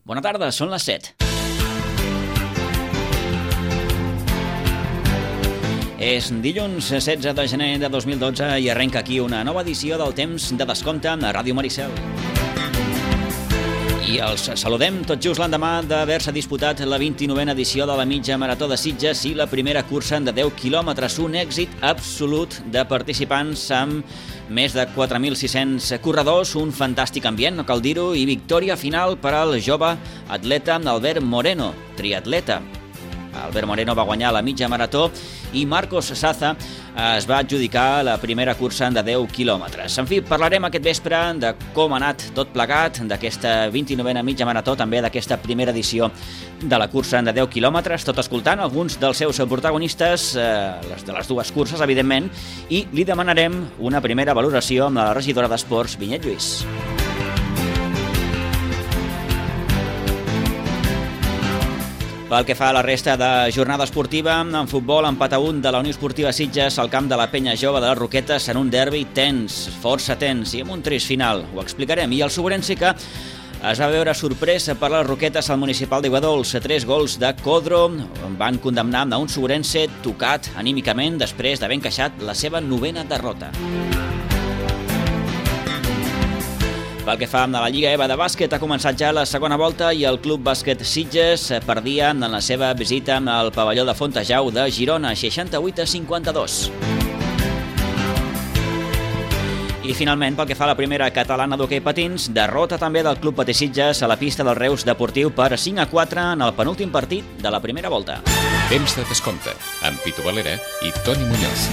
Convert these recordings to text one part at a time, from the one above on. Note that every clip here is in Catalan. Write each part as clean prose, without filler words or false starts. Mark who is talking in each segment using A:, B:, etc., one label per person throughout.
A: Bona tarda, són les 7. És dilluns 16 de gener de 2012 i arrenca aquí una nova edició del Temps de Descompte a Ràdio Maricel. I els saludem tot just l'endemà d'haver-se disputat la 29a edició de la mitja marató de Sitges i la primera cursa de 10 quilòmetres, un èxit absolut de participants amb més de 4.600 corredors, un fantàstic ambient, no cal dir-ho, i victòria final per al jove atleta Albert Moreno, triatleta. Albert Moreno va guanyar la mitja marató i Marcos Saza es va adjudicar la primera cursa de 10 quilòmetres. En fi, parlarem aquest vespre de com ha anat tot plegat, d'aquesta 29a mitja marató, també d'aquesta primera edició de la cursa de 10 quilòmetres, tot escoltant alguns dels seus protagonistes, de les dues curses, evidentment, i li demanarem una primera valoració amb la regidora d'Esports, Vinyet Lluís. Pel que fa a la resta de jornada esportiva, en futbol, empat a 1 de la Unió Esportiva Sitges al camp de la Penya Jove de les Roquetes en un derbi tens, força tens, i amb un trist final. Ho explicarem. I el Sobrense que es va veure sorprès per les Roquetes al municipal d'Iguadols. 3 gols de Codro van condemnar a un Sobrense tocat anímicament després d'haver encaixat la seva 9a derrota. Pel que fa a la Lliga EVA de bàsquet, ha començat ja la segona volta i el Club Bàsquet Sitges perdia en la seva visita al pavelló de Fontejau de Girona, 68-52. I finalment, pel que fa a la primera catalana d'hoquei patins, derrota també del Club Patí Sitges a la pista del Reus Deportiu per 5-4 en el penúltim partit de la primera volta.
B: Temps de Descompte, amb Pitu Valera i Toni Muñoz.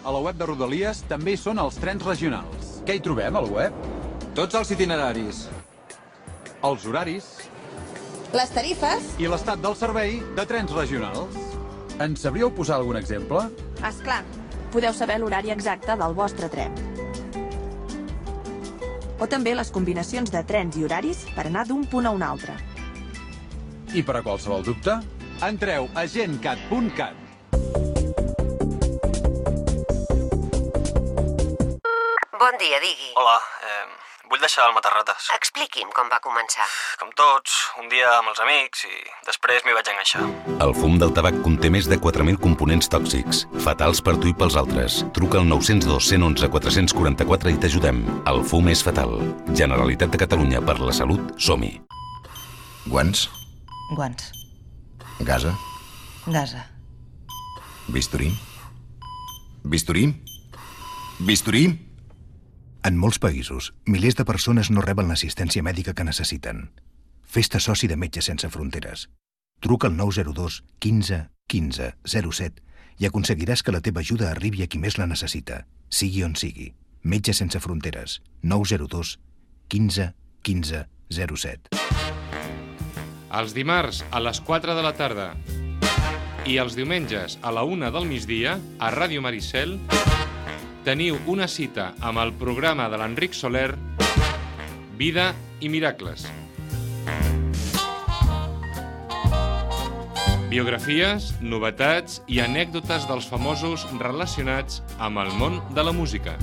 C: A la web de Rodalies també hi són els trens regionals. Què hi trobem, al web?
D: Tots els itineraris.
C: Els horaris.
E: Les tarifes.
C: I l'estat del servei de trens regionals. Ens sabríeu posar algun exemple?
E: Esclar, podeu saber l'horari exacte del vostre tren. O també les combinacions de trens i horaris per anar d'un punt a un altre.
C: I per a qualsevol dubte, entreu a gencat.cat.
F: Bon dia, digui.
G: Hola, vull deixar el matarrates.
F: Expliqui'm com va començar.
G: Com tots, un dia amb els amics i després m'hi vaig enganxar.
H: El fum del tabac conté més de 4.000 components tòxics, fatals per tu i pels altres. Truca al 902 111 444 i t'ajudem. El fum és fatal. Generalitat de Catalunya, per la salut, som-hi.
I: Guants?
J: Guants.
I: Gasa?
J: Gasa.
I: Bisturí? Bisturí? Bisturí? En molts països, milers de persones no reben l'assistència mèdica que necessiten. Fes-te soci de Metges Sense Fronteres. Truca al 902 15 15 07 i aconseguiràs que la teva ajuda arribi a qui més la necessita, sigui on sigui. Metges Sense Fronteres. 902 15 15 07.
K: Els dimarts a les 4 de la tarda i els diumenges a la 1 del migdia a Ràdio Maricel teniu una cita amb el programa de l'Enric Soler, Vida i Miracles. Biografies, novetats i anècdotes dels famosos relacionats amb el món de la música.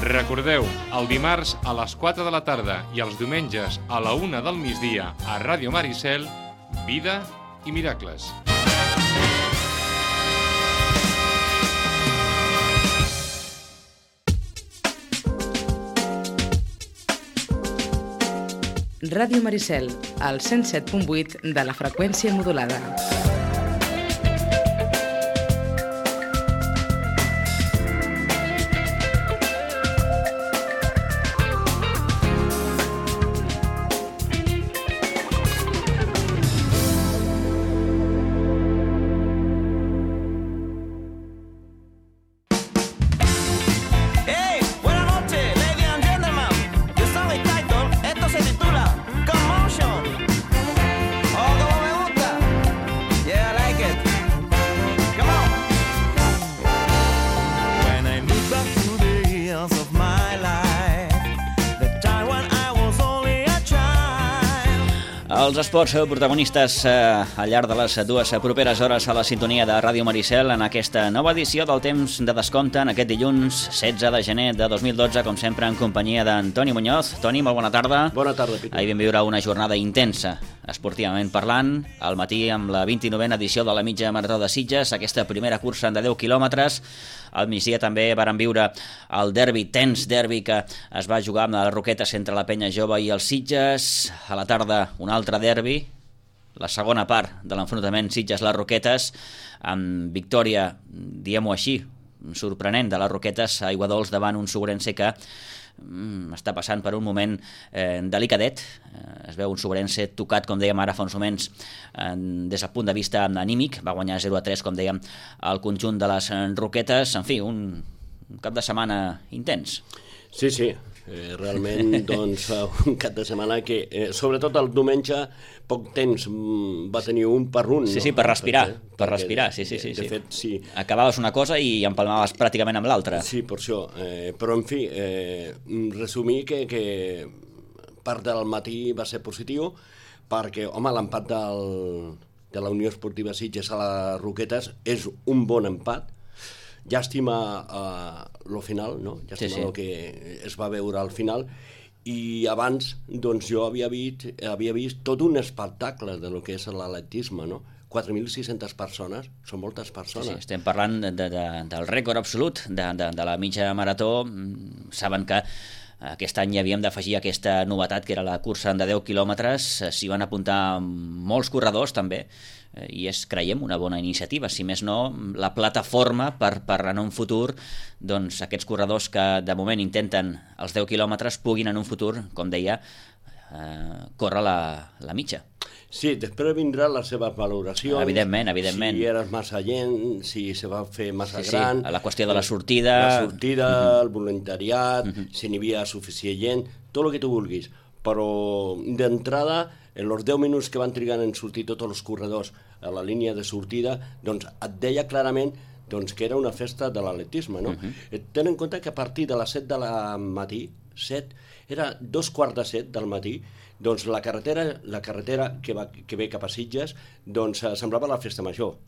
K: Recordeu, el dimarts a les 4 de la tarda i els diumenges a la 1 del migdia a Ràdio Maricel, Vida i Miracles.
L: Ràdio Maricel, al 107.8 de la freqüència modulada.
A: Els esports protagonistes al llarg de les dues properes hores a la sintonia de Ràdio Maricel en aquesta nova edició del Temps de Descompte en aquest dilluns 16 de gener de 2012, com sempre en companyia d'Antoni Muñoz. Toni, molt bona tarda.
M: Bona tarda, Pitu.
A: Ahir vam viure una jornada intensa, esportivament parlant, al matí amb la 29a edició de la mitja marató de Sitges, aquesta primera cursa de 10 quilòmetres. Al migdia també varen viure el derbi, tens derbi, que es va jugar amb les Roquetes entre la Penya Jove i els Sitges. A la tarda un altre derbi, la segona part de l'enfrontament Sitges-les Roquetes, amb victòria, diguem-ho així, sorprenent de les Roquetes a Aiguadols davant un Sobrense que està passant per un moment delicadet. Es veu un Sobrense tocat, com dèiem ara fa uns moments, des del punt de vista anímic. Va guanyar 0-3, com dèiem, el conjunt de les Roquetes. En fi, un cap de setmana intens.
M: Sí. Realment, doncs, un cap de setmana que, sobretot el diumenge, poc temps va tenir un per un.
A: Sí, per respirar, sí.
M: De fet, sí.
A: Acabaves una cosa i empalmaves pràcticament amb l'altra.
M: Sí, per això. Però, en fi, resumir que part del matí va ser positiu, perquè, home, l'empat de la Unió Esportiva Sitges a les Roquetes és un bon empat. Llàstima lo final, no? Llàstima el que es va veure al final. I abans, doncs, jo havia vist tot un espectacle de lo que és l'atletisme, no? 4.600 persones, són moltes persones.
A: Sí, estem parlant del rècord absolut de la mitja marató. Saben que aquest any hi havíem d'afegir aquesta novetat, que era la cursa de 10 quilòmetres. S'hi van apuntar molts corredors, també, i és, creiem, una bona iniciativa. Si més no, la plataforma per en un futur, doncs aquests corredors que de moment intenten els 10 quilòmetres puguin en un futur, com deia, córrer la mitja.
M: Sí, després vindrà les seves valoracions.
A: Evidentment.
M: Si eres massa gent, si se va fer massa gran.
A: La qüestió de la sortida.
M: El voluntariat, si n'hi havia suficient gent, tot el que tu vulguis. Però d'entrada, en els 10 minuts que van trigar en sortir tots els corredors a la línia de sortida, doncs et deia clarament doncs, que era una festa de l'atletisme, no? Ten en compte que a partir de les 7 del matí, era 2:15 del matí, doncs la carretera que ve cap a Sitges, doncs semblava la festa major.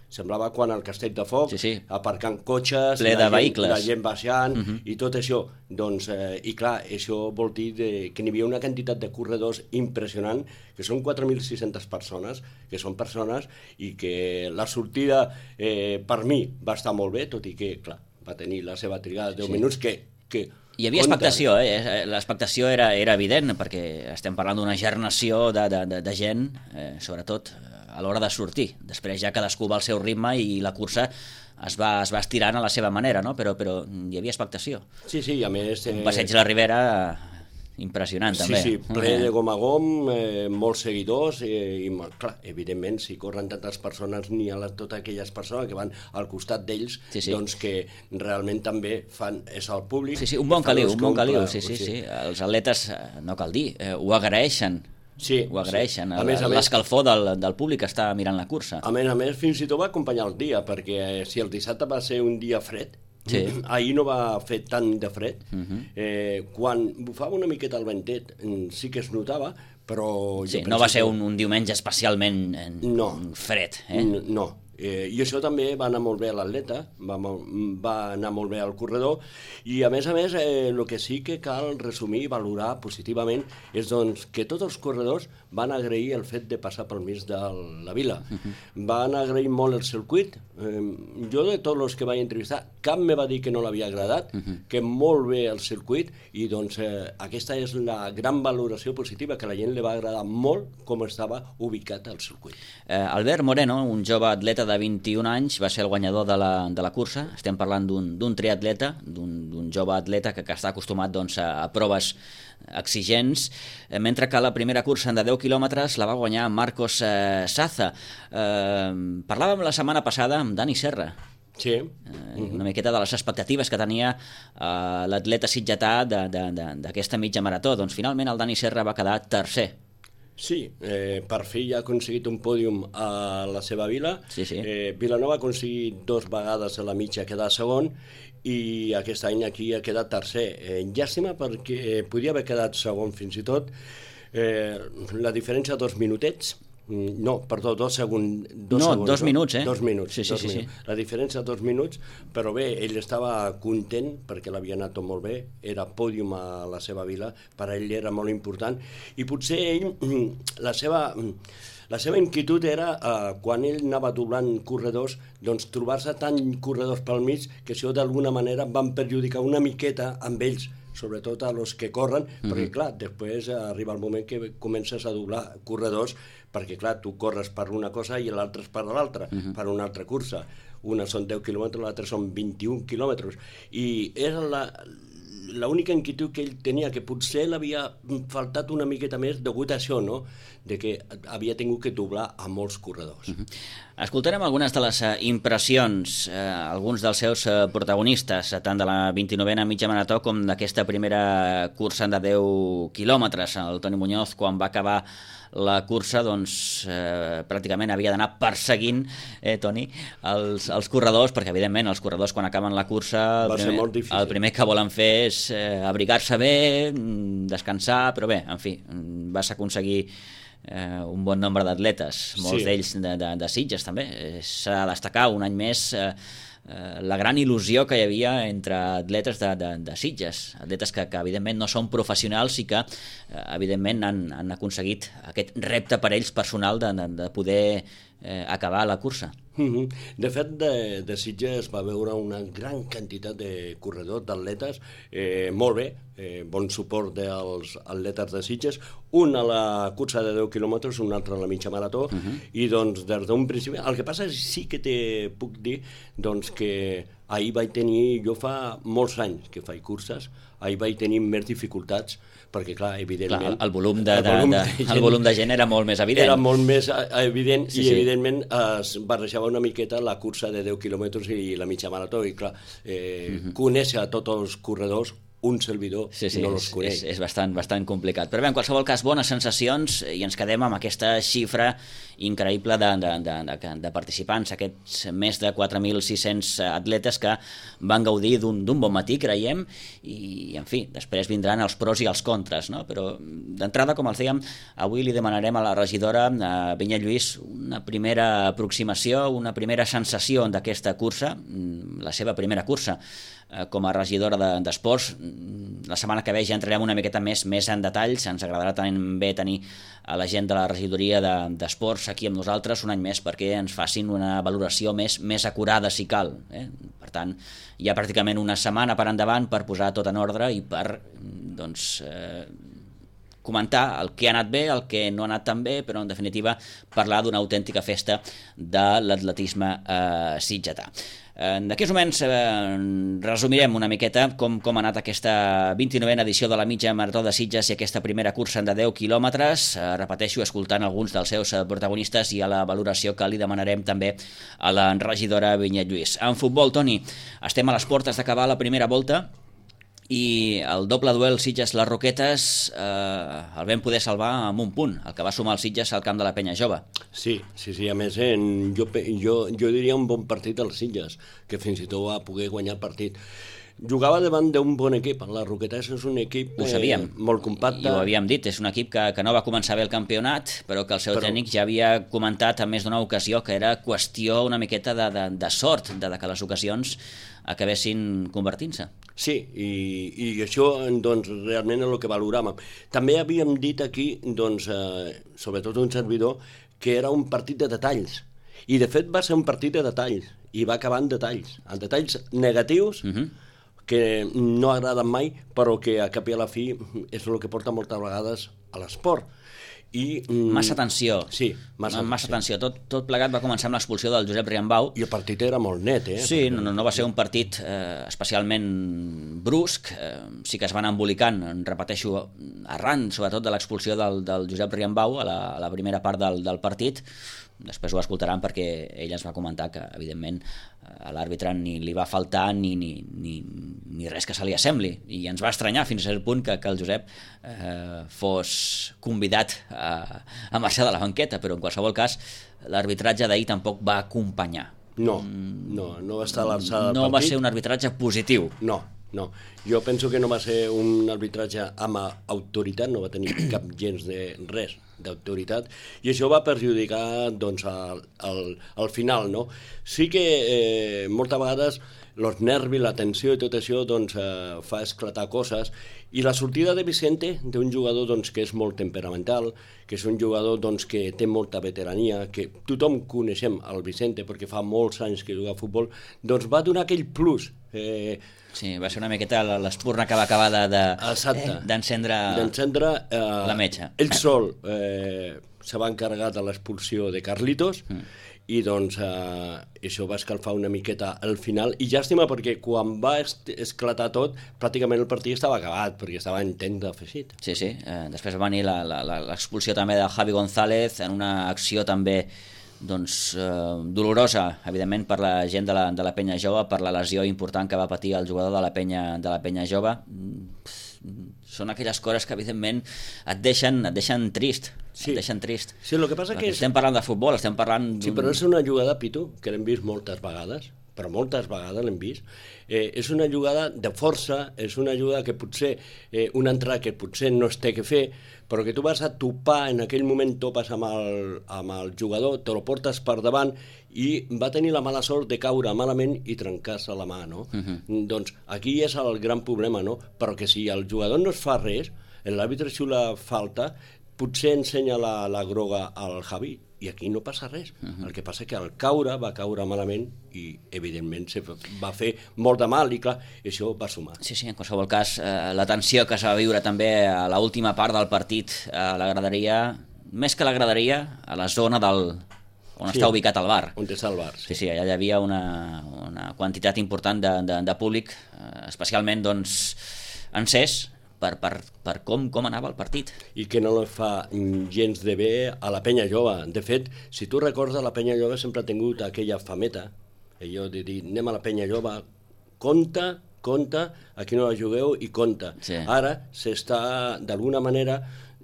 M: Semblava quan al Castell de Foc, aparcant cotxes,
A: ple de vehicles,
M: la gent baixant i tot això. Doncs, i clar, això vol dir que n'hi havia una quantitat de corredors impressionant, que són 4.600 persones, que són persones, i que la sortida per mi va estar molt bé, tot i que, clar, va tenir la seva trigada de 10 minuts que
A: hi havia expectació, l'expectació era evident, perquè estem parlant d'una gernació de gent, sobretot a l'hora de sortir. Després ja cadascú va al seu ritme i la cursa es va estirant a la seva manera, no? Però hi havia expectació.
M: Sí, a més...
A: Un passeig a la Ribera impressionant, també.
M: Sí, ple de gom a gom, molts seguidors, i clar, evidentment, si corren tantes persones, n'hi ha totes aquelles persones que van al costat d'ells, doncs que realment també fan és el públic.
A: Sí, un bon caliu, sí. Els atletes, no cal dir, ho agraeixen.
M: Sí,
A: ho agraeixen, l'escalfor del públic que està mirant la cursa.
M: A més, fins i tot va acompanyar el dia, perquè si el dissabte va ser un dia fred, ahir no va fer tant de fred, quan bufava una miqueta el ventet sí que es notava, però...
A: Sí, no va ser un diumenge especialment fred.
M: No. I això també va anar molt bé a l'atleta, va anar molt bé al corredor, i a més, el que sí que cal resumir i valorar positivament és doncs, que tots els corredors van agrair el fet de passar pel mig de la vila. Van agrair molt el circuit. Jo de tots els que vaig entrevistar, cap me va dir que no l'havia agradat, que molt bé el circuit, i doncs aquesta és la gran valoració positiva, que a la gent li va agradar molt com estava ubicat el circuit.
A: Albert Moreno, un jove atleta de 21 anys, va ser el guanyador de la cursa. Estem parlant d'un triatleta, d'un jove atleta que està acostumat a proves exigents, mentre que la primera cursa de 10 quilòmetres la va guanyar Marcos Saza. Parlàvem la setmana passada amb Dani Serra.
M: Sí.
A: Una miqueta de les expectatives que tenia l'atleta sitgetà d'aquesta mitja marató. Doncs finalment el Dani Serra va quedar tercer.
M: Sí, per fi ja ha aconseguit un pòdium a la seva vila. Vilanova ha aconseguit 2 vegades a la mitja quedar segon, i aquest any aquí ha quedat tercer. Llàstima perquè podia haver quedat segon fins i tot, La diferència de 2 minutets, no, perdó, 2 segons.
A: 2 minuts,
M: 2 minuts.
A: Sí.
M: La diferència de 2 minuts, però bé, ell estava content perquè l'havia anat tot molt bé, era pòdium a la seva vila, per a ell era molt important, i potser ell, la seva inquietud era, quan ell anava doblant corredors, doncs trobar-se tant corredors pel mig que això d'alguna manera van perjudicar una miqueta amb ells, sobretot a los que corren, perquè clar, després arriba el moment que comences a doblar corredors, perquè clar, tu corres per una cosa i l'altre és per l'altra, per una altra cursa. Una són 10 quilòmetres, l'altra són 21 quilòmetres. I era l'única inquietud que ell tenia, que potser l'havia faltat una miqueta més degut a això, no?, de que havia tingut que doblar a molts corredors.
A: Escoltarem algunes de les impressions, alguns dels seus protagonistes, tant de la 29a mitja marató com d'aquesta primera cursa de 10 quilòmetres. El Toni Muñoz, quan va acabar la cursa, doncs pràcticament havia d'anar perseguint, Toni, els corredors, perquè evidentment els corredors quan acaben la cursa el primer que volen fer és abrigar-se bé, descansar, però bé, en fi, vas aconseguir un bon nombre d'atletes, molts d'ells de Sitges també. S'ha de destacar un any més la gran il·lusió que hi havia entre atletes de Sitges, atletes que evidentment no són professionals i que evidentment han aconseguit aquest repte per ells personal de poder acabar la cursa.
M: De fet, de Sitges va veure una gran quantitat de corredors, d'atletes, molt bé, bon suport dels atletes de Sitges, un a la cursa de 10 quilòmetres, un altre a la mitja marató, i doncs des d'un principi... El que passa és sí que te puc dir doncs, que ahir vaig tenir, jo fa molts anys que faig curses, ahir vaig tenir més dificultats, perquè clar, evidentment...
A: El volum de gent era molt més evident.
M: Era molt més evident i evidentment es barrejava una miqueta la cursa de 10 quilòmetres i la mitja marató, i clar, conèixer a tots els corredors, un servidor no els coneix.
A: És bastant complicat. Però bé, en qualsevol cas, bones sensacions, i ens quedem amb aquesta xifra increïble de participants, aquests més de 4.600 atletes que van gaudir d'un bon matí, creiem, i, en fi, després vindran els pros i els contres, no? Però, d'entrada, com els dèiem, avui li demanarem a la regidora, a Vinyet Lluís, una primera aproximació, una primera sensació d'aquesta cursa, la seva primera cursa, com a regidora d'esports. La setmana que ve ja entrarem una miqueta més en detalls. Ens agradarà també tenir a la gent de la regidoria d'esports aquí amb nosaltres un any més perquè ens facin una valoració més acurada si cal. Per tant, hi ha pràcticament una setmana per endavant per posar tot en ordre i per comentar el que ha anat bé, el que no ha anat tan bé, però en definitiva parlar d'una autèntica festa de l'atletisme sitgetà. D'aquí uns moments resumirem una miqueta com ha anat aquesta 29a edició de la mitja marató de Sitges i aquesta primera cursa de 10 quilòmetres, repeteixo, escoltant alguns dels seus protagonistes i a la valoració que li demanarem també a la regidora Vinyet Lluís. En futbol, Toni, estem a les portes d'acabar la primera volta i el doble duel Sitges-Les Roquetes el vam poder salvar amb un punt, el que va sumar el Sitges al camp de la Penya Jove.
M: Sí, a més jo diria un bon partit del Sitges, que fins i tot va poder guanyar el partit. Jugava davant d'un bon equip, les Roquetes és un equip molt compacte.
A: I ho havíem dit, és un equip que no va començar bé el campionat, però que el seu tècnic ja havia comentat en més d'una ocasió que era qüestió una miqueta de sort, de que les ocasions acabessin convertint-se.
M: Sí, i això doncs, realment és el que valoràvem. També havíem dit aquí, doncs, sobretot un servidor, que era un partit de detalls. I de fet va ser un partit de detalls, i va acabar en detalls negatius, que no agraden mai, però que a cap i a la fi és el que porta moltes vegades a l'esport.
A: Massa tensió.
M: Sí,
A: massa tensió. Tot plegat va començar amb l'expulsió del Josep Riambau.
M: I el partit era molt net,
A: Sí, no va ser un partit especialment brusc. Sí que es van embolicant, repeteixo, arran, sobretot de l'expulsió del Josep Riambau a la primera part del partit. Després ho escoltaran perquè ell ens va comentar que, evidentment, a l'àrbitre ni li va faltar ni res que se li assembli. I ens va estranyar fins al punt que el Josep fos convidat a marxar de la banqueta, però en qualsevol cas l'arbitratge d'ahir tampoc va acompanyar.
M: No va estar a l'alçada del partit.
A: No va ser un arbitratge positiu.
M: No, No, jo penso que no va ser un arbitratge amb autoritat, no va tenir cap gens de res d'autoritat, i això va perjudicar doncs, al final, no? Sí que moltes vegades els nervis, la tensió i tot això doncs, fa esclatar coses, i la sortida de Vicente, d'un jugador doncs, que és molt temperamental, que és un jugador doncs, que té molta veterania, que tothom coneixem el Vicente perquè fa molts anys que juga a futbol, doncs va donar aquell plus.
A: Sí, va ser una miqueta l'espurna que va acabar d'encendre la metxa.
M: Ell sol se va encarregar de l'expulsió de Carlitos, i doncs això va escalfar una miqueta al final, i llàstima perquè quan va esclatar tot pràcticament el partit estava acabat perquè estava en temps d'afegit.
A: Sí, després va venir l'expulsió també de Javi González en una acció també doncs, dolorosa, evidentment, per la gent de la Penya Jove, per la lesió important que va patir el jugador de la Penya Jove. Són aquelles coses que, evidentment, et deixen trist.
M: Sí.
A: Et deixen trist.
M: Sí, el que passa que
A: estem parlant de futbol, estem parlant...
M: Sí, però és una jugada, Pitu, que l'hem vist moltes vegades, però moltes vegades l'hem vist. És una jugada de força, és una jugada que potser, una entrada que potser no es té que fer, però que tu vas a topar, en aquell moment topes amb el jugador, te lo portes per davant, i va tenir la mala sort de caure malament i trencar-se la mà, no? Doncs aquí és el gran problema, no? Però que si el jugador no es fa res, l'àrbitre xiula falta, potser ensenya la groga al Javi, i aquí no passa res. El que passa és que al caure va caure malament i evidentment va fer molt de mal, i clar, això va sumar.
A: Sí, en qualsevol cas, la tensió que s'ha va viure també a l'última part del partit a la graderia, més que a la graderia, a la zona on està ubicat el bar.
M: On està el bar, sí.
A: Sí, allà hi havia una quantitat important de públic, especialment doncs encès per com anava el partit.
M: I que no li fa gens de bé a la Penya Jove. De fet, si tu recordes, la Penya Jove sempre ha tingut aquella fameta, allò de dir, anem a la Penya Jove, compta, aquí no la jugueu i compta.
A: Sí.
M: Ara d'alguna manera,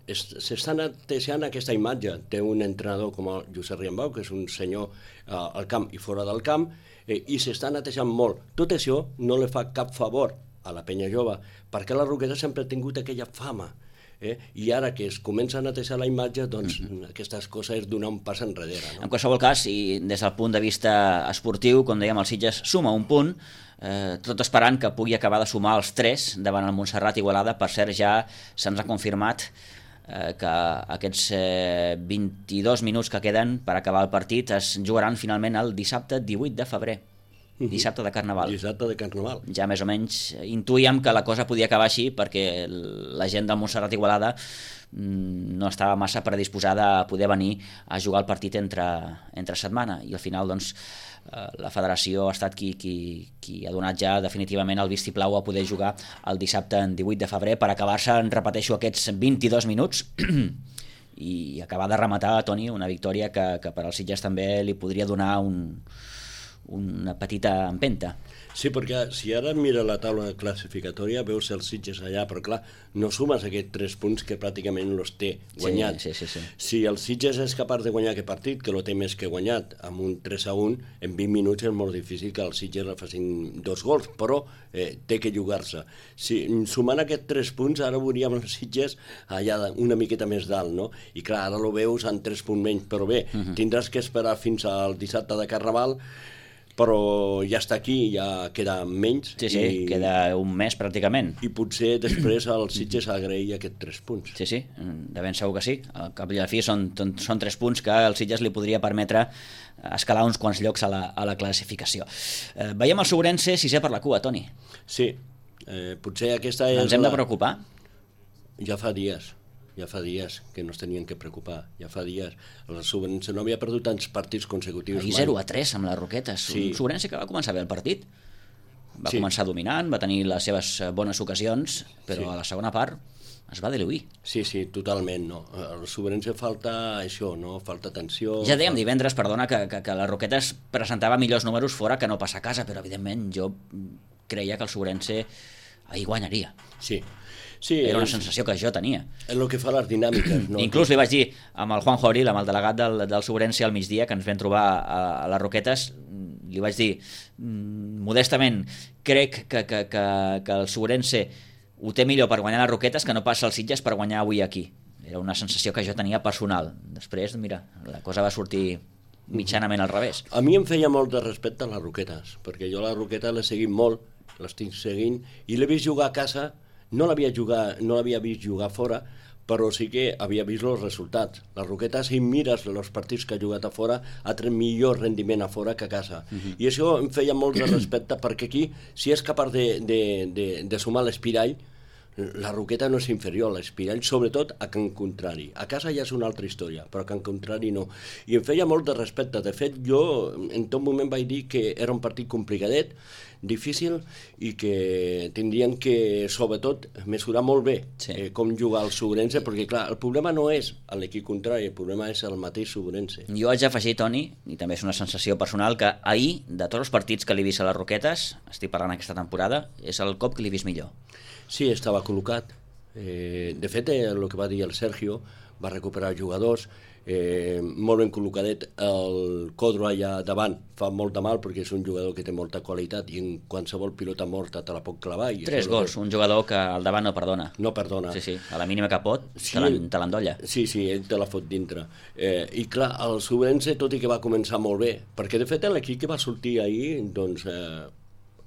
M: s'està netejant aquesta imatge. Té un entrenador com el Josep Riambau, que és un senyor al camp i fora del camp, i s'està netejant molt. Tot això no li fa cap favor a la Penya Jove, perquè la Roqueta sempre ha tingut aquella fama, i ara que es comença a netejar la imatge, doncs aquestes coses és donar un pas enrere. No?
A: En qualsevol cas, i des del punt de vista esportiu, com dèiem, el Sitges suma un punt, tot esperant que pugui acabar de sumar els 3 davant el Montserrat Igualada. Per cert, ja se'ns ha confirmat que aquests 22 minuts que queden per acabar el partit es jugaran finalment el dissabte 18 de febrer. Dissabte de Carnaval.
M: Dissabte de Carnaval.
A: Ja més o menys intuïem que la cosa podia acabar així, perquè la gent del Montserrat Igualada no estava massa predisposada a poder venir a jugar el partit entre setmana, i al final doncs la federació ha estat qui ha donat ja definitivament el vistiplau a poder jugar el dissabte en 18 de febrer per acabar-se, repeteixo, aquests 22 minuts i acabar de rematar, Toni, una victòria que per als Sitges també li podria donar una petita empenta.
M: Sí, perquè si ara mira la taula classificatòria veus els Sitges allà, però clar, no sumes aquests 3 punts que pràcticament els té guanyats.
A: Sí.
M: Si el Sitges és capaç de guanyar aquest partit, que lo té més que guanyat, amb un 3-1, en 20 minuts és molt difícil que els Sitges facin 2 gols, però té que jugar-se. Si sumant aquests 3 punts, ara veuríem els Sitges allà una miqueta més dalt, no? I clar, ara lo veus en 3 punts menys, però bé, tindràs que esperar fins al dissabte de Carnaval, però ja està aquí, ja queda menys.
A: Sí, queda un mes pràcticament.
M: I potser després el Sitges agrair aquests 3 punts.
A: Sí, de ben segur que sí. Al cap i a la fi són 3 punts que el Sitges li podria permetre escalar uns quants llocs a la classificació. Veiem el Sobrense 6è per la cua, Toni.
M: Sí, potser aquesta és...
A: Ens hem de preocupar?
M: Ja fa dies que no es tenien que preocupar, ja fa dies. El Sobrense no havia perdut tants partits consecutius.
A: Ahir 0-3 amb les Roquetes. Sí. Un Sobrense que va començar bé el partit. Va començar dominant, va tenir les seves bones ocasions, però a la segona part es va diluir.
M: Sí, totalment, no. El Sobrense falta això, no? Falta tensió...
A: Ja dèiem divendres, perdona, que les Roquetes presentava millors números fora que no passa a casa, però evidentment jo creia que el Sobrense ahir guanyaria.
M: Sí,
A: era una sensació que jo tenia.
M: És el que fa les dinàmiques, no?
A: Inclús li vaig dir amb el Juan Joril, amb el delegat del Sobrense al migdia, que ens vam trobar a les Roquetes, li vaig dir, modestament, crec que el Sobrense ho té millor per guanyar les Roquetes que no passa als Sitges per guanyar avui aquí. Era una sensació que jo tenia personal. Després, mira, la cosa va sortir mitjanament al revés.
M: A mi em feia molt de respecte a les Roquetes, perquè jo la Roqueta l'he seguit molt, l'estic seguint, i l'he vist jugar a casa, no l'havia vist jugar fora, però sí que havia vist els resultats. Les Roquetes, si mires els partits que ha jugat a fora, ha tret millor rendiment a fora que a casa. I això em feia molt de respecte, perquè aquí, si és capaç de sumar l'Espirall, la Roqueta no és inferior a l'Espirall, sobretot a Can Contrari. A casa ja és una altra història, però a Can Contrari no. I em feia molt de respecte. De fet, jo en tot moment vaig dir que era un partit complicadet, difícil, i que tindrien que, sobretot, mesurar molt bé com jugar el Sobrense, perquè, clar, el problema no és l'equip contrari, el problema és el mateix Sobrense.
A: Jo haig d'afegir, Toni, i també és una sensació personal, que ahir, de tots els partits que l'he vist a les Roquetes, estic parlant aquesta temporada, és el cop que l'he vist millor.
M: Sí, estava col·locat. De fet, el que va dir el Sergio, va recuperar jugadors, molt ben col·locadet. El Codro allà davant fa molt de mal perquè és un jugador que té molta qualitat i en qualsevol pilota morta te la pot clavar.
A: 3 gols, un jugador que al davant no perdona.
M: No perdona.
A: Sí, a la mínima que pot, te l'endolla.
M: Sí, ell te la fot dintre. I clar, el Sobrense, tot i que va començar molt bé, perquè de fet l'equip que va sortir ahir, doncs,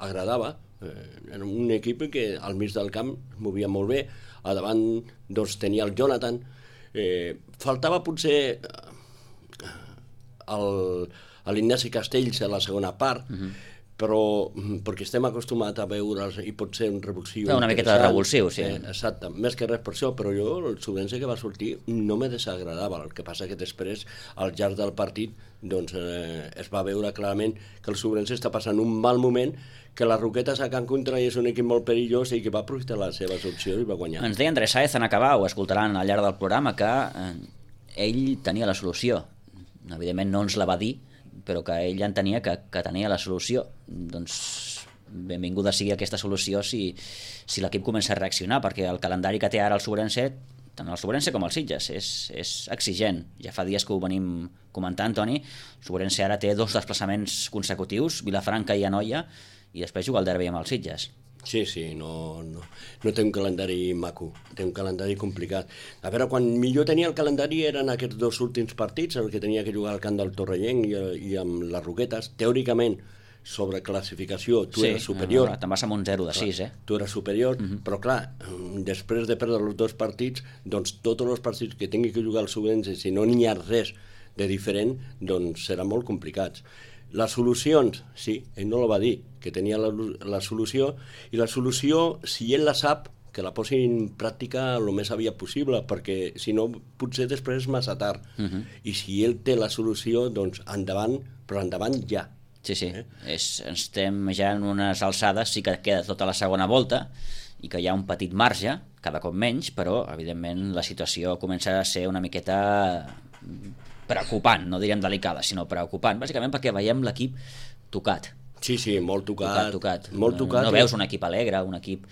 M: agradava. Era un equip que al mig del camp es movia molt bé, a davant doncs, tenia el Jonathan, faltava potser l'Ignasi Castells a la segona part, però perquè estem acostumats a veure'ls i pot ser un revulsiu
A: una miqueta de revulsiu, sí.
M: Exacte, més que res per això, però jo el Sobrense que va sortir no me desagradava. El que passa que després, al llarg del partit, doncs, es va veure clarament que el Sobrense està passant un mal moment, que les Roquetes a Can Contrari és un equip molt perillós i que va aprofitar les seves opcions i va guanyar.
A: Ens deia Andrés Sáez en acabar, ho escoltaran al llarg del programa, que ell tenia la solució. Evidentment no ens la va dir, però que ell entenia que tenia la solució. Doncs benvinguda sigui aquesta solució si l'equip comença a reaccionar, perquè el calendari que té ara el Sobrense, tant el Sobrense com el Sitges, és exigent. Ja fa dies que ho venim comentant, Toni. El Sobrense ara té 2 desplaçaments consecutius, Vilafranca i Anoia, i després juga el derbi amb els Sitges.
M: Sí, no té un calendari maco, té un calendari complicat. A veure, quan millor tenia el calendari eren aquests 2 últims partits, el que tenia que jugar al camp del Torrellenc i amb les Roquetes. Teòricament, sobre classificació, tu eres superior.
A: Te'n vas amb un 0 de 6,
M: Tu eres superior, però clar, després de perdre els 2 partits, doncs tots els partits que tingui que jugar el Sobrense, si no n'hi ha res de diferent, doncs seran molt complicats. Les solucions, sí, ell no la va dir, que tenia la solució, i la solució, si ell la sap, que la posi en pràctica el més aviat possible, perquè si no, potser després és massa tard. I si ell té la solució, doncs endavant, però endavant ja.
A: Sí. Estem ja en unes alçades, sí que queda tota la segona volta, i que hi ha un petit marge, cada cop menys, però, evidentment, la situació comença a ser una miqueta preocupant, no diríem delicada, sinó preocupant, bàsicament perquè veiem l'equip tocat.
M: Sí, molt tocat. Molt tocat.
A: No veus un equip alegre, un equip...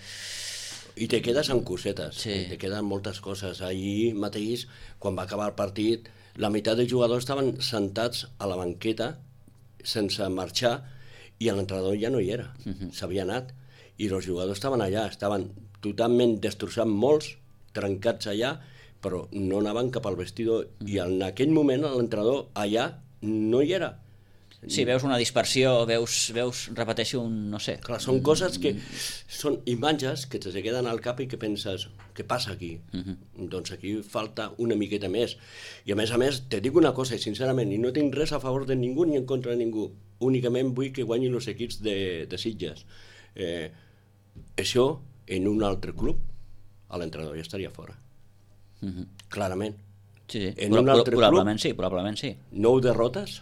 M: I te quedes amb cosetes, te queden moltes coses. Ahir mateix, quan va acabar el partit, la meitat de jugadors estaven sentats a la banqueta sense marxar i l'entrenador ja no hi era, s'havia anat. I els jugadors estaven allà, estaven totalment destrossats, molts, trencats allà, però no anaven cap al vestidor, i en aquell moment l'entrenador allà no hi era.
A: Sí, veus una dispersió, veus repeteixo, no sé.
M: Clar, són coses que són imatges que te queden al cap i que penses, què passa aquí? Doncs aquí falta una miqueta més. I a més, te dic una cosa, sincerament, i no tinc res a favor de ningú ni en contra de ningú, únicament vull que guanyin els equips de Sitges. Això, en un altre club, l'entrenador ja estaria fora. Clarament.
A: Sí. Probablement sí.
M: 9 derrotes,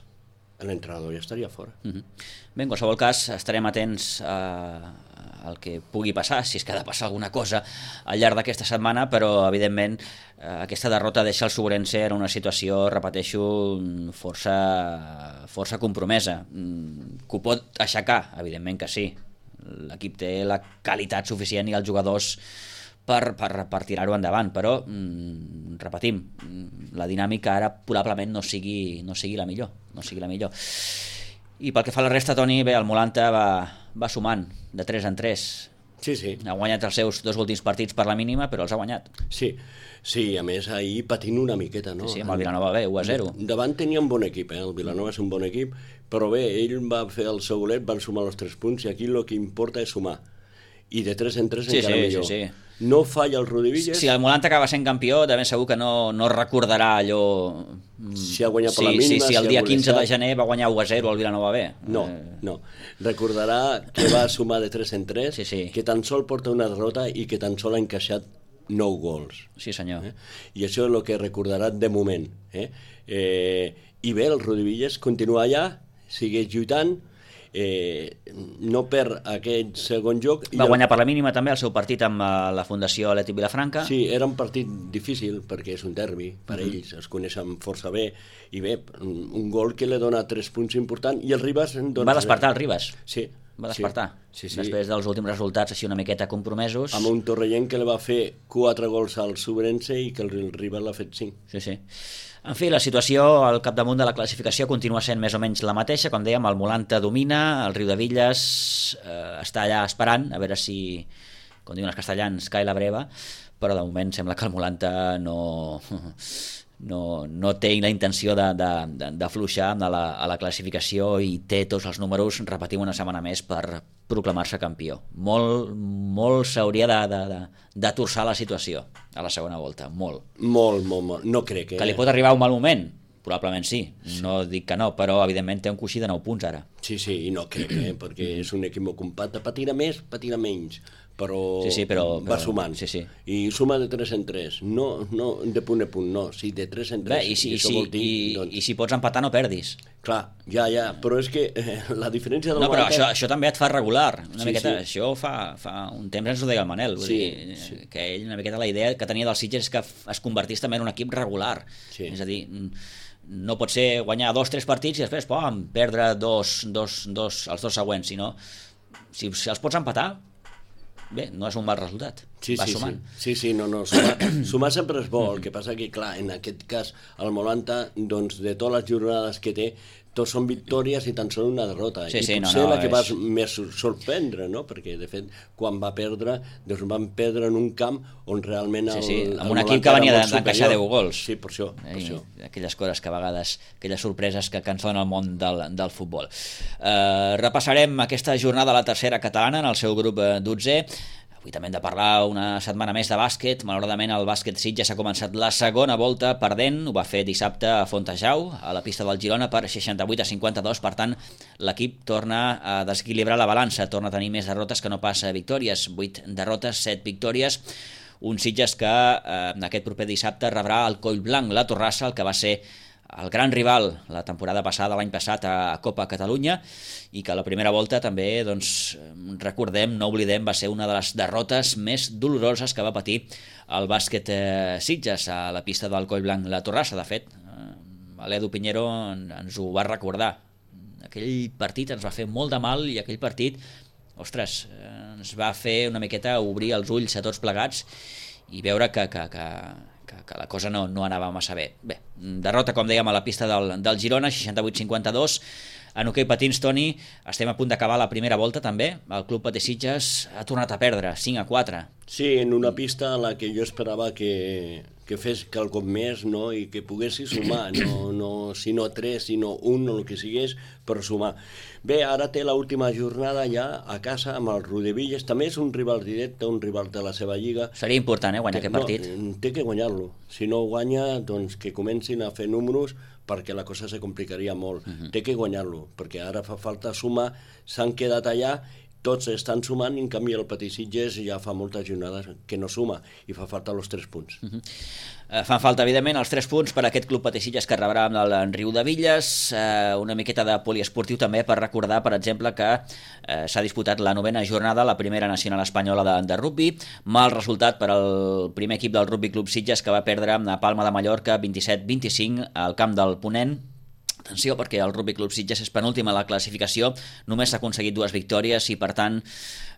M: l'entrenador ja estaria fora.
A: Bé, en qualsevol cas, estarem atents al que pugui passar, si és que ha de passar alguna cosa al llarg d'aquesta setmana, però, evidentment, aquesta derrota deixa el Sobrense en una situació, repeteixo, força compromesa. Que ho pot aixecar? Evidentment que sí. L'equip té la qualitat suficient i els jugadors per tirar-ho endavant, però repetim, la dinàmica ara probablement no sigui la millor. I pel que fa a la resta, Toni, bé, el Molanta va sumant de 3 en 3.
M: Sí.
A: Ha guanyat els seus 2 últims partits per la mínima, però els ha guanyat.
M: Sí, a més ahir patint una miqueta, no?
A: Sí, amb el Vilanova bé, 1-0.
M: Davant tenia un bon equip, el Vilanova és un bon equip, però bé, ell va fer el seu golet, van sumar els 3 punts i aquí el que importa és sumar. I de 3 en 3 encara millor.
A: Sí.
M: No falla el Rudivillas.
A: Si el Molanta acaba sent campió, de ben segur que no recordarà allò...
M: Si ha guanyat per la mínima...
A: Si el dia 15 de gener va guanyar 1-0 al Vilanova B.
M: No. Recordarà que va sumar de 3 en 3, que tan sol porta una derrota i que tan sol ha encaixat 9 gols.
A: Sí, senyor.
M: I això és el que recordarà de moment. I bé, el Rudivillas continua allà, segueix lluitant, no perd aquest segon joc.
A: Va guanyar per la mínima també el seu partit amb la Fundació Atlètic Vilafranca.
M: Sí, era un partit difícil perquè és un derbi per ells, es coneixen força bé, i bé, un gol que li dona 3 punts importants, i el Ribas...
A: Va despertar el Ribas.
M: Sí.
A: Va despertar. Després dels últims resultats així una miqueta compromesos.
M: Amb un torrellenc que li va fer 4 gols al Subrense i que el Ribas l'ha fet 5.
A: Sí. En fi, la situació al capdamunt de la classificació continua sent més o menys la mateixa. Com dèiem, el Molanta domina, el Riudevilles està allà esperant, a veure si, com diuen els castellans, cai la breva, però de moment sembla que el Molanta no té la intenció d'afluixar a la classificació i té tots els números, repetim una setmana més, per proclamar-se campió. Molt s'hauria de torçar la situació a la segona volta, molt.
M: Molt. No crec que...
A: Que li pot arribar un mal moment? Probablement sí. No dic que no, però evidentment té un coixí de 9 punts ara.
M: Sí, i no crec, perquè és un equip molt compacte. Patirà més, patirà menys, però va sumant. I suma de 3 en 3. No de punt a punt, no. Sí, de 3 en 3.
A: Bé, i si pots empatar no perdis.
M: Clar, ja, però és que la diferència del
A: Molanta... No, però això també et fa regular. Una miqueta. Això fa un temps ens ho deia el Manel. Vull dir, que ell una miqueta la idea que tenia dels Sitges és que es convertís també en un equip regular. És a dir, no pot ser guanyar 2-3 partits i després perdre els 2 següents, sinó si els pots empatar, bé, no és un mal resultat. Va sumant.
M: Sí, sumar sempre és bo. El que passa que, clar, en aquest cas el Molanta, doncs, de totes les jornades que té, tots són victòries i tan sols una derrota. Potser la que va més sorprendre, no? Perquè, de fet, quan va perdre, doncs van perdre en un camp on realment
A: amb un equip que venia d'encaixar 10 gols.
M: Sí, per això.
A: Aquelles coses que a vegades, aquelles sorpreses que ens donen el món del futbol. Repassarem aquesta jornada a la tercera catalana en el seu grup 12. Avui també hem de parlar una setmana més de bàsquet. Malauradament el bàsquet Sitges ha començat la segona volta perdent. Ho va fer dissabte a Fontejau, a la pista del Girona, per 68-52. Per tant, l'equip torna a desequilibrar la balança, torna a tenir més derrotes que no pas victòries. 8 derrotes, 7 victòries. Un Sitges que en aquest proper dissabte rebrà el Collblanc, la Torrassa, el que va ser el gran rival la temporada passada, l'any passat, a Copa Catalunya, i que a la primera volta també, doncs, recordem, no oblidem, va ser una de les derrotes més doloroses que va patir el bàsquet Sitges a la pista del Collblanc la Torrassa. De fet, l'Edu Piñero ens ho va recordar. Aquell partit ens va fer molt de mal i aquell partit, ostres, ens va fer una miqueta obrir els ulls a tots plegats i veure que la cosa no anava massa bé. Bé, derrota, com dèiem, a la pista del Girona, 68-52. En hoquei patins, Toni, estem a punt d'acabar la primera volta també. El Club Patí Sitges ha tornat a perdre, 5-4.
M: Sí, en una pista a la que jo esperava que fes quelcom més, no? I que poguessi sumar, si no 3, sinó 1 o el que sigués, per sumar. Bé, ara té l'última jornada ja a casa amb el Riudevilles. També és un rival directe, un rival de la seva lliga.
A: Seria important, guanyar aquest partit.
M: Té que guanyar-lo. Si no guanya, doncs que comencin a fer números, perquè la cosa se complicaria molt. Té que guanyar-lo, perquè ara fa falta sumar, s'han quedat allà, tots estan sumant, i en canvi el Patí Sitges ja fa moltes jornades que no suma, i fa falta els 3 punts.
A: Fan falta, evidentment, els 3 punts per a aquest Club Patí Sitges que rebrà amb el Riudevilles, una miqueta de poliesportiu també per recordar, per exemple, que s'ha disputat la 9ª jornada, la primera nacional espanyola de rugbi, mal resultat per al primer equip del Rugby Club Sitges, que va perdre a Palma de Mallorca 27-25 al camp del Ponent. Atenció, perquè el Rugby Club Sitges és penúltim a la classificació, només s'ha aconseguit 2 victòries i, per tant,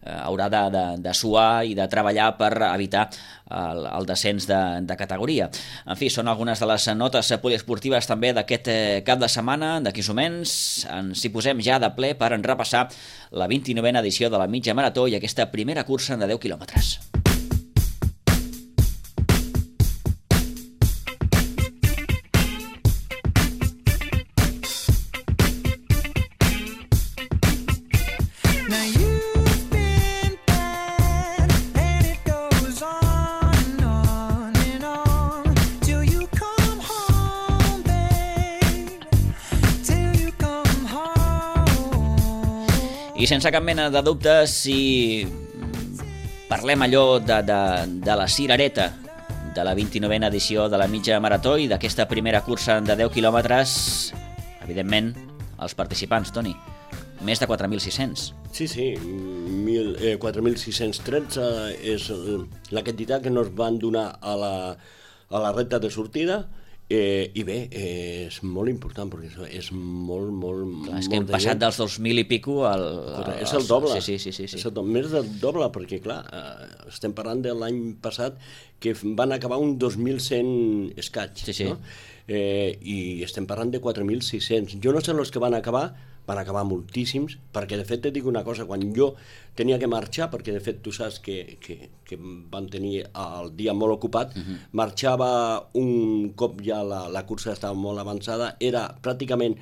A: haurà de suar i de treballar per evitar el descens de categoria. En fi, són algunes de les notes poliesportives també d'aquest cap de setmana. D'aquí uns moments ens hi posem ja de ple per repassar la 29a edició de la mitja marató i aquesta primera cursa de 10 quilòmetres. I sense cap mena de dubte, si parlem allò de la cirereta de la 29a edició de la mitja marató i d'aquesta primera cursa de 10 quilòmetres, evidentment, els participants, Toni, més de 4.600.
M: Sí, 4.613 és la quantitat que ens van donar a la recta de sortida. I bé, és molt important perquè és molt
A: clar, és que hem passat dels 2.000 i pico
M: és el doble.
A: Sí.
M: És més del doble, perquè clar, estem parlant de l'any passat que van acabar un 2.100 escaig, no? I estem parlant de 4.600. Jo no sé els que van acabar moltíssims, perquè de fet et dic una cosa, quan jo tenia que marxar, perquè de fet tu saps que van tenir el dia molt ocupat, marxava un cop ja la cursa estava molt avançada, era pràcticament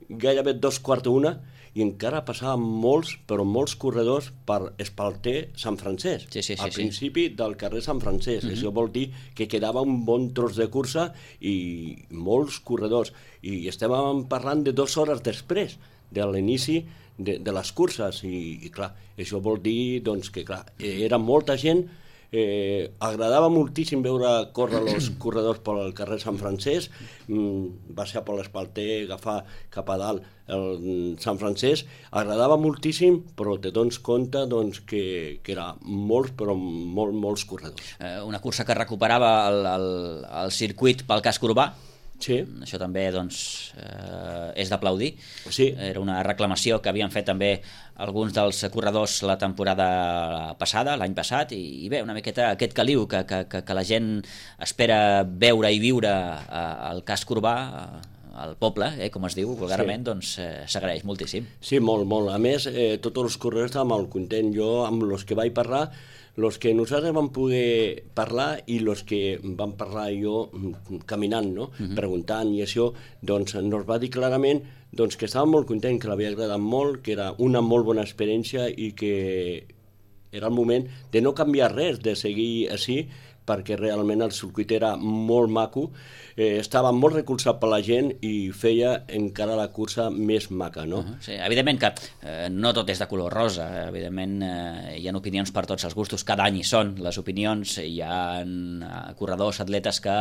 M: gairebé 2:45, i encara passaven molts corredors per Espalter Sant Francesc, al principi del carrer Sant Francesc. Això vol dir que quedava un bon tros de cursa i molts corredors, i estem parlant de 2 hores després de l'inici de les curses, i clar, això vol dir doncs, que clar, era molta gent. Agradava moltíssim veure córrer els corredors pel carrer Sant Francesc, baixar per l'Espalter, agafar cap a dalt el Sant Francesc, agradava moltíssim, però te dones compte doncs, que era molts, però molts corredors.
A: Una cursa que recuperava el circuit pel casc urbà.
M: Sí.
A: Això també doncs, és d'aplaudir.
M: Sí.
A: Era una reclamació que havien fet també alguns dels corredors la temporada passada, l'any passat, i bé, una miqueta aquest caliu que la gent espera veure i viure al casc urbà, al poble, com es diu vulgarment, doncs s'agraeix moltíssim.
M: Sí, molt. A més, tots els corredors estaven molt contents. Jo, amb els que vaig parlar, els que nosaltres vam poder parlar i els que vam parlar jo caminant, no? Preguntant i això, doncs ens va dir clarament doncs, que estava molt content, que l'havia agradat molt, que era una molt bona experiència i que era el moment de no canviar res, de seguir així, perquè realment el circuit era molt maco, estava molt recolzat per la gent i feia encara la cursa més maca, no?
A: Sí, evidentment que no tot és de color rosa, evidentment hi ha opinions per tots els gustos, cada any hi són les opinions, hi ha corredors, atletes que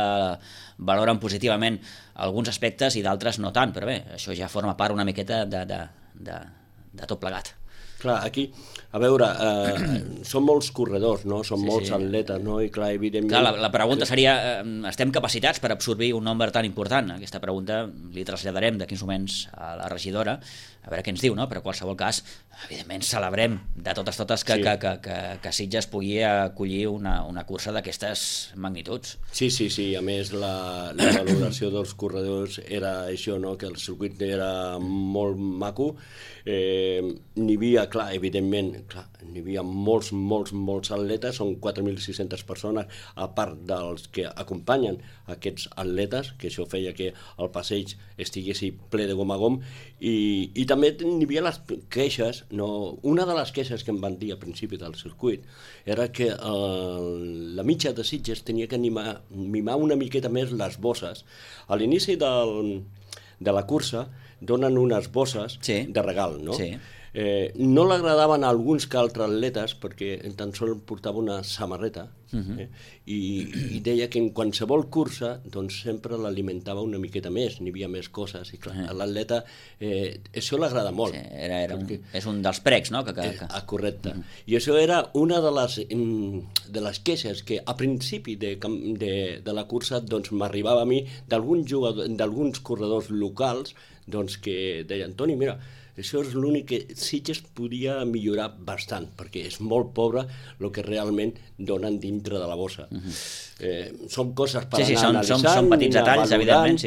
A: valoren positivament alguns aspectes i d'altres no tant, però bé, això ja forma part una miqueta de tot plegat.
M: Clar, aquí, a veure, són molts corredors, no? Són molts atletes, no? I clar, evidentment...
A: Clar, la pregunta seria, estem capacitats per absorbir un nombre tan important? Aquesta pregunta li traslladarem d'aquí uns moments a la regidora, a veure què ens diu, no? Però en qualsevol cas, evidentment celebrem de totes que Sitges pugui acollir una cursa d'aquestes magnituds.
M: Sí, a més la valoració dels corredors era això, no? Que el circuit era molt maco, n'hi havia, clar, evidentment, n'hi havia molts atletes, són 4.600 persones, a part dels que acompanyen aquests atletes, que això feia que el passeig estigués ple de gom a gom, i també n'hi havia les queixes, no? Una de les queixes que em van dir al principi del circuit era que la mitja de Sitges tenia que mimar una miqueta més les bosses. A l'inici de la cursa donen unes bosses de regal, no?
A: Sí.
M: No l'agradaven a alguns que altres atletes, perquè tan sols portava una samarreta, i deia que en qualsevol cursa doncs sempre l'alimentava una miqueta més, n'hi havia més coses, i clar, a l'atleta això l'agrada molt.
A: Sí, és un dels pregs, no?
M: Correcte. I això era una de les queixes que a principi de la cursa doncs m'arribava a mi d'alguns corredors locals doncs que deien, Toni, mira, això és l'únic que Sitges podia millorar bastant, perquè és molt pobre el que realment donen dintre de la bossa. Són coses per anar analitzant,
A: són petits detalls, evidentment,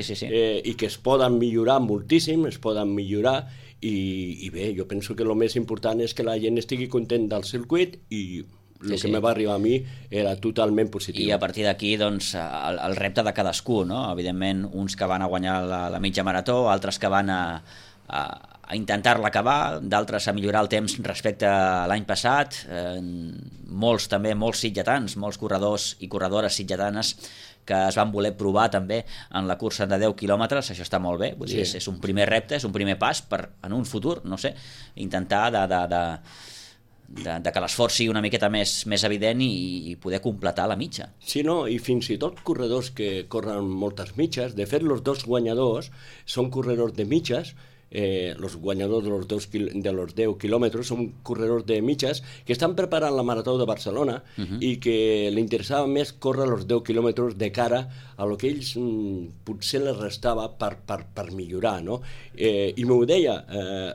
M: i que es poden millorar moltíssim, i bé, jo penso que el més important és que la gent estigui content del circuit i el que me va arribar a mi era totalment positiu.
A: I a partir d'aquí, doncs, el repte de cadascú, no? Evidentment, uns que van a guanyar la mitja marató, altres que van a intentar-la acabar, d'altres a millorar el temps respecte a l'any passat, molts sitgetans, molts corredors i corredores sitgetanes que es van voler provar també en la cursa de 10 quilòmetres, això està molt bé, vull dir, és un primer repte, és un primer pas per, en un futur, no sé, intentar que l'esforç sigui una miqueta més evident i poder completar la mitja.
M: Sí, no, i fins i tot corredors que corren moltes mitges, de fet, els dos guanyadors són corredors de mitges, los guanyadors de los 10 quilòmetres són corredors de mitges que estan preparant la Marató de Barcelona i que li interessava més córrer els 10 quilòmetres de cara a lo que ells potser les restava per millorar, no? I m'ho deia,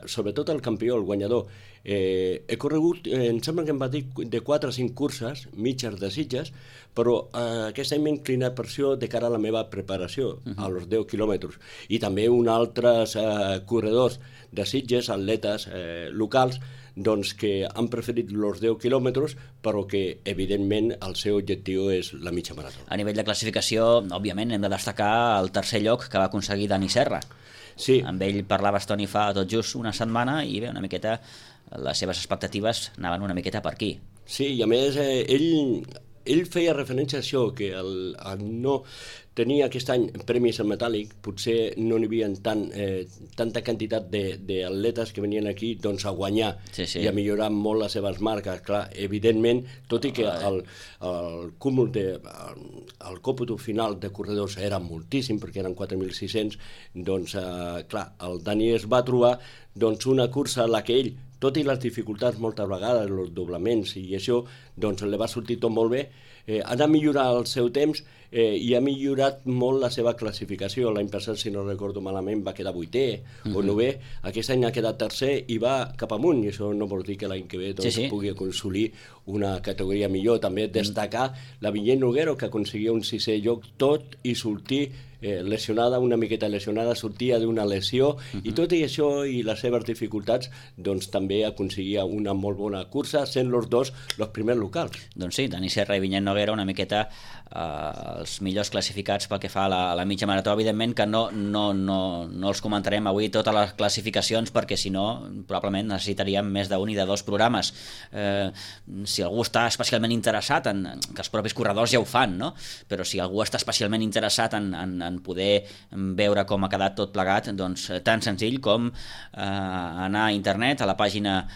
M: sobretot el campió, el guanyador, he corregut, em sembla que em va dir de 4 o 5 curses mitges de Sitges, però aquest any m'he inclinat per això de cara a la meva preparació, a los 10 quilòmetres. I també uns altres corredors de Sitges, atletes locals, doncs que han preferit els 10 quilòmetres, però que, evidentment, el seu objectiu és la mitja marató.
A: A nivell de classificació, òbviament, hem de destacar el tercer lloc que va aconseguir Dani Serra.
M: Sí.
A: Amb ell parlaves, Toni, fa tot just una setmana, i bé, una miqueta les seves expectatives anaven una miqueta per aquí.
M: Sí, i a més ell feia referència a això, que el no tenir aquest any premis en metàl·lic, potser no n'hi havia tanta quantitat d'atletes que venien aquí doncs, a guanyar i a millorar molt les seves marques. Clar, evidentment, tot i que el cúmul el còmputo final de corredors era moltíssim, perquè eren 4.600, doncs, clar, el Dani es va trobar doncs, una cursa en la que ell, tot i les dificultats moltes vegades, els doblaments i això, doncs li va sortir tot molt bé, ha de millorar el seu temps i ha millorat molt la seva classificació. L'any passat, si no recordo malament, va quedar 8è o 9è, aquest any ha quedat tercer i va cap amunt, i això no vol dir que l'any que ve pugui aconseguir una categoria millor. També destacar la Vinyet Noguero, que aconseguia un 6è lloc tot i sortir lesionada, una miqueta lesionada, sortia d'una lesió, i tot i això i les seves dificultats, doncs també aconseguia una molt bona cursa, sent els dos els primers locals.
A: Doncs sí, Dani Serra i Vinyet Noguera una miqueta els millors classificats pel que fa a la mitja marató. Evidentment que no els comentarem avui totes les classificacions, perquè si no probablement necessitaríem més d'un i de 2 programes. Si algú està especialment interessat que els propis corredors ja ho fan, no? Però si algú està especialment interessat en poder veure com ha quedat tot plegat, doncs tan senzill com anar a internet a la pàgina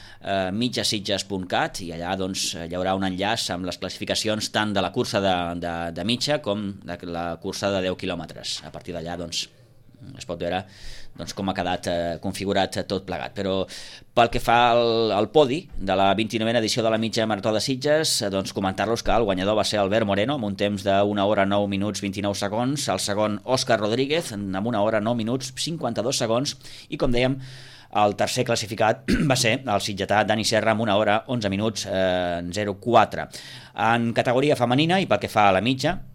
A: mitjasitges.cat, i allà doncs hi haurà un enllaç amb les classificacions tant de la cursa de mitja com de la cursa de 10 quilòmetres. A partir d'allà doncs es pot veure com ha quedat configurat tot plegat. Però pel que fa al podi de la 29a edició de la mitja marató de Sitges, doncs comentar-los que el guanyador va ser Albert Moreno amb un temps de 1 hora 9 minuts 29 segons, el segon Òscar Rodríguez amb 1 hora 9 minuts 52 segons, i com dèiem el tercer classificat va ser el sitgetà Dani Serra amb 1 hora 11 minuts 04. En categoria femenina, i pel que fa a la mitja,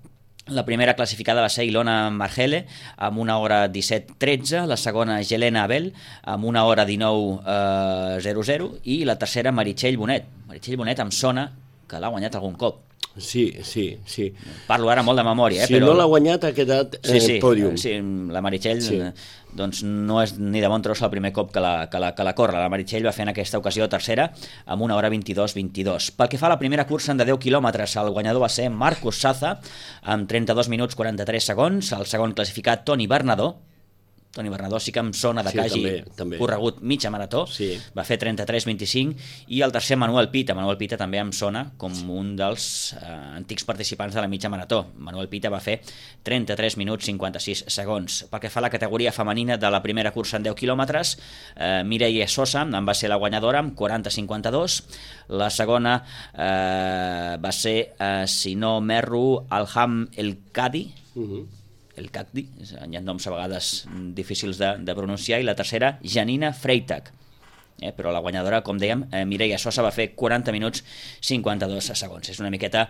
A: la primera classificada va ser Ilona Margele amb 1 hora 17.13, la segona Helena Abel amb 1 hora 19.00 i la tercera Meritxell Bonet. Meritxell Bonet em sona que l'ha guanyat algun cop.
M: Sí.
A: Parlo ara molt de memòria,
M: si no l'ha guanyat ha quedat pòdium.
A: Sí, la Meritxell doncs no és ni de bon tros el primer cop que la corre. La Meritxell va fer en aquesta ocasió tercera amb 1 hora 22.22. Pel que fa a la primera cursa de 10 quilòmetres, el guanyador va ser Marcos Saza amb 32 minuts 43 segons, el segon classificat Toni Bernadó Toni Bernadó sí que em sona de que hagi corregut mitja marató, va fer 33-25, i el tercer Manuel Pita. Manuel Pita també em sona com un dels antics participants de la mitja marató. Manuel Pita va fer 33 minuts 56 segons. Pel que fa a la categoria femenina de la primera cursa en 10 quilòmetres, Mireia Sosa en va ser la guanyadora amb 40-52. La segona va ser, si no m'erro, Alham El Kadi, el Cacdi, hi ha noms a vegades difícils de pronunciar, i la tercera, Janina Freitag. Però la guanyadora, com dèiem, Mireia Sosa, va fer 40 minuts 52 segons. És una miqueta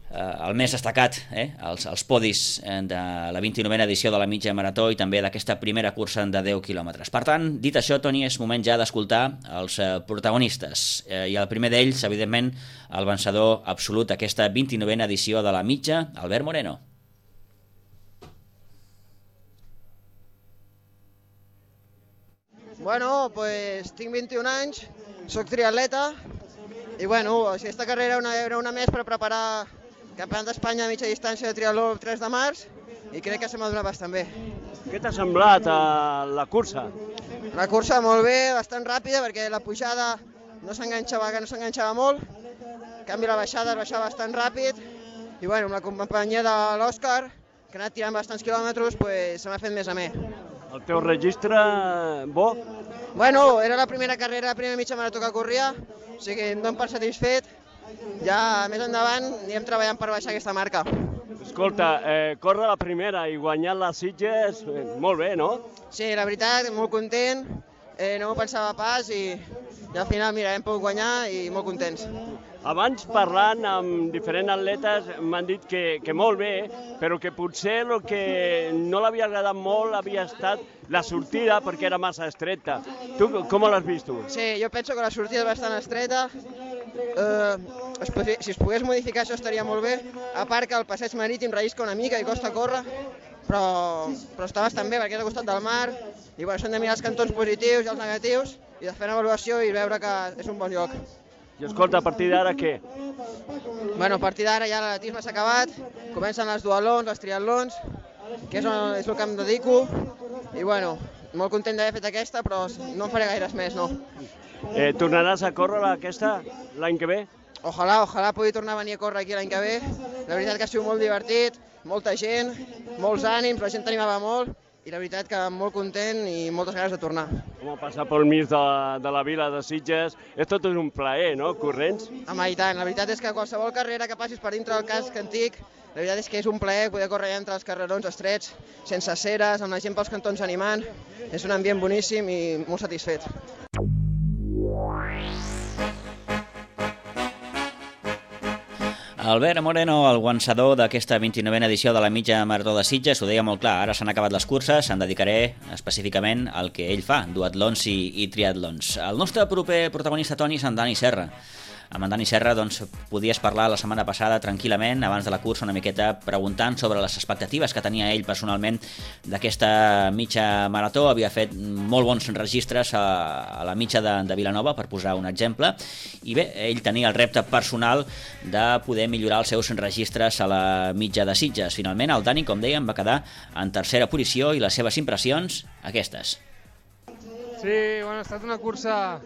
A: el més destacat, els podis de la 29a edició de la mitja marató i també d'aquesta primera cursa de 10 quilòmetres. Per tant, dit això, Toni, és moment ja d'escoltar els protagonistes. I el primer d'ells, evidentment, el vencedor absolut d'aquesta 29a edició de la mitja, Albert Moreno.
N: Bueno, pues tinc 21 anys, soc triatleta i bueno, aquesta carrera era una més per preparar el Campionat d'Espanya de mitja distància de triatló el 3 de març i crec que se m'ha donat bastant bé.
O: Què t'ha semblat la cursa?
N: La cursa molt bé, bastant ràpida perquè la pujada no s'enganxava molt, en canvi la baixada es baixava bastant ràpid i bueno, amb la companyia de l'Òscar, que ha anat tirant bastants quilòmetres, pues se m'ha fet més amè.
O: El teu registre, bo?
N: Bueno, era la primera carrera, la primera mitja marató que corria, o sigui, em dono per satisfet. Ja més endavant anirem treballant per baixar aquesta marca.
O: Escolta, córrer la primera i guanyar les Sitges, molt bé, no?
N: Sí, la veritat, molt content, no m'ho pensava pas i al final, mira, hem pogut guanyar i molt contents.
O: Abans, parlant amb diferents atletes, m'han dit que molt bé, però que potser el que no l'havia agradat molt havia estat la sortida, perquè era massa estreta. Tu com l'has vist tu?
N: Sí, jo penso que la sortida és bastant estreta. Si es pogués modificar això estaria molt bé. A part que el passeig marítim rellisca una mica i costa córrer, però està bastant bé perquè és al costat del mar i bueno, s'han de mirar els cantons positius i els negatius i de fer una avaluació i veure que és un bon lloc.
O: I escolta, a partir d'ara què?
N: Bueno, a partir d'ara ja l'atletisme s'ha acabat, comencen les dualons, els triatlons, que és el que em dedico, i bueno, molt content d'haver fet aquesta, però no en faré gaires més, no.
O: Tornaràs a córrer aquesta l'any que ve?
N: Ojalà pugui tornar a venir a córrer aquí l'any que ve. La veritat que ha sigut molt divertit, molta gent, molts ànims, la gent t'animava molt, i la veritat que molt content i moltes ganes de tornar.
O: Com passar pel mig de la vila de Sitges, és tot un plaer, no?, corrents?
N: Home, i tant, la veritat és que qualsevol carrera que passis per dintre del casc antic, la veritat és que és un plaer poder córrer entre els carrerons estrets, sense aceres, amb la gent pels cantons animant, és un ambient boníssim i molt satisfet.
A: Albert Moreno, el guançador d'aquesta 29a edició de la mitja marató de Sitges, ho deia molt clar, ara s'han acabat les curses, em dedicaré específicament al que ell fa, duatlons i triatlons. El nostre proper protagonista, Toni, és en Dani Serra. Amb en Dani Serra doncs, podies parlar la setmana passada tranquil·lament, abans de la cursa, una miqueta preguntant sobre les expectatives que tenia ell personalment d'aquesta mitja marató. Havia fet molt bons registres a la mitja de Vilanova, per posar un exemple, i bé, ell tenia el repte personal de poder millorar els seus registres a la mitja de Sitges. Finalment, el Dani, com dèiem, va quedar en tercera posició i les seves impressions, aquestes.
P: Sí, bueno, ha estat una cursa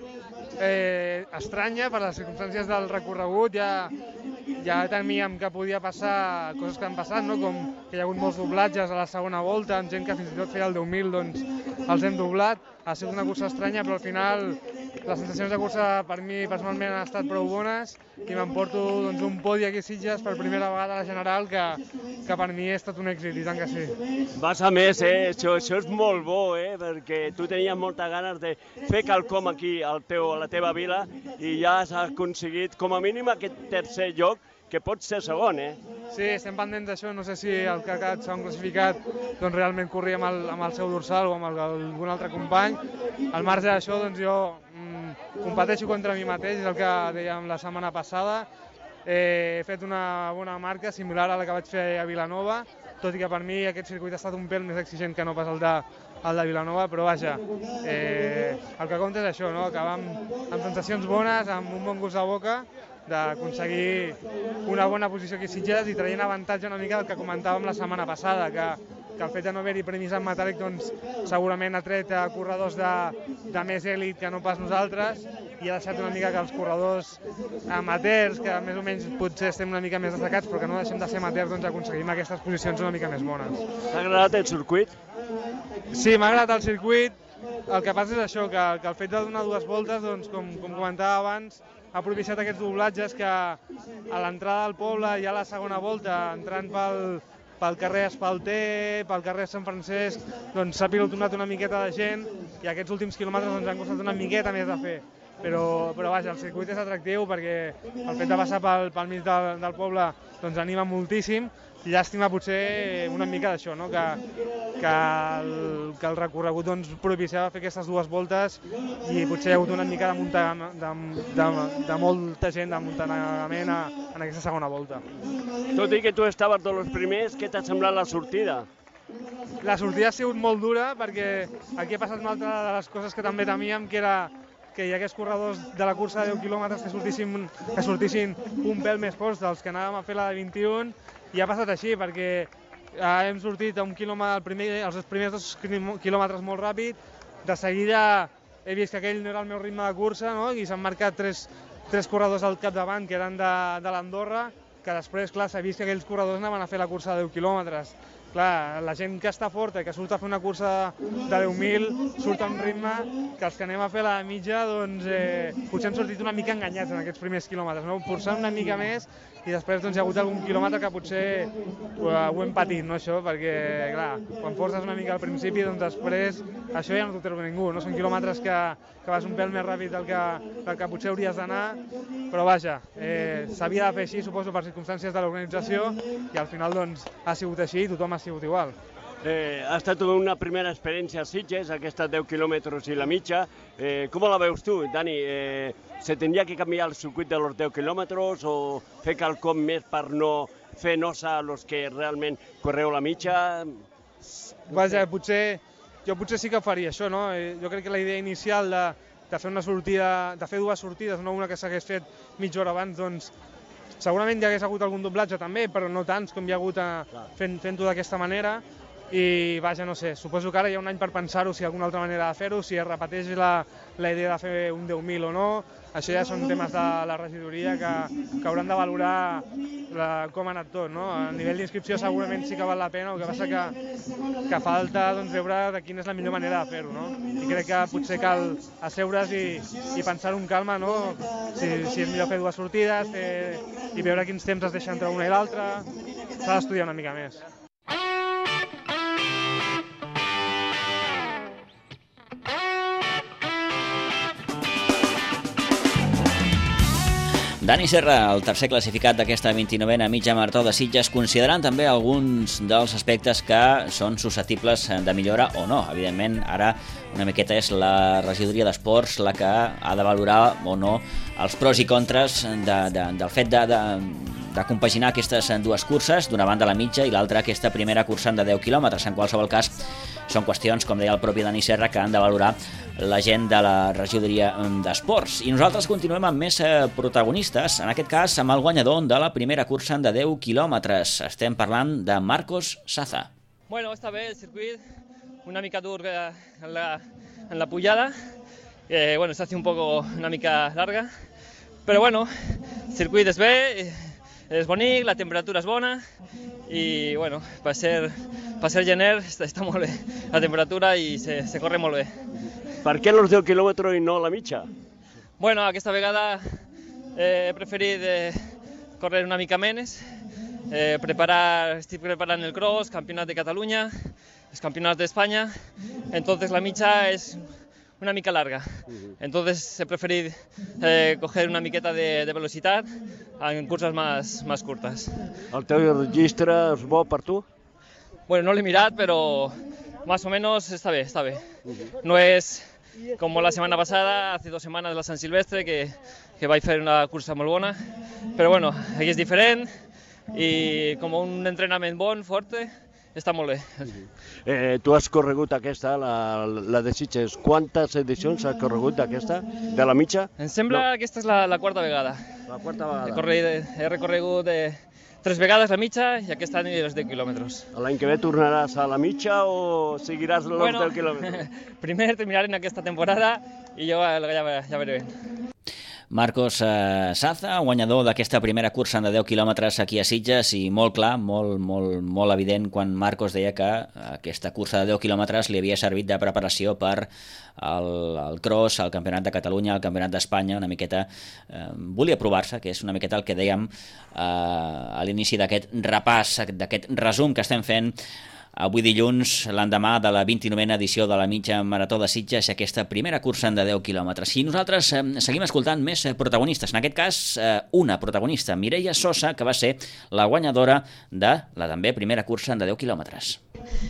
P: estranya per les circumstàncies del recorregut. Ja temíem que podia passar coses que han passat, no? Com que hi ha hagut molts doblatges a la segona volta, amb gent que fins i tot feia el 10.000, doncs els hem doblat. Ha sigut una cursa estranya, però al final les sensacions de cursa per mi personalment han estat prou bones i m'emporto doncs, un podi aquí a Sitges per primera vegada a la general, que per mi ha estat un èxit, i tant que sí.
O: Vas a més, això és molt bo, perquè tu tenies moltes ganes de fer quelcom aquí a la teva vila i ja has aconseguit com a mínim aquest tercer lloc, que pot ser segon,
P: Sí, estem pendents d'això, no sé si el que ha quedat segon classificat doncs realment corria amb el seu dorsal o amb algun altre company. Al marge d'això, doncs jo competeixo contra mi mateix, és el que dèiem la setmana passada. He fet una bona marca similar a la que vaig fer a Vilanova, tot i que per mi aquest circuit ha estat un pèl més exigent que no pas el de Vilanova, però vaja, el que compta és això, no? Acabar amb sensacions bones, amb un bon gust de boca, d'aconseguir una bona posició aquí a Sitges i traient avantatge una mica del que comentàvem la setmana passada, que el fet de no haver-hi premis en metàl·lic doncs, segurament ha tret corredors de més èlit que no pas nosaltres i ha deixat una mica que els corredors amateurs, que més o menys potser estem una mica més destacats, però que no deixem de ser amateurs, doncs aconseguim aquestes posicions una mica més bones.
O: T'ha agradat el circuit?
P: Sí, m'ha agradat el circuit. El que passa és això, que el fet de donar dues voltes, doncs, com comentava abans, ha propiciat aquests doblatges que a l'entrada del poble hi ha la segona volta, entrant pel carrer Espalter, pel carrer Sant Francesc, doncs s'ha pilotonat una miqueta de gent i aquests últims quilòmetres ens han costat una miqueta més de fer. Però vaja, el circuit és atractiu perquè el fet de passar pel mig del poble doncs anima moltíssim. Llàstima potser una mica d'això, no? que el recorregut doncs, propiciava fer aquestes dues voltes i potser hi ha hagut una mica de molta gent d'amuntanament en aquesta segona volta.
O: Tot i que tu estaves dels primers, què t'ha semblat la sortida?
P: La sortida ha sigut molt dura perquè aquí ha passat una altra de les coses que també temíem, que era que hi hagués corredors de la cursa de 10 quilòmetres que sortissin un pèl més forts dels que anàvem a fer la de 21, i ha passat així perquè hem sortit a un quilòmetre, els primers 2 quilòmetres molt ràpid, de seguida he vist que aquell no era el meu ritme de cursa, no? I s'han marcat tres corredors al capdavant que eren de l'Andorra, que després, clar, s'ha vist que aquells corredors anaven a fer la cursa de 10 quilòmetres. Clar, la gent que està forta i que surt a fer una cursa de 10.000 surt a un ritme que els que anem a fer la mitja doncs, potser hem sortit una mica enganyats en aquests primers quilòmetres, no? Forçant una mica més i després doncs, hi ha hagut algun quilòmetre que potser ho hem patit, no, això, perquè clar, quan forces una mica al principi, doncs després això ja no t'ho treu ningú, no? Són quilòmetres que vas un pèl més ràpid del que potser hauries d'anar, però vaja, s'havia de fer així, suposo, per circumstàncies de l'organització i al final doncs, ha sigut així i tothom ha sigut igual.
O: Ha estat una primera experiència a Sitges, aquesta 10 quilòmetres i la mitja. Com la veus tu, Dani? Se tindria que canviar el circuit de los 10 quilòmetres o fer quelcom més per no fer nosa a los que realment correu la mitja?
P: Vaja, jo potser sí que faria això, no? Jo crec que la idea inicial de fer una sortida, de fer dues sortides, no una que s'hagués fet mitja hora abans, doncs segurament hi hagués hagut algun doblatge també, però no tants com hi ha hagut fent-ho d'aquesta manera. I vaja, no sé, suposo que ara hi ha un any per pensar-ho, si hi ha alguna altra manera de fer-ho, si es repeteix la idea de fer un 10.000 o no. Això ja són temes de la regidoria que hauran de valorar com ha anat tot, no? A nivell d'inscripció segurament sí que val la pena, el que passa que falta doncs, veure de quina és la millor manera de fer-ho, no? I crec que potser cal asseure's i pensar-ho amb calma, no? Si és millor fer dues sortides i veure quins temps es deixa entre una i l'altra, s'ha d'estudiar una mica més.
A: Dani Serra, el tercer classificat d'aquesta 29a mitja marató de Sitges, considerant també alguns dels aspectes que són susceptibles de millora o no. Evidentment, ara una miqueta és la regidoria d'esports la que ha de valorar o no els pros i contres del fet de compaginar aquestes dues curses, d'una banda la mitja i l'altra aquesta primera cursa de 10 quilòmetres. En qualsevol cas, són qüestions, com deia el propi Dani Serra, que han de valorar la gent de la regidoria d'esports. I nosaltres continuem amb més protagonistes, en aquest cas amb el guanyador de la primera cursa de 10 quilòmetres. Estem parlant de Marcos Saza.
Q: Bueno, està bé el circuit, una mica dur en la pujada, bueno, se hace una mica larga, però bueno, el circuit és bé, és bonic, la temperatura és bona i bueno, per ser gener està molt bé la temperatura i se corre molt bé.
O: Per què els 10 quilòmetres i no la mitja?
Q: Bueno, aquesta vegada he preferit córrer una mica menys, estic preparant el cross, campionat de Catalunya, els campionats d'Espanya, entonces la mitja és una mica larga. Entonces he preferido coger una miqueta de velocitat en curses más curtes.
O: El teu registre és bo per tu?
Q: Bueno, no l'he mirat, però más o menos está bien. No es como la semana pasada, hace 2 semanas la Sant Silvestre, que vaig fer una cursa molt bona, però bueno, aquí és diferent i com un entrenament bon, forte, està molt bé.
O: Tu has corregut aquesta, la de Sitges. Quantes edicions has corregut d'aquesta, de la mitja?
Q: Em sembla que aquesta és la quarta vegada.
O: La quarta vegada.
Q: He recorregut 3 vegades la mitja i aquest any els 10 quilòmetres.
O: L'any que ve tornaràs a la mitja o seguiràs els 10 quilòmetres?
Q: Primer terminarem aquesta temporada i jo ja veré bé.
A: Marcos Saza, guanyador d'aquesta primera cursa de 10 quilòmetres aquí a Sitges, i molt clar, molt evident quan Marcos deia que aquesta cursa de 10 quilòmetres li havia servit de preparació per el cross, el Campionat de Catalunya, el Campionat d'Espanya, una miqueta volia provar-se, que és una miqueta el que dèiem a l'inici d'aquest repàs, d'aquest resum que estem fent avui dilluns, l'endemà de la 29a edició de la mitja marató de Sitges, aquesta primera cursa de 10 quilòmetres. I nosaltres seguim escoltant més protagonistes. En aquest cas, una protagonista, Mireia Sosa, que va ser la guanyadora de la també primera cursa de 10 quilòmetres.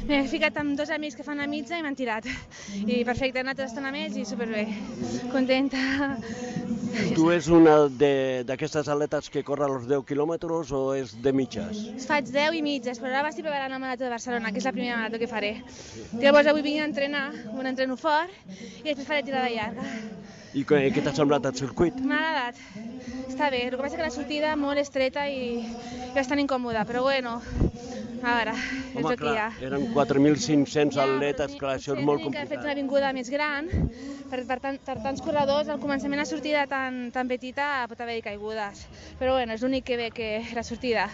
R: M'he ficat amb 2 amics que fan la mitja i m'han tirat. I perfecte, he anat estant amb ells i superbé. Contenta.
O: Tu és una d'aquestes atletes que corre els 10 quilòmetres o és de mitges?
R: Faig 10 i mitges, però ara m'estic preparant la marató de Barcelona, que és la primera marató que faré. Llavors avui vinc a entrenar, un entreno fort, i després faré tirada llarga.
O: I què t'ha semblat el circuit?
R: M'ha agradat. Està bé, el que passa que la sortida molt estreta i bastant incòmoda, però bueno, a veure, és el que hi ha.
O: Eren 4.500 atletes, clar, això és molt complicat.
R: He fet una avinguda més gran, per tants corredors, al començament la sortida tan petita pot haver-hi caigudes, però bueno, és l'únic que ve que la sortida.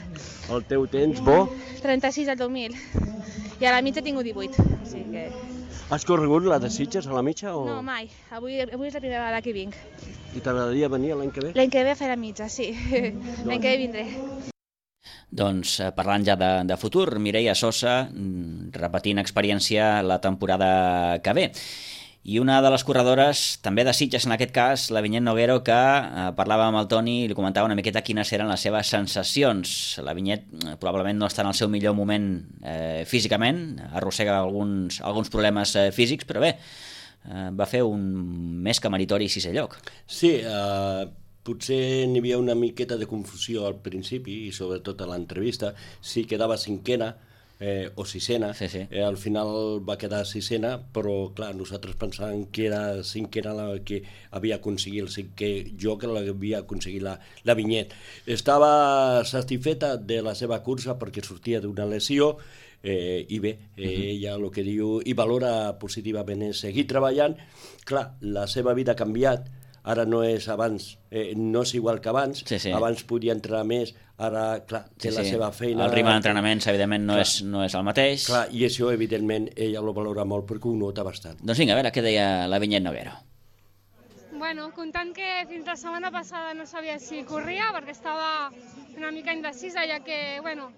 O: El teu temps, bo?
R: 36 al 2000, i a la mitja tinc 18, o sigui que...
O: Has corregut la de Sitges a la mitja? O...
R: No, mai. Avui és la primera vegada que vinc.
O: I t'agradaria venir l'any que ve?
R: L'any que ve a fer la mitja, sí. L'any que ve vindré.
A: Doncs parlant ja de futur, Mireia Sosa repetint experiència la temporada que ve. I una de les corredores, també de Sitges en aquest cas, la Vinyet Noguero, que parlava amb el Toni i li comentava una miqueta quines eren les seves sensacions. La Vinyet probablement no està en el seu millor moment físicament, arrossega alguns problemes físics, però bé, va fer un més que meritori sisè lloc.
M: Sí, potser n'hi havia una miqueta de confusió al principi i sobretot a l'entrevista, si quedava cinquena, o sisena, al final va quedar sisena, però clar, nosaltres pensàvem que era cinquena la que havia aconseguit el cinquè lloc, que l'havia aconseguit la Vinyet. Estava satisfeta de la seva cursa perquè sortia d'una lesió i bé, ella el que diu i valora positivament és seguir treballant. Clar, la seva vida ha canviat, ara no és abans, no és igual que abans, abans podia entrenar més, ara, clar, té la seva feina...
A: El ritme d'entrenaments, evidentment, no és el mateix.
M: Clar, i això, evidentment, ella ho valora molt perquè ho nota bastant.
A: Doncs vinga, a veure què deia la Vinyet Noguero.
S: Bueno, comptant que fins la setmana passada no sabia si corria, perquè estava una mica indecisa, ja que, bueno,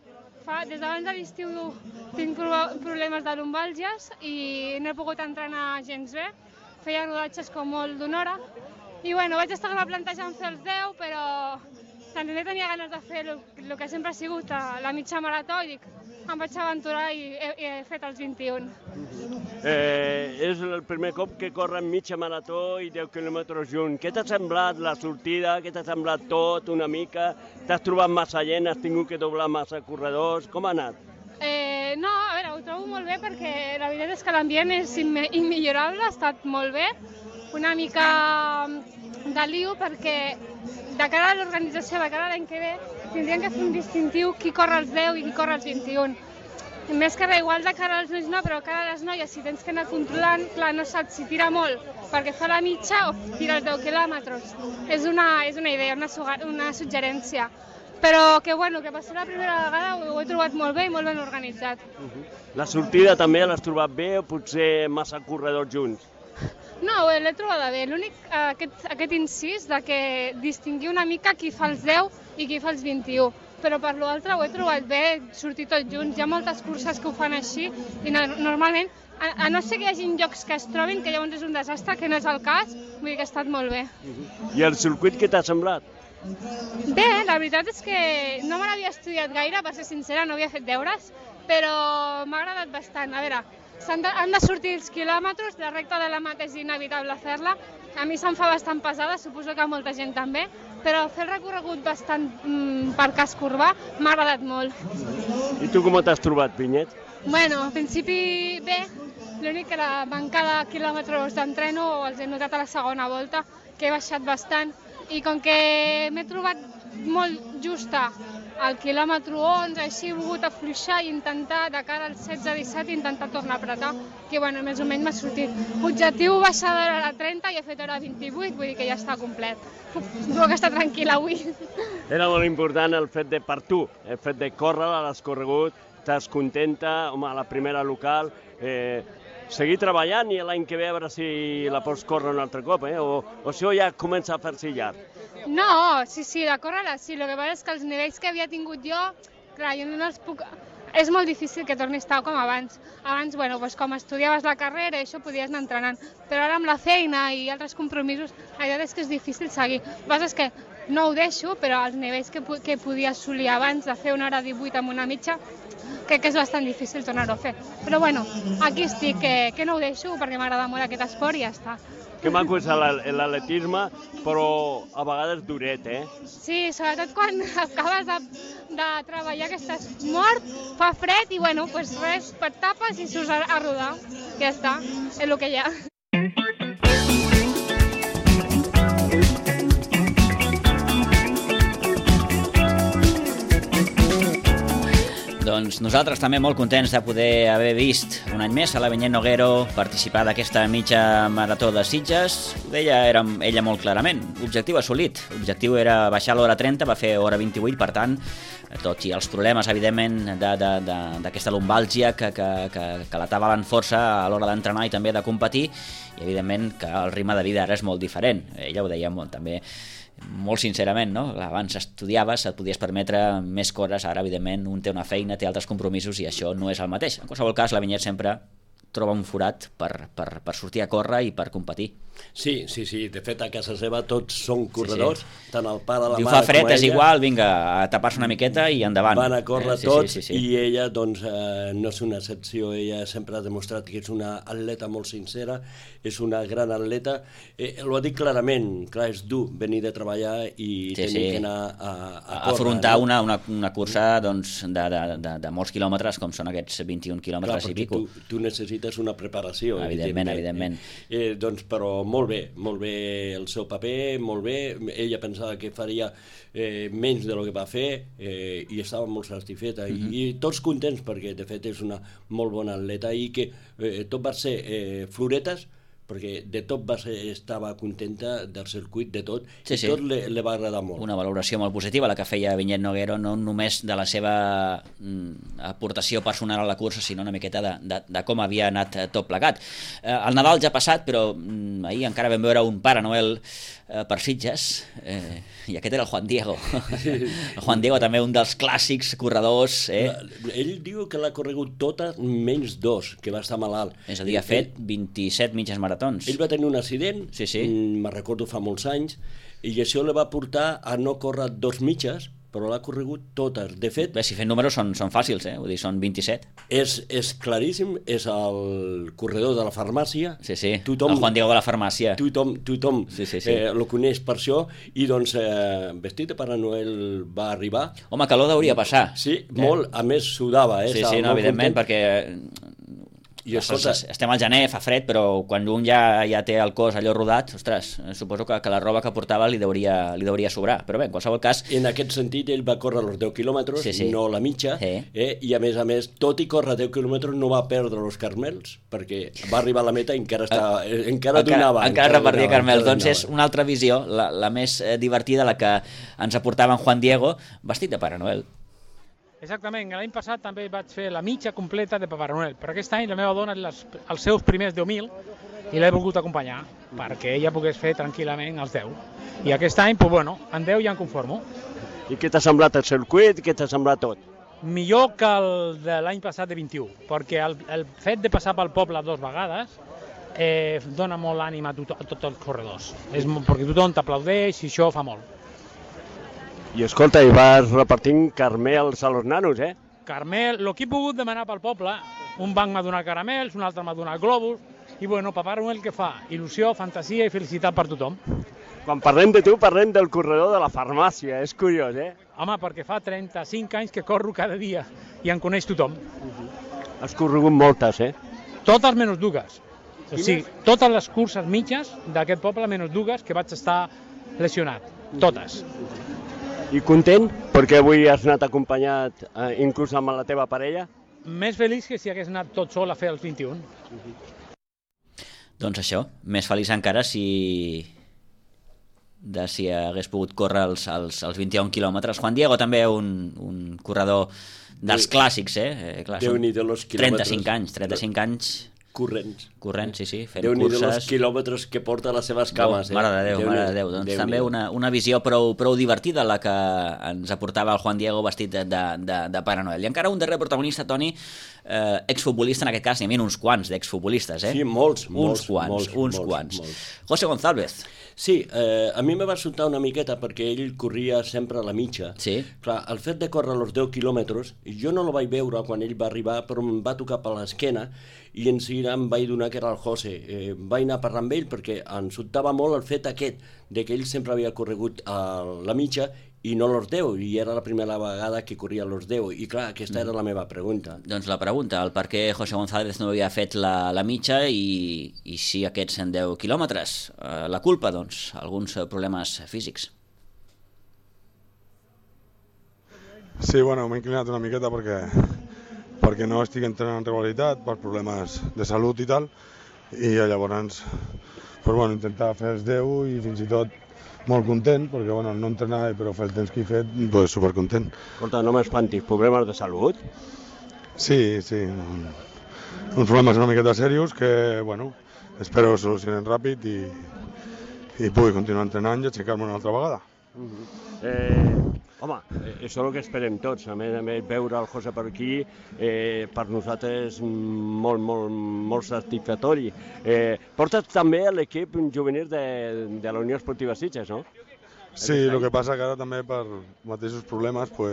S: des d'abans de l'estiu tinc problemes de lumbàlgies i no he pogut entrenar gens bé. Feia rodatges com molt d'una hora. I bueno, vaig estar plantejant fer els 10, però també tenia ganes de fer el que sempre ha sigut la mitja marató i dic, em vaig aventurar i he fet els 21.
O: És el primer cop que corren mitja marató i 10 quilòmetres junts. Què t'ha semblat la sortida? Què t'ha semblat tot una mica? T'has trobat massa gent? Has tingut que doblar massa corredors? Com ha anat?
S: No, a veure, ho trobo molt bé perquè la veritat és que l'ambient és immillorable, ha estat molt bé. Una mica de lío perquè de cara a l'organització, de cara a l'any que ve, tindrien que fer un distintiu qui corre els 10 i qui corre els 21. Més que res, igual de cara als nois no, però de cara a les noies, si tens que anar controlant, clar, no saps si tira molt perquè fa la mitja o tira els 10 quilòmetres. És una idea, una suggerència. Però que bueno, que per ser la primera vegada ho he trobat molt bé i molt ben organitzat.
O: La sortida també l'has trobat bé o potser massa corredors junts?
S: No, l'he trobada bé. L'únic, aquest incís de que distingir una mica qui fa els 10 i qui fa els 21. Però per l'altre ho he trobat bé, sortir tots junts. Hi ha moltes curses que ho fan així i normalment, a no ser que hi hagi llocs que es trobin, que llavors és un desastre, que no és el cas, vull dir que ha estat molt bé.
O: I el circuit què t'ha semblat?
S: Bé, la veritat és que no me l'havia estudiat gaire, per ser sincera, no havia fet deures, però m'ha agradat bastant. A veure, han de sortir els quilòmetres, la recta de la mata és inevitable fer-la, a mi se'm fa bastant pesada, suposo que a molta gent també, però fer el recorregut bastant per casc urbà m'ha agradat molt.
O: I tu com t'has trobat, Vinyet?
S: Bueno, al principi bé, l'únic que la manca de quilòmetres d'entreno els he notat a la segona volta, que he baixat bastant, i com que m'he trobat molt justa al quilòmetre 11, així he volgut afluixar i intentar, de cara al 16-17, intentar tornar a apretar, que bueno, més o menys m'ha sortit. Objectiu baixar d'hora a 30 i he fet hora 28, vull dir que ja està complet. Puc estar tranquil·la avui.
O: Era molt important el fet de, per tu, el fet de córrer, l'has corregut, estàs contenta, home, a la primera local, seguir treballant i l'any que ve a veure si la pots córrer un altre cop, o això ja comença a fer-se llarg.
S: No, sí, de córrer-la sí, el que passa és que els nivells que havia tingut jo, clar, jo no els puc... És molt difícil que torni a estar com abans. Abans, bueno, doncs com estudiaves la carrera i això podies anar entrenant, però ara amb la feina i altres compromisos, la veritat és que és difícil seguir. El que passa és que no ho deixo, però els nivells que podia assolir abans de fer una hora 18 amb una mitja, crec que és bastant difícil tornar-ho a fer. Però bueno, aquí estic, que no ho deixo perquè m'agrada molt aquest esport i ja està.
O: Que maco és l'atletisme, però a vegades duret,
S: Sí, sobretot quan acabes de treballar que estàs mort, fa fred i bueno, doncs res, et tapes i surts a rodar. Ja està, és el que hi ha.
A: Doncs nosaltres també molt contents de poder haver vist un any més a la Vinyet Noguero participar d'aquesta mitja marató de Sitges. Ho deia ella molt clarament, objectiu assolit. L'objectiu era baixar l'hora 30, va fer hora 28, per tant, tot i els problemes, evidentment, d'aquesta lumbàlgia que l'atabaven força a l'hora d'entrenar i també de competir, i evidentment que el ritme de vida ara és molt diferent. Ella ho deia molt, també molt sincerament, no? Abans estudiaves, et podies permetre més coses, ara evidentment un té una feina, té altres compromisos i això no és el mateix. En qualsevol cas, la Vinyet sempre troba un forat per sortir a córrer i per competir.
M: Sí, de fet a casa seva tots són corredors, tant el pare, la mare com ella.
A: Diu, fa fred, és igual, vinga, a tapar-se una miqueta i endavant.
M: Van a córrer tots i ella doncs no és una excepció, ella sempre ha demostrat que és una atleta molt sincera, és una gran atleta, ho ha dit clarament, clar, és dur venir de treballar i tenir que anar a córrer.
A: Afrontar una cursa de molts quilòmetres, com són aquests 21 quilòmetres i pico.
M: Tu necessites una preparació.
A: Evidentment.
M: Doncs, però molt bé el seu paper, molt bé. Ella pensava que faria menys del que va fer i estava molt satisfeta. I tots contents perquè, de fet, és una molt bona atleta i que tot va ser floretes, perquè de tot estava contenta del circuit, de tot, i tot li va agradar molt.
A: Una valoració molt positiva, la que feia Vinyet Noguero, no només de la seva aportació personal a la cursa, sinó una miqueta de com havia anat tot plegat. El Nadal ja ha passat, però ahir encara vam veure un Pare Noel per Sitges, i aquest era el Juan Diego. El Juan Diego també un dels clàssics corredors.
M: Ell diu que l'ha corregut tota menys 2, que va estar malalt.
A: És a dir, ha fet 27 mitges maratons.
M: Ell va tenir un accident, me'n recordo fa molts anys, i això li va portar a no córrer 2 mitges, però l'ha corregut totes. De fet...
A: Si fent números són fàcils, vull dir, són 27.
M: És claríssim, és el corredor de la farmàcia.
A: Sí, el Juan Diego de la farmàcia.
M: Tothom el coneix per això, i doncs vestit de Pare Noel va arribar.
A: Home, calor hauria passar.
M: Sí, molt, a més sudava.
A: Sí, no, evidentment, perquè... Estem al gener, fa fred, però quan un ja té el cos allò rodat, ostres, suposo que la roba que portava li deuria sobrar, però bé, en qualsevol cas...
M: En aquest sentit, ell va córrer els 10 quilòmetres, no la mitja, i a més, tot i córrer 10 quilòmetres no va perdre els carmels, perquè va arribar a la meta i encara donava.
A: Encara repartia carmels, doncs és una altra visió, la més divertida, la que ens aportava en Juan Diego, vestit de Pare Noel.
T: Exactament, l'any passat també vaig fer la mitja completa de Pare Noel, però aquest any la meva dona els seus primers 10.000 i l'he volgut acompanyar perquè ella pogués fer tranquil·lament els 10. I aquest any, doncs bueno, en 10 ja em conformo.
O: I què t'ha semblat el circuit? Què t'ha semblat tot?
T: Millor que el de l'any passat de 21, perquè el fet de passar pel poble 2 vegades dona molt ànim a tots els corredors, perquè tothom t'aplaudeix i això fa molt.
O: I escolta, i vas repartint caramels a los nanos,
T: Caramel, el que he pogut demanar pel poble, un banc m'ha donat caramels, un altre m'ha donat globus, i bueno, Pare Noel què fa? Il·lusió, fantasia i felicitat per tothom.
O: Quan parlem de tu, parlem del corredor de la farmàcia, és curiós,
T: Home, perquè fa 35 anys que corro cada dia i em coneix tothom.
O: Has corregut moltes,
T: Totes menys 2. O sigui, totes les curses mitges d'aquest poble menys 2 que vaig estar lesionat. Totes.
O: I content perquè avui has anat acompanyat inclús amb la teva parella?
T: Més feliç que si hagués anat tot sol a fer els 21.
A: Doncs això, més feliç encara si hagués pogut córrer els 21 quilòmetres. Juan Diego també un corredor dels clàssics, Clar,
M: Déu-n'hi-do los quilòmetres.
A: 35 anys
M: Corrents,
A: sí, fent
M: Déu-n'hi-do
A: curses.
M: els quilòmetres que porta a les seves cames.
A: Mare de Déu. Doncs també una visió prou divertida la que ens aportava el Juan Diego vestit de Pare Noel. I encara un darrer protagonista, Toni, exfutbolista, en aquest cas n'hi havia uns quants d'exfutbolistes,
M: Sí, molts.
A: José González.
M: Sí, a mi me va sobtar una miqueta perquè ell corria sempre a la mitja.
A: Sí.
M: Clar, el fet de córrer els 10 quilòmetres, jo no el vaig veure quan ell va arribar, però em va tocar per l'esquena i en seguida em vaig donar que era el José. Vaig anar a parlar amb ell perquè em sobtava molt el fet aquest de que ell sempre havia corregut a la mitja i no los 10, i era la primera vegada que corria los 10, i clar, aquesta era la meva pregunta.
A: Doncs la pregunta, el per què José González no havia fet la mitja i sí aquests 10 quilòmetres. La culpa, doncs, alguns problemes físics.
U: Sí, bueno, m'he inclinat una miqueta perquè no estic entrenant en regularitat per problemes de salut i tal, i llavors intentar fer els 10 i fins i tot molt content, perquè no entrenar, però fer el temps que he fet, supercontent.
O: Escolta, no m'espantis, problemes de salut?
U: Sí, uns problemes una miqueta serios que, espero solucionen ràpid i pugui continuar entrenant i aixecar-me una altra vegada.
O: Home, això és el que esperem tots. A més, veure el José per aquí per nosaltres és molt satisfactori. Portes també l'equip juvenil de la Unió Esportiva Sitges, no?
U: Sí, el que passa que ara també per mateixos problemes ho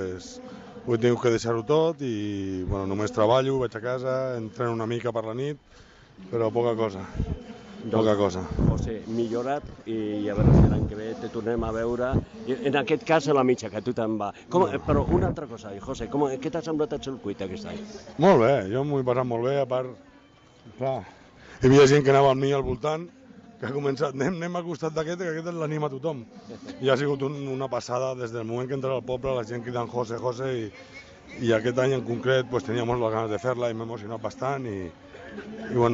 U: he tingut que deixar-ho tot i només treballo, vaig a casa, entreno una mica per la nit, però poca cosa.
O: José, millora't i a veure si l'any que ve te tornem a veure, en aquest cas a la mitja, que tu te'n va. Però una altra cosa, José, què t'ha semblat el circuit aquest any?
U: Molt bé, jo m'ho he passat molt bé, a part, clar, hi havia gent que anava amb mi al voltant, que ha començat, anem al costat d'aquest, que aquest l'anima a tothom. I ha sigut una passada des del moment que entra al poble, la gent cridant José, i aquest any en concret tenia moltes ganes de fer-la i m'he emocionat bastant i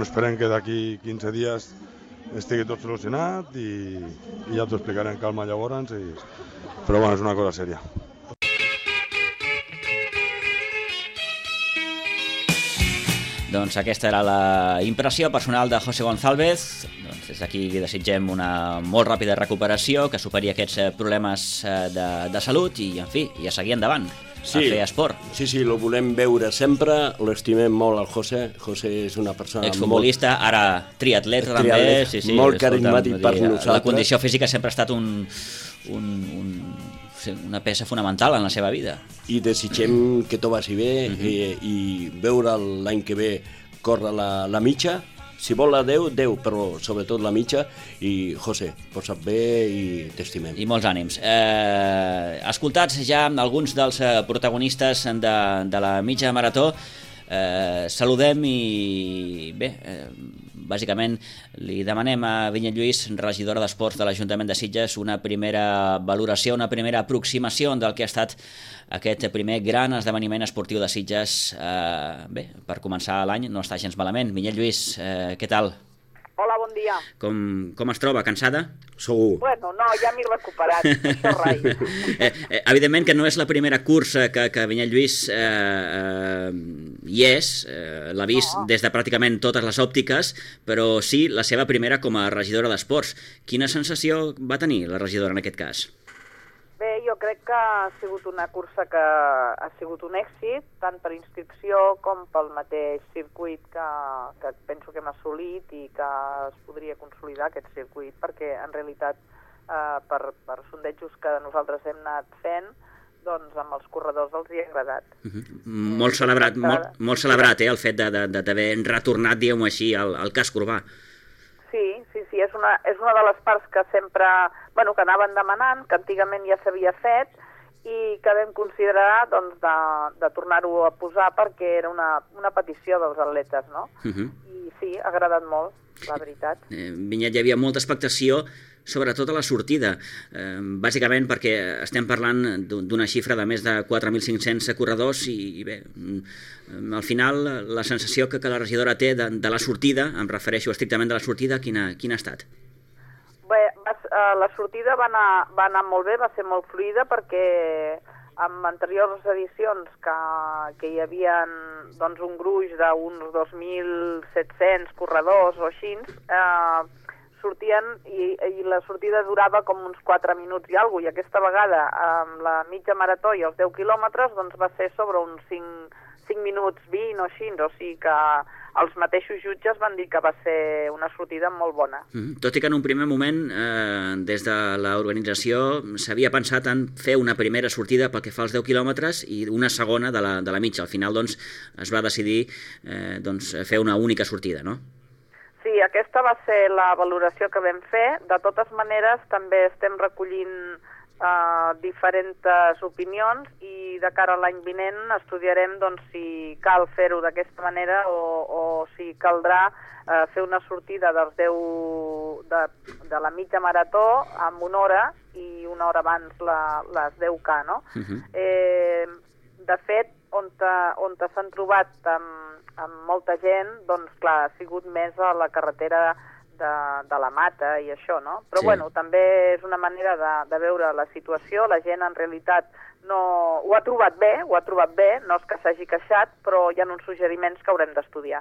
U: esperem que d'aquí 15 dies estigui tot solucionat i ja t'ho explicaré en calma llavors, però és una cosa sèria.
A: Doncs aquesta era la impressió personal de José González. Doncs des d'aquí li desitgem una molt ràpida recuperació, que superi aquests problemes de salut i, en fi, a seguir endavant. A fer esport.
M: Sí, lo volem veure sempre, l'estimem molt al José. José és una persona
A: exfutbolista, ara triatleta també.
M: Molt carismàtic per nosaltres.
A: La condició física sempre ha estat una peça fonamental en la seva vida.
M: I desitgem que tot vagi bé i veure l'any que ve córrer la mitja. Si vol la 10, però sobretot la mitja. I, José, posa't bé i t'estimem.
A: I molts ànims. Escoltats ja alguns dels protagonistes de la mitja marató, saludem i bé, bàsicament li demanem a Vinyet Lluís, regidora d'Esports de l'Ajuntament de Sitges, una primera valoració, una primera aproximació del que ha estat aquest primer gran esdeveniment esportiu de Sitges. Bé, per començar l'any no està gens malament. Vinyet Lluís, què tal?
V: Hola, bon dia.
A: Com es troba? Cansada?
M: Segur.
V: Bueno, no, ja m'he recuperat, això rai.
A: Evidentment que no és la primera cursa que Vinyet Lluís hi és, l'ha vist des de pràcticament totes les òptiques, però sí la seva primera com a regidora d'Esports. Quina sensació va tenir la regidora en aquest cas?
V: Bé, jo crec que ha sigut una cursa que ha sigut un èxit, tant per inscripció com pel mateix circuit que penso que hem assolit i que es podria consolidar aquest circuit, perquè en realitat per sondejos que nosaltres hem anat fent, doncs amb els corredors els hi ha agradat.
A: Molt celebrat, el fet d'haver retornat, diguem-ho així, al casc urbà.
V: Sí, és una de les parts que sempre, que anaven demanant, que antigament ja s'havia fet, i que vam considerar doncs, de tornar-ho a posar perquè era una petició dels atletes, no? I sí, ha agradat molt, la veritat.
A: Vinyet, hi havia molta expectació, sobretot a la sortida, bàsicament perquè estem parlant d'una xifra de més de 4.500 corredors i bé, al final la sensació que la regidora té de la sortida, em refereixo estrictament de la sortida, quina ha estat?
V: Bé, la sortida va anar molt bé, va ser molt fluida perquè en anteriors edicions que hi havia doncs, un gruix d'uns 2.700 corredors o així, sortien i la sortida durava com uns 4 minuts i alguna cosa, i aquesta vegada amb la mitja marató i els 10 quilòmetres doncs va ser sobre uns 5 minuts 20 o així, o sigui que els mateixos jutges van dir que va ser una sortida molt bona.
A: Tot i que en un primer moment, des de l'organització, s'havia pensat en fer una primera sortida pel que fa als 10 quilòmetres i una segona de la mitja. Al final doncs, es va decidir fer una única sortida, no?
V: Sí, aquesta va ser la valoració que vam fer. De totes maneres, també estem recollint diferents opinions i de cara a l'any vinent estudiarem doncs, si cal fer-ho d'aquesta manera o si caldrà fer una sortida dels 10 de la mitja marató amb una hora i una hora abans les 10K, no? De fet, on s'han trobat amb molta gent, doncs clar, ha sigut més a la carretera de la Mata i això, no? Però sí. Bueno, també és una manera de veure la situació, la gent en realitat ho ha trobat bé, no és que s'hagi queixat, però hi ha uns suggeriments que haurem d'estudiar.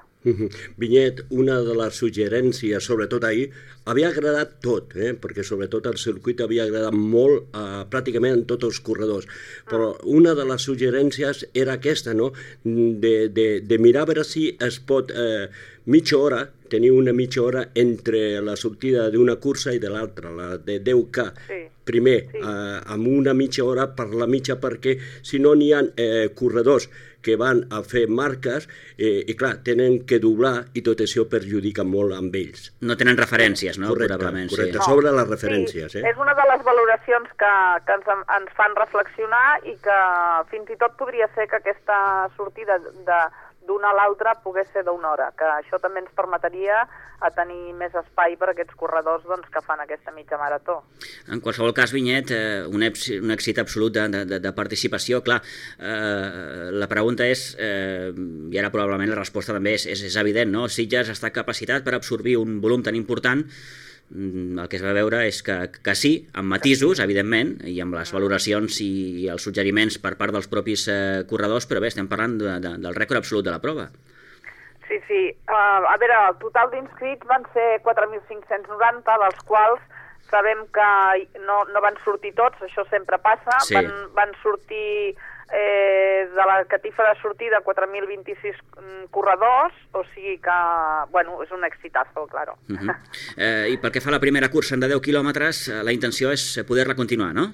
M: Vinyet, una de les suggerències, sobretot ahir, havia agradat tot, perquè sobretot el circuit havia agradat molt pràcticament a tots els corredors, però una de les suggerències era aquesta, no? De mirar a veure si es pot mitja hora, tenir una mitja hora entre la sortida d'una cursa i de l'altra, la de 10K. Sí. Primer, sí. Amb una mitja hora per la mitja, perquè si no n'hi ha corredors que van a fer marques i clar, tenen que doblar i tot això perjudica molt amb ells.
A: No tenen referències, no?
M: Correcte, sobre les referències.
V: Sí, és una de les valoracions que ens fan reflexionar i que fins i tot podria ser que aquesta sortida d'una a l'altra pogués ser d'una hora, que això també ens permetria a tenir més espai per a aquests corredors doncs, que fan aquesta mitja marató.
A: En qualsevol cas, Vinyet, un èxit absolut de participació. Clar, la pregunta és, i ara probablement la resposta també és evident, no? Sitges està capacitat per absorbir un volum tan important. El que es va veure és que sí, amb matisos, evidentment, i amb les valoracions i els suggeriments per part dels propis corredors, però bé, estem parlant del rècord absolut de la prova.
V: Sí. A veure, el total d'inscrits van ser 4.590, dels quals sabem que no van sortir tots, això sempre passa, sí. Van sortir de la catifa de sortida 4.026 corredors, o sigui que, bueno, és un exitazo, claro.
A: I pel que fa a la primera cursa de 10 quilòmetres, la intenció és poder-la continuar, no?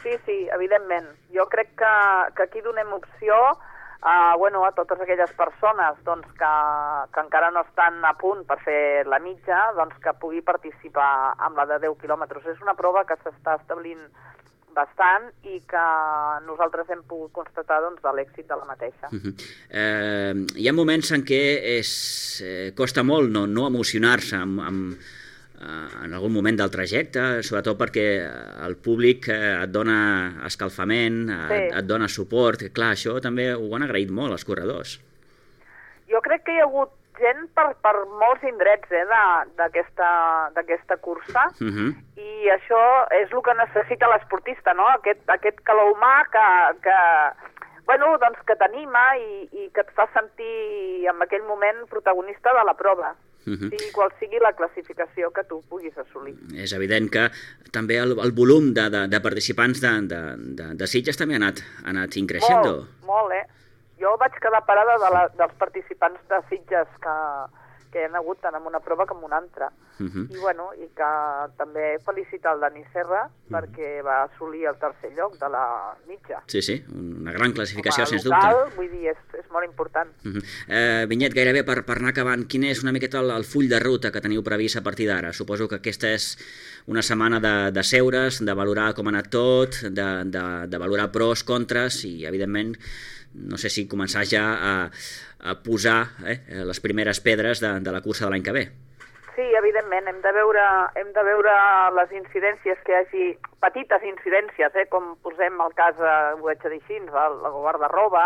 V: Sí, evidentment. Jo crec que aquí donem opció a totes aquelles persones doncs, que encara no estan a punt per fer la mitja, doncs, que pugui participar amb la de 10 quilòmetres. És una prova que s'està establint bastant i que nosaltres hem pogut constatar doncs, de l'èxit de la mateixa.
A: Hi ha moments en què costa molt no emocionar-se en algun moment del trajecte, sobretot perquè el públic et dona escalfament, et dona suport. Clar, això també ho han agraït molt els corredors.
V: Jo crec que hi ha hagut gent per molts indrets d'aquesta cursa i això és el que necessita l'esportista, no? Aquest calor humà que t'anima i que et fa sentir en aquell moment protagonista de la prova. Qual sigui la classificació que tu puguis assolir.
A: És evident que també el volum de participants de Sitges també ha anat increixent.
V: Molt. Jo vaig quedar parada dels participants de Sitges que hi ha hagut tant en una prova com en una altra. I, bueno, i que també felicitar el Dani Serra perquè va assolir el tercer lloc de la mitja.
A: Sí, sí, una gran classificació, sens
V: local,
A: dubte.
V: Vull dir, és molt important.
A: Vinyet, gairebé per anar acabant, quin és una miqueta el full de ruta que teniu previst a partir d'ara? Suposo que aquesta és una setmana de seure's, de valorar com ha anat tot, de valorar pros, contres i, evidentment, no sé si començar ja a posar les primeres pedres de la cursa de l'any que ve.
V: Sí, evidentment, hem de veure les incidències que hi hagi, petites incidències, com posem el cas, ho vaig dir així, la guarda-roba,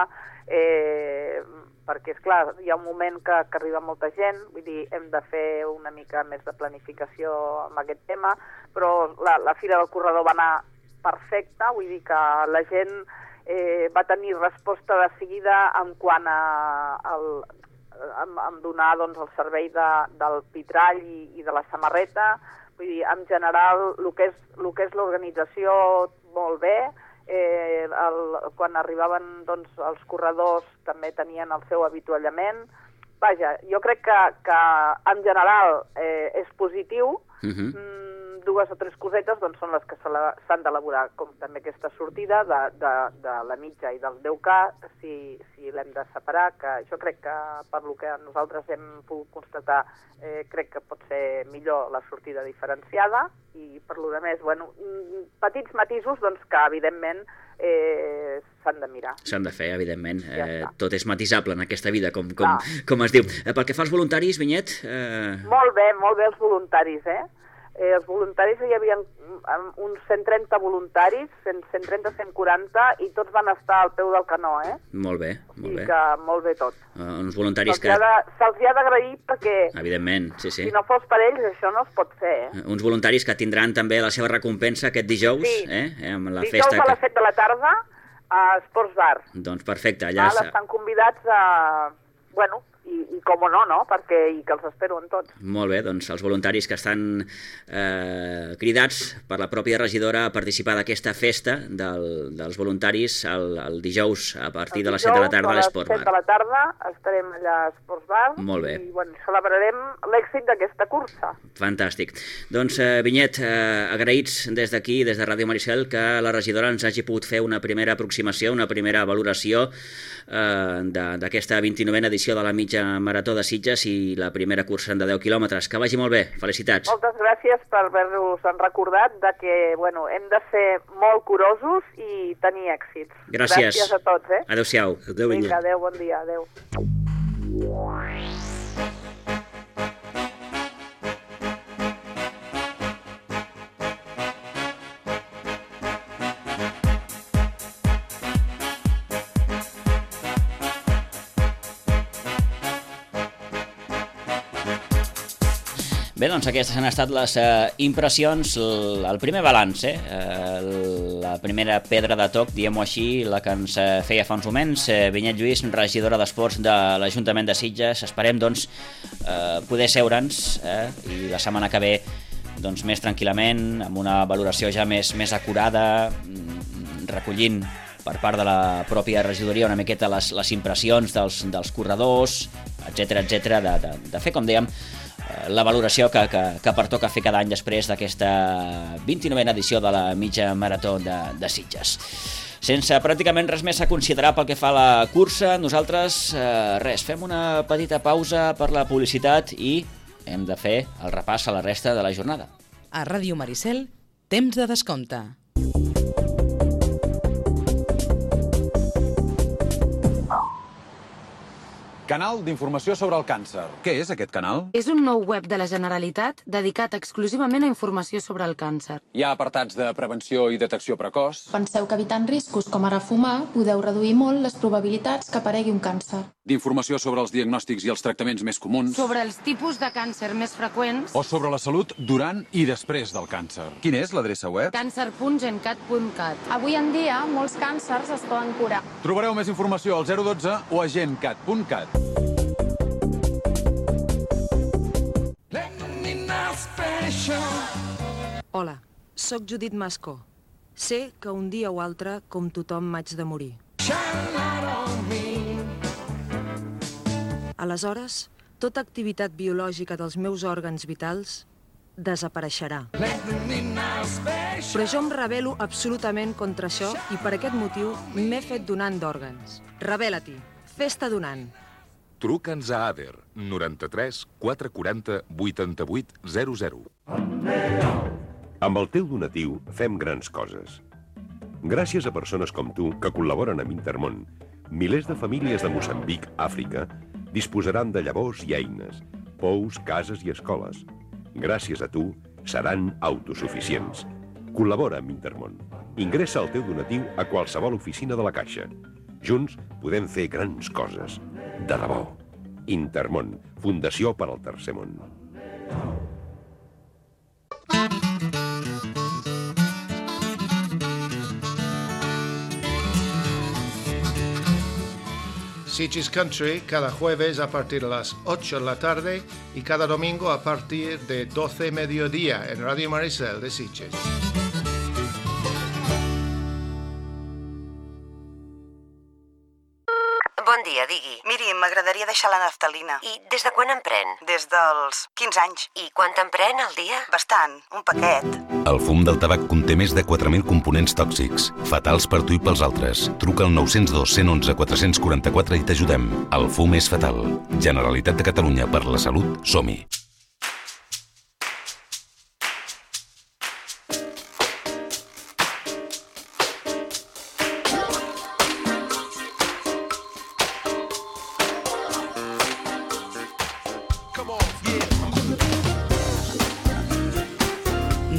V: perquè, esclar, hi ha un moment que arriba molta gent, vull dir, hem de fer una mica més de planificació amb aquest tema, però la Fira del Corredor va anar perfecta, vull dir que la gent va tenir resposta de seguida en quant a donar doncs, el servei del pitrall i de la samarreta. Vull dir, en general, el que és l'organització, molt bé. Quan arribaven doncs, els corredors també tenien el seu avituallament. Vaja, jo crec que en general és positiu. Dues o tres cosetes doncs, són les que s'han d'elaborar, com també aquesta sortida de la mitja i del 10K, si l'hem de separar, que jo crec que per lo que nosaltres hem pogut constatar, crec que pot ser millor la sortida diferenciada, i per lo de més, bueno, petits matisos doncs, que evidentment s'han de mirar.
A: S'han de fer, evidentment. Tot és matisable en aquesta vida, com es diu. Pel que fa als voluntaris, Vinyet...
V: Molt bé els voluntaris, Els voluntaris, hi havia uns 130 voluntaris, 130-140, i tots van estar al peu del canó,
A: Molt bé, molt bé.
V: I que molt bé tot.
A: Uns voluntaris que...
V: Se'ls ha d'agrair perquè...
A: Evidentment, sí.
V: Si no fos per ells, això no es pot fer,
A: Uns voluntaris que tindran també la seva recompensa aquest dijous, amb la
V: dijous
A: festa...
V: Dijous a les 7 de la tarda a Sports Bar.
A: Doncs perfecte, allà...
V: Estan convidats a... Bueno, i com no, perquè que els espero en tots.
A: Molt bé, doncs els voluntaris que estan cridats per la pròpia regidora a participar d'aquesta festa dels voluntaris el dijous a partir de les 7 de la tarda a l'Esport Bar.
V: A les 7 de la tarda estarem allà a Sports Bar.
A: Molt bé.
V: I bueno, celebrarem l'èxit d'aquesta cursa.
A: Fantàstic. Doncs, Vinyet, agraïts des d'aquí, des de Ràdio Maricel, que la regidora ens hagi pogut fer una primera aproximació, una primera valoració d'aquesta 29a edició de la mitja marató de Sitges i la primera cursa de 10 quilòmetres. Que vagi molt bé. Felicitats.
V: Moltes gràcies per haver-nos recordat que hem de ser molt curosos i tenir èxits.
A: Gràcies.
V: Gràcies a tots.
A: Adéu-siau.
V: Adéu, Vinyet. Adéu, bon dia. Adéu.
A: Bé, doncs aquestes han estat les impressions, el primer balanç, la primera pedra de toc, diguem-ho així, la que ens feia fa uns moments. Vinyet Lluís, regidora d'Esports de l'Ajuntament de Sitges. Esperem, doncs, poder seure'ns i la setmana que ve doncs, més tranquil·lament, amb una valoració ja més acurada, recollint per part de la pròpia regidoria una miqueta les impressions dels corredors, etcètera, de fer, com dèiem, la valoració que pertoca fer cada any després d'aquesta 29a edició de la mitja marató de Sitges. Sense pràcticament res més a considerar pel que fa a la cursa, nosaltres fem una petita pausa per la publicitat i hem de fer el repàs a la resta de la jornada.
L: A Ràdio Maricel, temps de descompte.
C: Canal d'informació sobre el càncer. Què és aquest canal?
B: És un nou web de la Generalitat dedicat exclusivament a informació sobre el càncer.
C: Hi ha apartats de prevenció i detecció precoç.
D: Penseu que evitant riscos com ara fumar podeu reduir molt les probabilitats que aparegui un càncer.
C: D'informació sobre els diagnòstics i els tractaments més comuns.
B: Sobre els tipus de càncer més freqüents.
C: O sobre la salut durant i després del càncer. Quina és l'adreça web?
B: Cancer.gencat.cat.
D: Avui en dia, molts càncers es poden curar.
C: Trobareu més informació al 012 o a gencat.cat.
W: Hola, sóc Judit Mascó. Sé que un dia o altre, com tothom, m'haig de morir. Aleshores, tota activitat biològica dels meus òrgans vitals desapareixerà. Però jo em rebel·lo absolutament contra això i per aquest motiu m'he fet donant d'òrgans. Rebel·la-t'hi. Fes-te donant.
E: Truca'ns a ADER 93 440 88 00.
F: Amb el teu donatiu fem grans coses. Gràcies a persones com tu que col·laboren amb Intermón, milers de famílies de Moçambic, Àfrica, disposaran de llavors i eines, pous, cases i escoles. Gràcies a tu, seran autosuficients. Col·labora amb Intermón. Ingressa el teu donatiu a qualsevol oficina de la Caixa. Junts podem fer grans coses. De debò. Intermón, Fundació per al Tercer Món.
G: Sitges Country cada jueves a partir de las 8 de la tarde y cada domingo a partir de 12 mediodía en Radio Maricel de Sitges.
X: Bon dia, digui. Miri, m'agradaria deixar la naftalina. I des de quan en pren? Des dels 15 anys. I quant en pren al dia? Bastant, un paquet.
H: El fum del tabac conté més de 4.000 components tòxics, fatals per tu i pels altres. Truca al 902 111 444 i t'ajudem. El fum és fatal. Generalitat de Catalunya, per la salut, som-hi.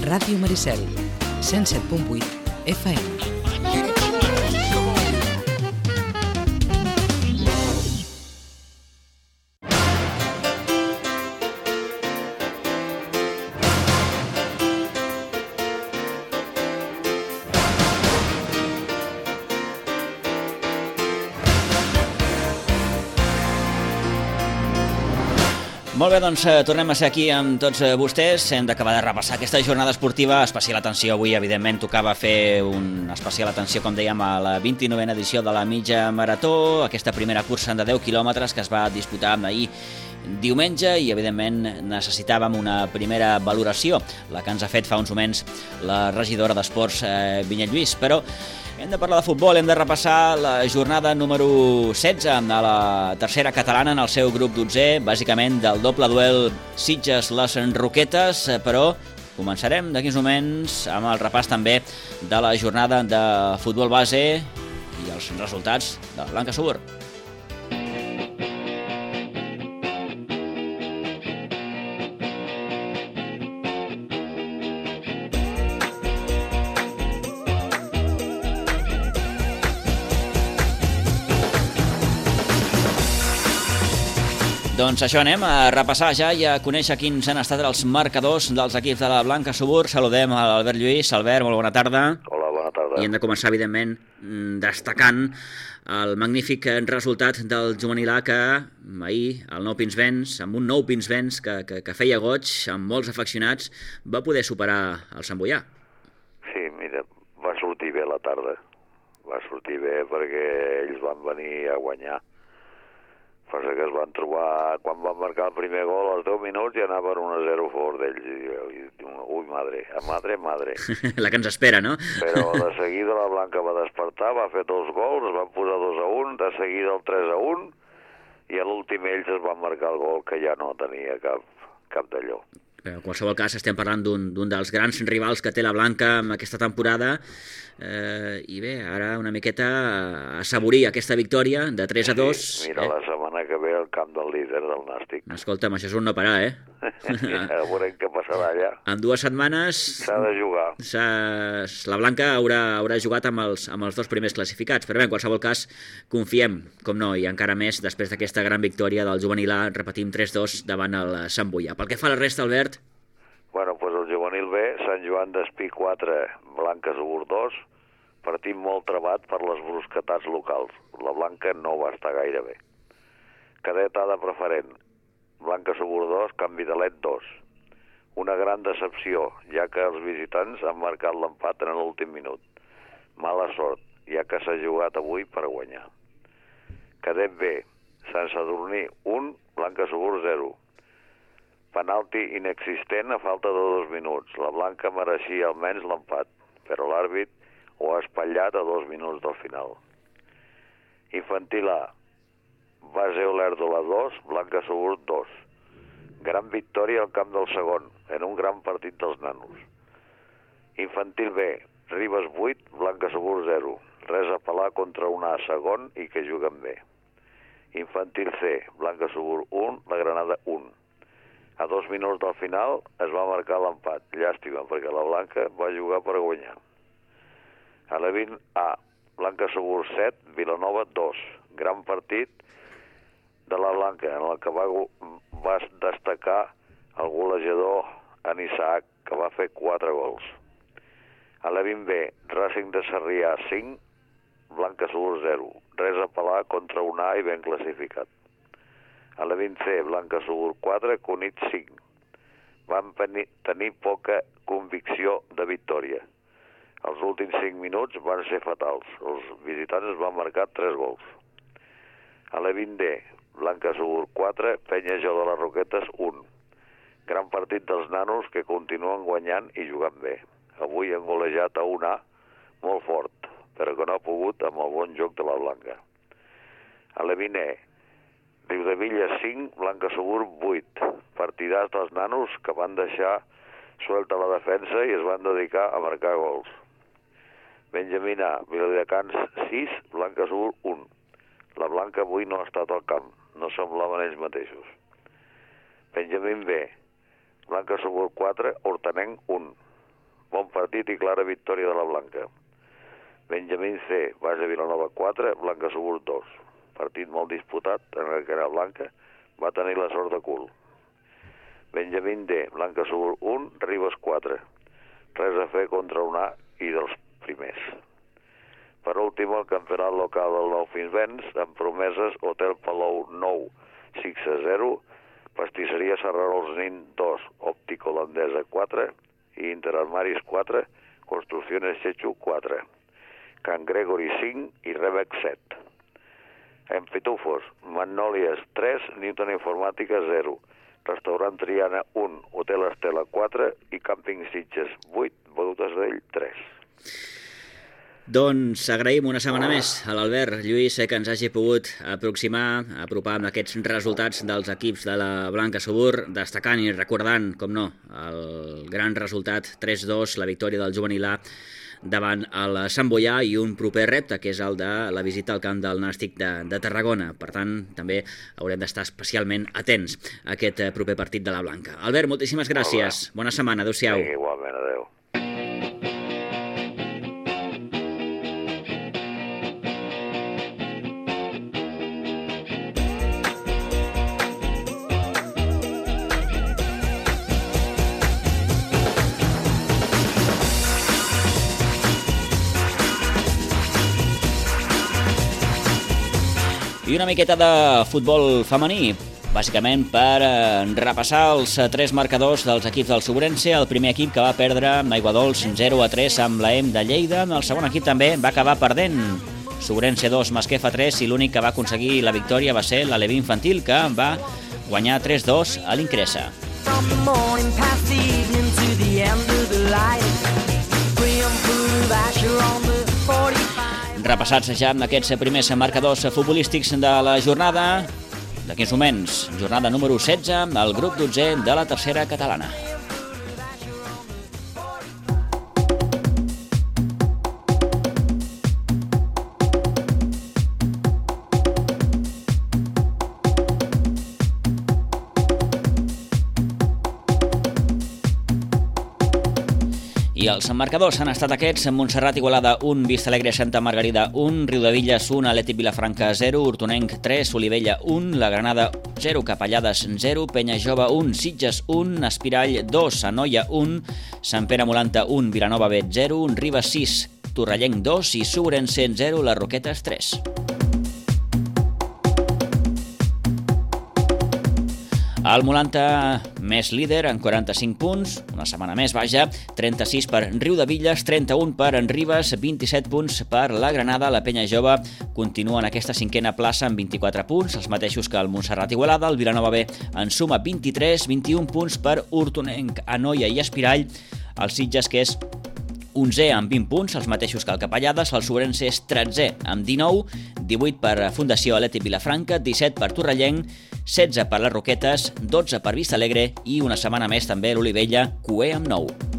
L: Ràdio Maricel, 107.8 FM.
A: Molt bé, doncs tornem a ser aquí amb tots vostès. Hem d'acabar de repassar aquesta jornada esportiva. Especial atenció avui, evidentment, tocava fer una especial atenció, com dèiem, a la 29a edició de la mitja marató, aquesta primera cursa de 10 quilòmetres que es va disputar ahir diumenge i, evidentment, necessitàvem una primera valoració, la que ens ha fet fa uns moments la regidora d'Esports, Vinyet Lluís. Però hem de parlar de futbol, hem de repassar la jornada número 16 de la tercera catalana en el seu grup 12è, bàsicament del doble duel Sitges-Les Roquetes, però començarem d'aquí uns moments amb el repàs també de la jornada de futbol base i els resultats de la Blanca Subur. Doncs això, anem a repassar ja i a conèixer quins han estat els marcadors dels equips de la Blanca Subur. Saludem a l'Albert Lluís. Albert, molt bona tarda.
Y: Hola, bona tarda.
A: I hem de començar, evidentment, destacant el magnífic resultat del juvenil A que ahir, el Nou Pinsbens, amb un Nou Pinsbens que feia goig, amb molts afeccionats, va poder superar el Sant Boià.
Y: Sí, mira, va sortir bé la tarda. Va sortir bé perquè ells van venir a guanyar. Passa que es van trobar, quan van marcar el primer gol, als 10 minuts ja anava 1-0 a favor d'ells. I diu, ui, madre.
A: La que ens espera, no?
Y: Però de seguida la Blanca va despertar, va fer 2 gols, es van posar 2-1, de seguida el 3-1, i a l'últim ells es van marcar el gol, que ja no tenia cap d'allò.
A: En qualsevol cas, estem parlant d'un dels grans rivals que té la Blanca en aquesta temporada, i bé, ara una miqueta a assaborir aquesta victòria de 3-2.
Y: Sí, mira, la setmana que ve al camp del líder del Nàstic.
A: Escolta'm, això és un no parar, eh?
Y: Ja veurem què passarà allà.
A: En 2 setmanes...
Y: S'ha de jugar.
A: La Blanca haurà jugat amb els 2 primers classificats, però bé, en qualsevol cas, confiem, com no, i encara més després d'aquesta gran victòria del juvenil A, repetim 3-2 davant el Sant Boià. Pel que fa a la resta, Albert...
Y: Bueno, doncs el juvenil B, Sant Joan d'Espí 4, Blanca Subur 2, partim molt trebat per les brusquetats locals. La Blanca no va estar gaire bé. Cadet A de preferent, Blanca Subur 2, Canvi de Let 2. Una gran decepció, ja que els visitants han marcat l'empat en l'últim minut. Mala sort, ja que s'ha jugat avui per guanyar. Cadet B, Sant Sadurní 1, Blanca Subur 0. Penalti inexistent a falta de 2 minuts. La blanca mereixia almenys l'empat, però l'àrbit ho ha espatllat a 2 minuts del final. Infantil A, Base Olèrdola 2, Blanca Subur 2. Gran victòria al camp del segon, en un gran partit dels nanos. Infantil B, Ribes 8, Blanca Subur 0. Res a pelar contra un A segon i que juguen bé. Infantil C, Blanca Subur 1, la Granada 1. A 2 minuts del final es va marcar l'empat. Llàstima, perquè la Blanca va jugar per guanyar. A la 20 A, Blanca Subur 7, Vilanova 2. Gran partit de la Blanca, en el que va destacar el golejador en Isaac, que va fer 4 gols. A la 20 B, Racing de Sarrià 5, Blanca Subur 0. Res a pelar contra un A i ben classificat. A la 20C, Blanca Subur 4, Cunit 5. Van tenir poca convicció de victòria. Els últims 5 minuts van ser fatals. Els visitants van marcar 3 gols. A la 20D, Blanca Subur 4, Penya Jou de les Roquetes 1. Gran partit dels nanos que continuen guanyant i jugant bé. Avui han golejat a un A molt fort, però que no ha pogut amb el bon joc de la Blanca. A la 20E, Riudavilla 5, Blanca Subur 8. Partidars dels nanos que van deixar suelta la defensa i es van dedicar a marcar gols. Benjamín A, Viladecans 6, Blanca Subur 1. La Blanca avui no ha estat al camp, no semblaven ells mateixos. Benjamín B, Blanca Subur 4, Hortanenc 1. Bon partit i clara victòria de la Blanca. Benjamín C, Base Vilanova 4, Blanca Subur 2. Partit molt disputat en el que la Blanca va tenir la sort de cul. Benjamín D, Blanca Subur 1, Ribes 4. Res a fer contra un A i dels primers. Per últim, el campionat local del Nou Fins Vents, amb promeses Hotel Palou 9, 6-0, Pastisseria Serrarols Nin 2, Òptic Holandesa 4 i Interarmaris 4, Construcciones Chechu 4, Can Gregory 5 i Rebec 7. En Pitufos, Magnòlies 3, Newton Informàtica 0, Restaurant Triana 1, Hotel Estela 4 i Càmping Sitges 8, Bodegues d'Ell 3.
A: Doncs agraïm una setmana més a l'Albert Lluís que ens hagi pogut apropar amb aquests resultats dels equips de la Blanca Subur, destacant i recordant, com no, el gran resultat 3-2, la victòria del Juvenil A davant el Sant Boià i un proper repte, que és el de la visita al camp del Nàstic de Tarragona. Per tant, també haurem d'estar especialment atents a aquest proper partit de la Blanca. Albert, moltíssimes gràcies. Bona setmana. Adéu-siau.
Y: Sí, igualment, adéu.
A: I una miqueta de futbol femení, bàsicament per repassar els 3 marcadors dels equips del Sobrense. El primer equip que va perdre amb Aiguadols 0-3 amb l'EM de Lleida. El segon equip també va acabar perdent. Sobrense 2, Masquefa 3, i l'únic que va aconseguir la victòria va ser l'Aleví Infantil, que va guanyar 3-2 a l'Incresa. Repassats ja amb aquests primers marcadors futbolístics de la jornada, d'aquí uns moments, jornada número 16, al grup 12 de la tercera catalana. I els marcadors han estat aquests: Montserrat Igualada 1, Vista Alegre Santa Margarida 1, Riudevilles 1, Atlètic Vilafranca 0, Hortonenc 3, Olivella 1, La Granada 0, Capellades 0, Penya Jove 1, Sitges 1, Espirall 2, Anoia 1, Sant Pere Molanta 1, Vilanova B 0, Ribes 6, Torrellenc 2 i Sobrense 0, Les Roquetes 3. El Molanta més líder en 45 punts, una setmana més, vaja, 36 per Riudebitlles, 31 per Ribes, 27 punts per la Granada. La Penya Jove continua en aquesta cinquena plaça amb 24 punts, els mateixos que el Montserrat Igualada. El Vilanova B en suma 23, 21 punts per Hortonenc, Anoia i Espirall. El Sitges, que és 11è amb 20 punts, els mateixos que el Capellades. El Sobrense és 13è amb 19, 18 per Fundació Atlètic Vilafranca, 17 per Torrellenc, 16 per les Roquetes, 12 per Vistalegre i una setmana més també l'Olivella, cuer amb 9.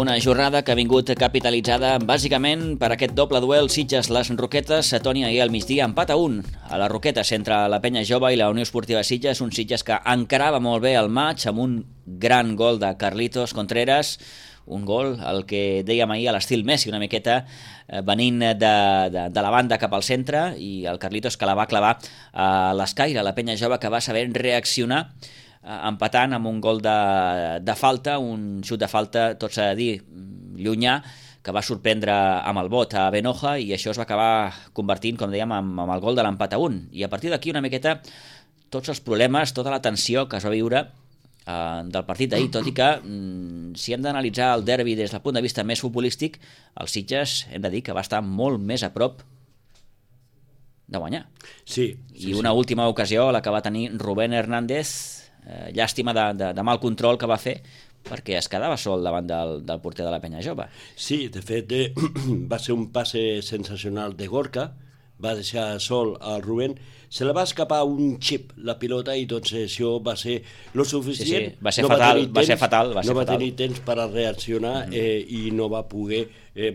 A: Una jornada que ha vingut capitalitzada bàsicament per aquest doble duel Sitges-Les Roquetes. Toni, ahir al migdia empat a 1 a les Roquetes entre la Penya Jove i la Unió Esportiva Sitges, un Sitges que encarava molt bé el maig amb un gran gol de Carlitos Contreras, un gol el que dèiem ahir a l'estil Messi, una miqueta venint de la banda cap al centre, i el Carlitos que la va clavar a l'escaire. La Penya Jove que va saber reaccionar empatant amb un gol de falta, un xut de falta, tot s'ha de dir, llunyà, que va sorprendre amb el bot a Benoja, i això es va acabar convertint, com dèiem, amb el gol de l'empat a 1. I a partir d'aquí una miqueta tots els problemes, tota la tensió que es va viure del partit d'ahir, tot i que si hem d'analitzar el derbi des del punt de vista més futbolístic, el Sitges hem de dir que va estar molt més a prop de guanyar.
M: Sí.
A: I una última ocasió, la que va tenir Rubén Hernández, llàstima de mal control que va fer, perquè es quedava sol davant del porter de la Penya Jove.
M: Sí, de fet va ser un passe sensacional de Gorka, va deixar sol al Rubén, se la va escapar un xip la pilota i doncs això va ser lo suficient.
A: Sí, va ser fatal.
M: No va tenir temps per a reaccionar i no va poder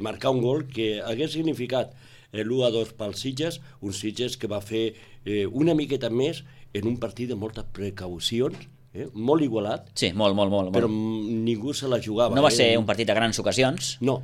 M: marcar un gol que hagués significat l'1-2 pels Sitges, un Sitges que va fer una miqueta més en un partit de moltes precaucions, molt igualat.
A: Sí, molt.
M: Però ningú se la jugava.
A: No va ser un partit de grans ocasions.
M: No.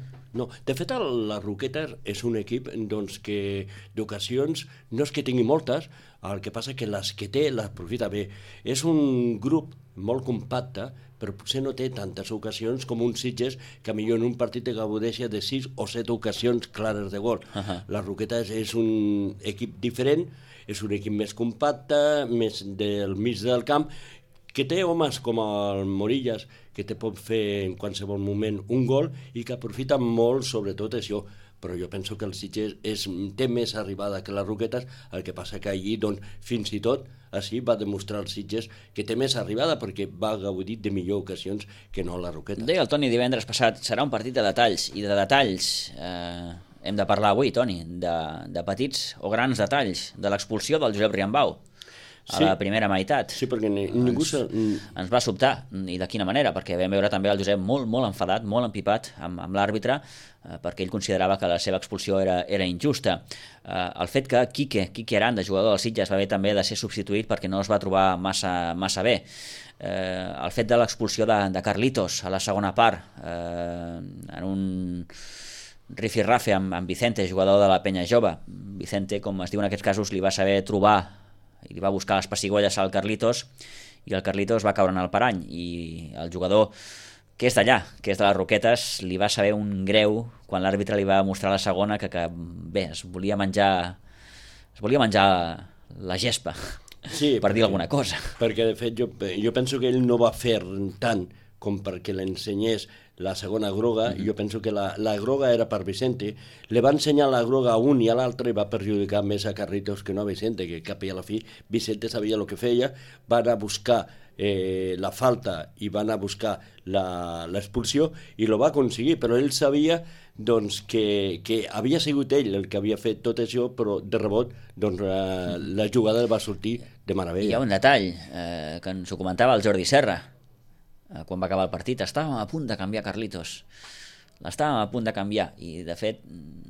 M: De fet, la Roquetes és un equip doncs, que d'ocasions no és que tingui moltes, el que passa que les que té les aprofita bé. És un grup molt compacte, però potser no té tantes ocasions com un Sitges que millor en un partit te gaudeixia de 6 o 7 ocasions clares de gol. La Roquetes és un equip diferent, és un equip més compacte, més del mig del camp, que té homes com el Morillas, que te pot fer en qualsevol moment un gol i que aprofita molt sobretot això. Però jo penso que el Sitges té més arribada que les Roquetes, el que passa que allí doncs, fins i tot així va demostrar el Sitges que té més arribada perquè va gaudir de millor ocasions que no la Roquetes.
A: Deia el Toni divendres passat, serà un partit de detalls, i de detalls hem de parlar avui, Toni, de petits o grans detalls, de l'expulsió del Josep Riambau a la primera meitat.
M: Sí, perquè ningú
A: ens va sobtar, i de quina manera, perquè vam veure també el Josep molt enfadat, molt empipat amb l'àrbitre, perquè ell considerava que la seva expulsió era injusta. El fet que Quique Aranda, jugador del Sitges, va haver també de ser substituït perquè no es va trobar massa bé. El fet de l'expulsió de Carlitos a la segona part, en un rifirrafe amb Vicente, jugador de la Penya Jove. Vicente, com es diu en aquests casos, li va saber trobar i li va buscar les pessigolles al Carlitos, i el Carlitos va caure en el parany, i el jugador que és d'allà, que és de les Roquetes, li va saber un greu quan l'àrbitre li va mostrar la segona que bé, es volia menjar la gespa,
M: sí,
A: per dir alguna cosa.
M: Perquè de fet jo penso que ell no va fer tant com perquè l'ensenyés la segona groga, jo penso que la groga era per Vicente, li va ensenyar la groga a un i a l'altre i va perjudicar més a Carlitos que no a Vicente, que cap i a la fi Vicente sabia el que feia, va anar a buscar la falta i va anar a buscar l'expulsió i lo va aconseguir, però ell sabia doncs, que havia sigut ell el que havia fet tot això, però de rebot doncs, la jugada va sortir de meravella.
A: Hi ha un detall que ens ho comentava el Jordi Serra quan va acabar el partit, estàvem a punt de canviar Carlitos, l'estàvem a punt de canviar, i de fet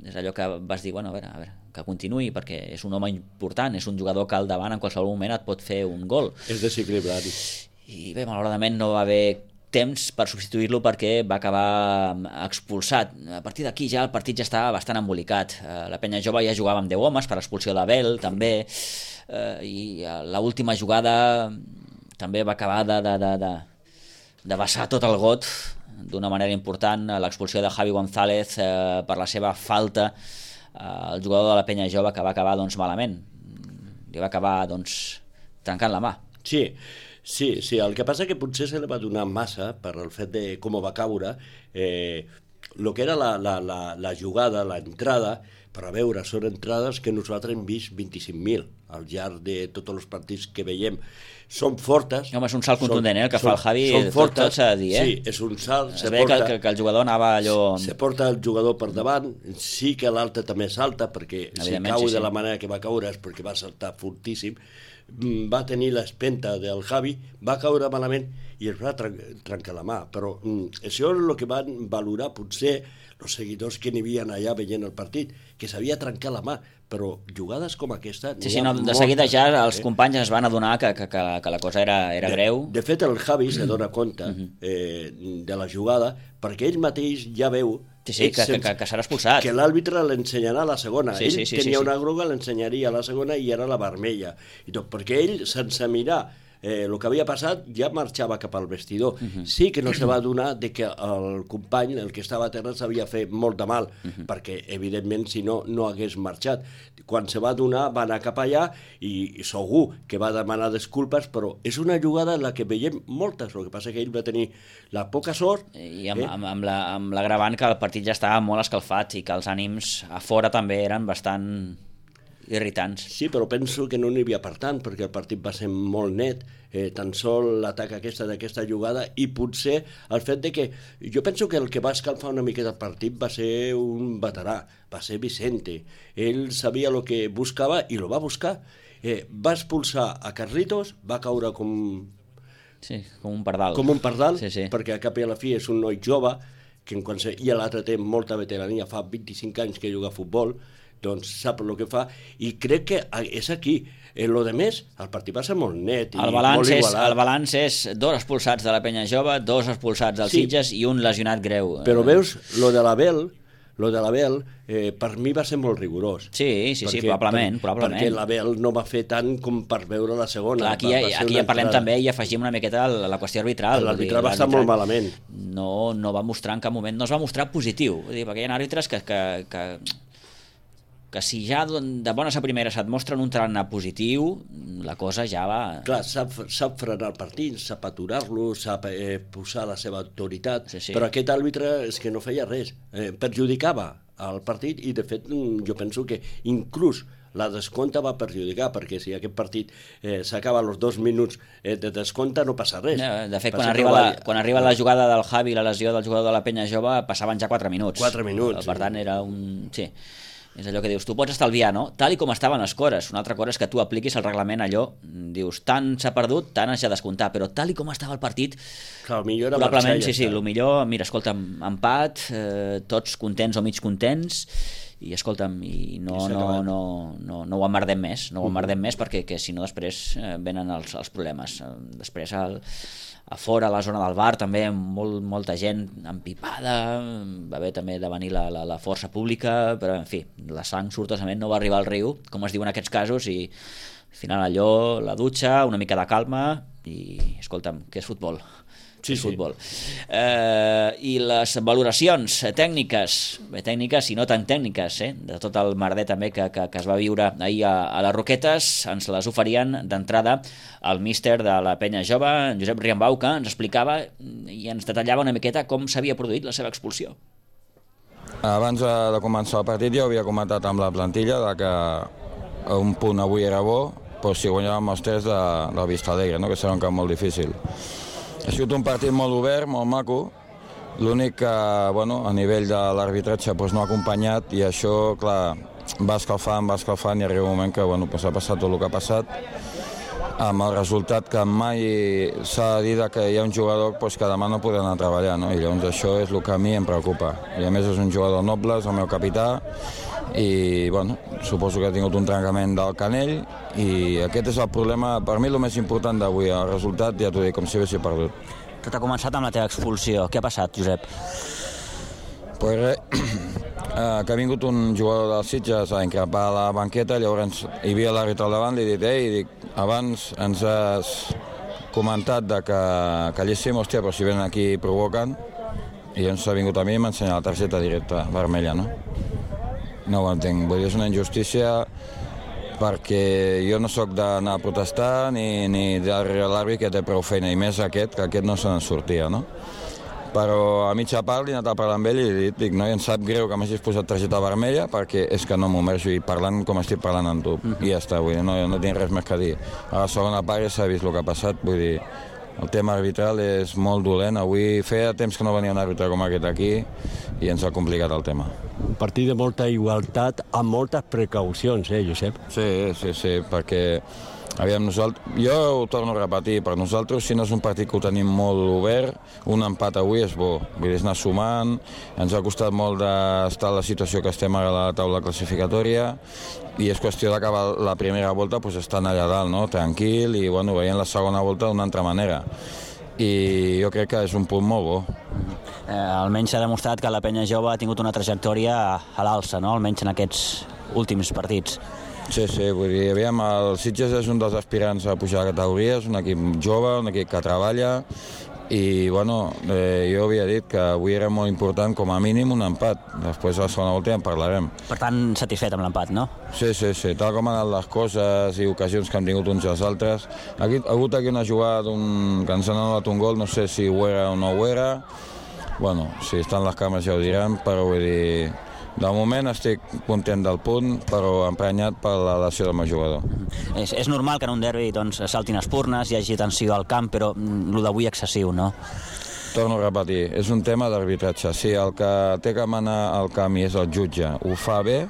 A: és allò que vas dir, bueno, a veure, que continuï, perquè és un home important, és un jugador que al davant en qualsevol moment et pot fer un gol.
M: És desequilibrat.
A: I bé, malauradament no va haver temps per substituir-lo perquè va acabar expulsat. A partir d'aquí ja el partit ja estava bastant embolicat. La Penya Jove ja jugava amb 10 homes per expulsió d'Abel, també, i l'última jugada també va acabar de vessar tot el got d'una manera important, l'expulsió de Javi González per la seva falta al jugador de la Penya Jove, que va acabar malament. Li va acabar trencant la mà.
M: Sí, el que passa que potser se li va donar massa per el fet de com va caure, el que era la jugada, l'entrada, per a veure, són entrades que nosaltres hem vist 25.000 al llarg de tots els partits que veiem. Són fortes.
A: Home, és un salt contundent, el que fa el Javi, tot s'ha de dir,
M: Sí, és un salt.
A: Es veia que el jugador anava allò...
M: Se porta el jugador per davant, sí que l'altre també salta, perquè si cau de la manera que va caure és perquè va saltar fortíssim, va tenir l'espenta del Javi, va caure malament i es va trencar la mà, però això és el que van valorar potser els seguidors que n'hi havia allà veient el partit, que s'havia trencat la mà, però jugades com aquesta...
A: Sí, de seguida ja els companys es van adonar que la cosa era greu.
M: De fet, el Javi se dona compte de la jugada, perquè ell mateix ja veu
A: que serà expulsat.
M: Que l'àrbitre l'ensenyarà a la segona. Ell tenia una groga, l'ensenyaria a la segona i era la vermella. I tot, perquè ell, sense mirar el que havia passat, ja marxava cap al vestidor. Sí que no se va adonar que el company, el que estava a terra, s'havia fet molt de mal, perquè, evidentment, si no, no hagués marxat. Quan se va adonar, va anar cap allà i segur que va demanar disculpes, però és una jugada en la que veiem moltes. El que passa que ell va tenir la poca sort...
A: I amb l'agravant que el partit ja estava molt escalfat i que els ànims a fora també eren bastant... irritants.
M: Sí, però penso que no n'hi havia per tant, perquè el partit va ser molt net, tan sol l'atac d'aquesta jugada, i potser el fet de que... Jo penso que el que va escalfar una miqueta el partit va ser un veterà, va ser Vicente. Ell sabia el que buscava i lo va buscar. Va expulsar a Carlitos, va caure com...
A: Sí, com un pardal.
M: Com un pardal, perquè a cap i a la fi és un noi jove, i l'altre té molta veterania, fa 25 anys que juga a futbol, doncs sap el que fa, i crec que és aquí. Lo de més, el partit va ser molt net i molt igualat.
A: El balanç és 2 expulsats de la Penya Jove, 2 expulsats del Sitges i un lesionat greu.
M: Però veus, lo de l'Abel, per mi va ser molt rigorós.
A: Sí, probablement.
M: Perquè l'Abel no va fer tant com per veure la segona.
A: Aquí ja parlem també i afegim una miqueta la qüestió arbitral.
M: L'arbitral va estar molt malament.
A: No va mostrar en cap moment, no es va mostrar positiu, perquè hi ha àrbitres que si ja de bones a primeres et mostren un tarannà positiu, la cosa ja va...
M: Clar, sap frenar el partit, sap aturar-lo, sap posar la seva autoritat, però aquest àrbitre és que no feia res, perjudicava el partit i de fet jo penso que inclús la descompte va perjudicar, perquè si aquest partit s'acaba als 2 minuts de descompte no passa res.
A: De fet, quan arriba la jugada del Javi, la lesió del jugador de la Penya Jove, passaven ja 4 minuts.
M: 4 minuts.
A: Per tant, era un... Sí. És allò que dius, tu pots estalviar, no? Tal i com estaven les cores. Una altra cosa és que tu apliquis el reglament allò, dius, tant s'ha perdut, tant has de descomptar, però tal i com estava el partit,
M: clar, millor era
A: probablement, el millor, mira, escolta'm, empat, tots contents o mig contents, i escolta'm, i no ho emmerdem més, perquè si no després venen els problemes. Després a fora, a la zona del bar, també molta gent empipada, va haver també de venir la força pública, però en fi, la sang sortosament no va arribar al riu, com es diu en aquests casos, i al final allò, la dutxa, una mica de calma, i escolta'm, què és futbol? Futbol. I les valoracions tècniques i no tan tècniques, de tot el merder també que es va viure ahir a les Roquetes, ens les oferien d'entrada el míster de la Penya Jove, Josep Riambau, que ens explicava i ens detallava una miqueta com s'havia produït la seva expulsió.
I: Abans de començar el partit ja havia comentat amb la plantilla que un punt avui era bo, però si guanyàvem els 3 del Vista Alegre, que serà un camp molt difícil. Ha sigut un partit molt obert, molt maco, l'únic que a nivell de l'arbitratge no ha acompanyat i això, clar, va escalfant i arriba un moment que s'ha passat tot el que ha passat, amb el resultat que mai s'ha de dir que hi ha un jugador que demà no podrà anar a treballar, i llavors això és el que a mi em preocupa. I a més és un jugador noble, és el meu capità, i suposo que ha tingut un trencament del canell i aquest és el problema, per mi el més important d'avui, el resultat ja t'ho dic, com si haguessi perdut.
A: Tot ha començat amb la teva expulsió, què ha passat, Josep?
I: Pues res, que ha vingut un jugador del Sitges a increpar a la banqueta, llavors hi havia l'àrbitre al davant, li he dit, abans ens has comentat que calléssim, hòstia, però si venen aquí i provoquen, i ens ha vingut a mi i m'ha ensenyat la targeta directa vermella, no? No ho entenc, vull dir, és una injustícia perquè jo no sóc d'anar a protestar ni darrere l'àrbitre que té prou feina, i més aquest, que aquest no se n'en sortia, no? Però a mitja part li he anat a parlar amb ell i li dic, no, i em sap greu que m'hagis posat targeta vermella perquè és que no m'ho mereixo, i parlant com estic parlant amb tu, i ja està, vull dir, no tinc res més que dir. A la segona part ja s'ha vist el que ha passat, vull dir, el tema arbitral és molt dolent. Avui feia temps que no venia un àrbitre com aquest aquí i ens ha complicat el tema.
J: Un partit de molta igualtat amb moltes precaucions, Josep?
I: Sí, perquè aviam, jo ho torno a repetir, per nosaltres, si no és un partit que ho tenim molt obert, un empat avui és bo, vull dir, és anar sumant, ens ha costat molt d'estar a la situació que estem ara a la taula classificatòria, i és qüestió d'acabar la primera volta pues, estant allà dalt, no? Tranquil, i bueno, veient la segona volta d'una altra manera. I jo crec que és un punt molt bo.
A: Almenys s'ha demostrat que la penya jove ha tingut una trajectòria a l'alça, no? Almenys en aquests últims partits.
I: Sí, vull dir, aviam, el Sitges és un dels aspirants a pujar a categories, un equip jove, un equip que treballa, i bueno, jo havia dit que avui era molt important com a mínim un empat, després a la segona volta ja en parlarem.
A: Per tant, satisfet amb l'empat, no?
I: Sí, tal com han anat les coses i ocasions que han tingut uns i els altres. Ha hagut aquí una jugada que ens han anul·lat un gol, no sé si ho era o no ho era, bueno, si estan les càmeres ja ho diran, però vull dir, de moment estic content del punt, però emprenyat per la lesió del meu jugador.
A: És normal que en un derbi saltin espurnes, hi hagi tensió al camp, però el d'avui excessiu, no?
I: Torno a repetir, és un tema d'arbitratge. Si el que té que manar al camp i és el jutge ho fa bé,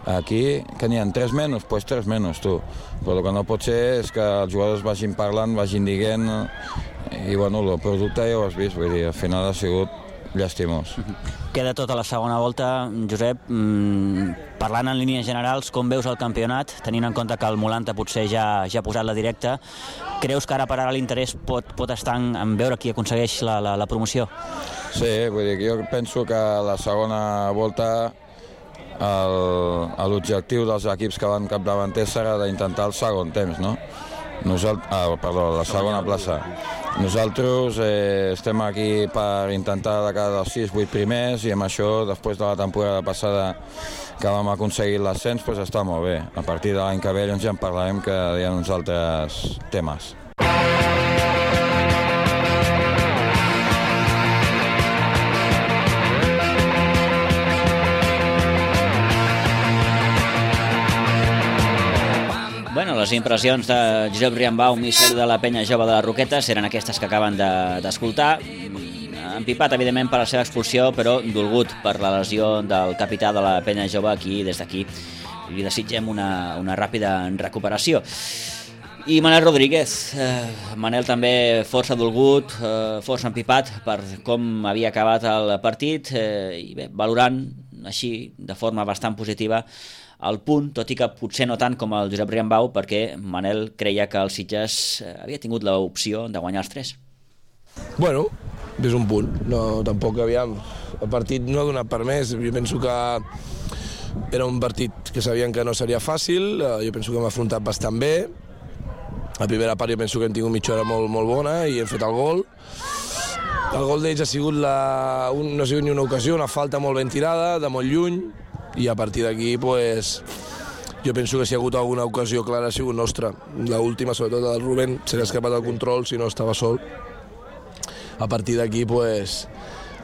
I: aquí, que n'hi ha 3 menys, doncs 3 menys, tu. Però el que no pot ser és que els jugadors vagin parlant, vagin dient, i bueno, el producte ja ho has vist, vull dir, al final ha sigut llastimós.
A: Queda tota la segona volta. Josep, parlant en línies generals, com veus el campionat, tenint en compte que el Molanta potser ja ha posat la directa, creus que ara per ara l'interès pot estar en veure qui aconsegueix la promoció?
I: Sí, vull dir que jo penso que la segona volta l'objectiu dels equips que van capdavanters serà d'intentar el segon temps, no? La segona plaça. Nosaltres estem aquí per intentar de cada dels 6-8 primers, i amb això, després de la temporada passada que vam aconseguir l'ascens, doncs està molt bé. A partir de l'any que ve ja en parlarem, que hi ha uns altres temes.
A: Bueno, les impressions de Josep Riambau, míster de la penya jove de les Roquetes, eren aquestes que acaben d'escoltar. Empipat, evidentment, per la seva expulsió, però dolgut per la lesió del capità de la penya jove. Des d'aquí li desitgem una ràpida recuperació. I Manel Rodríguez, Manel també força dolgut, força empipat per com havia acabat el partit, i bé, valorant així de forma bastant positiva el punt, tot i que potser no tant com el Josep Riambau, perquè Manel creia que el Sitges havia tingut l'opció de guanyar els 3.
K: Bueno, és un punt. No, tampoc, aviam, el partit no ha donat per més. Jo penso que era un partit que sabien que no seria fàcil, jo penso que hem afrontat bastant bé. La primera part jo penso que hem tingut mitja hora molt bona i hem fet el gol. El gol d'ells ha sigut no ha sigut ni una ocasió, una falta molt ben tirada, de molt lluny, i a partir d'aquí, pues, jo penso que si hi ha hagut alguna ocasió clara ha sigut nostra. L'última, sobretot la del Rubén, se li ha escapat el control, si no estava sol. A partir d'aquí, pues,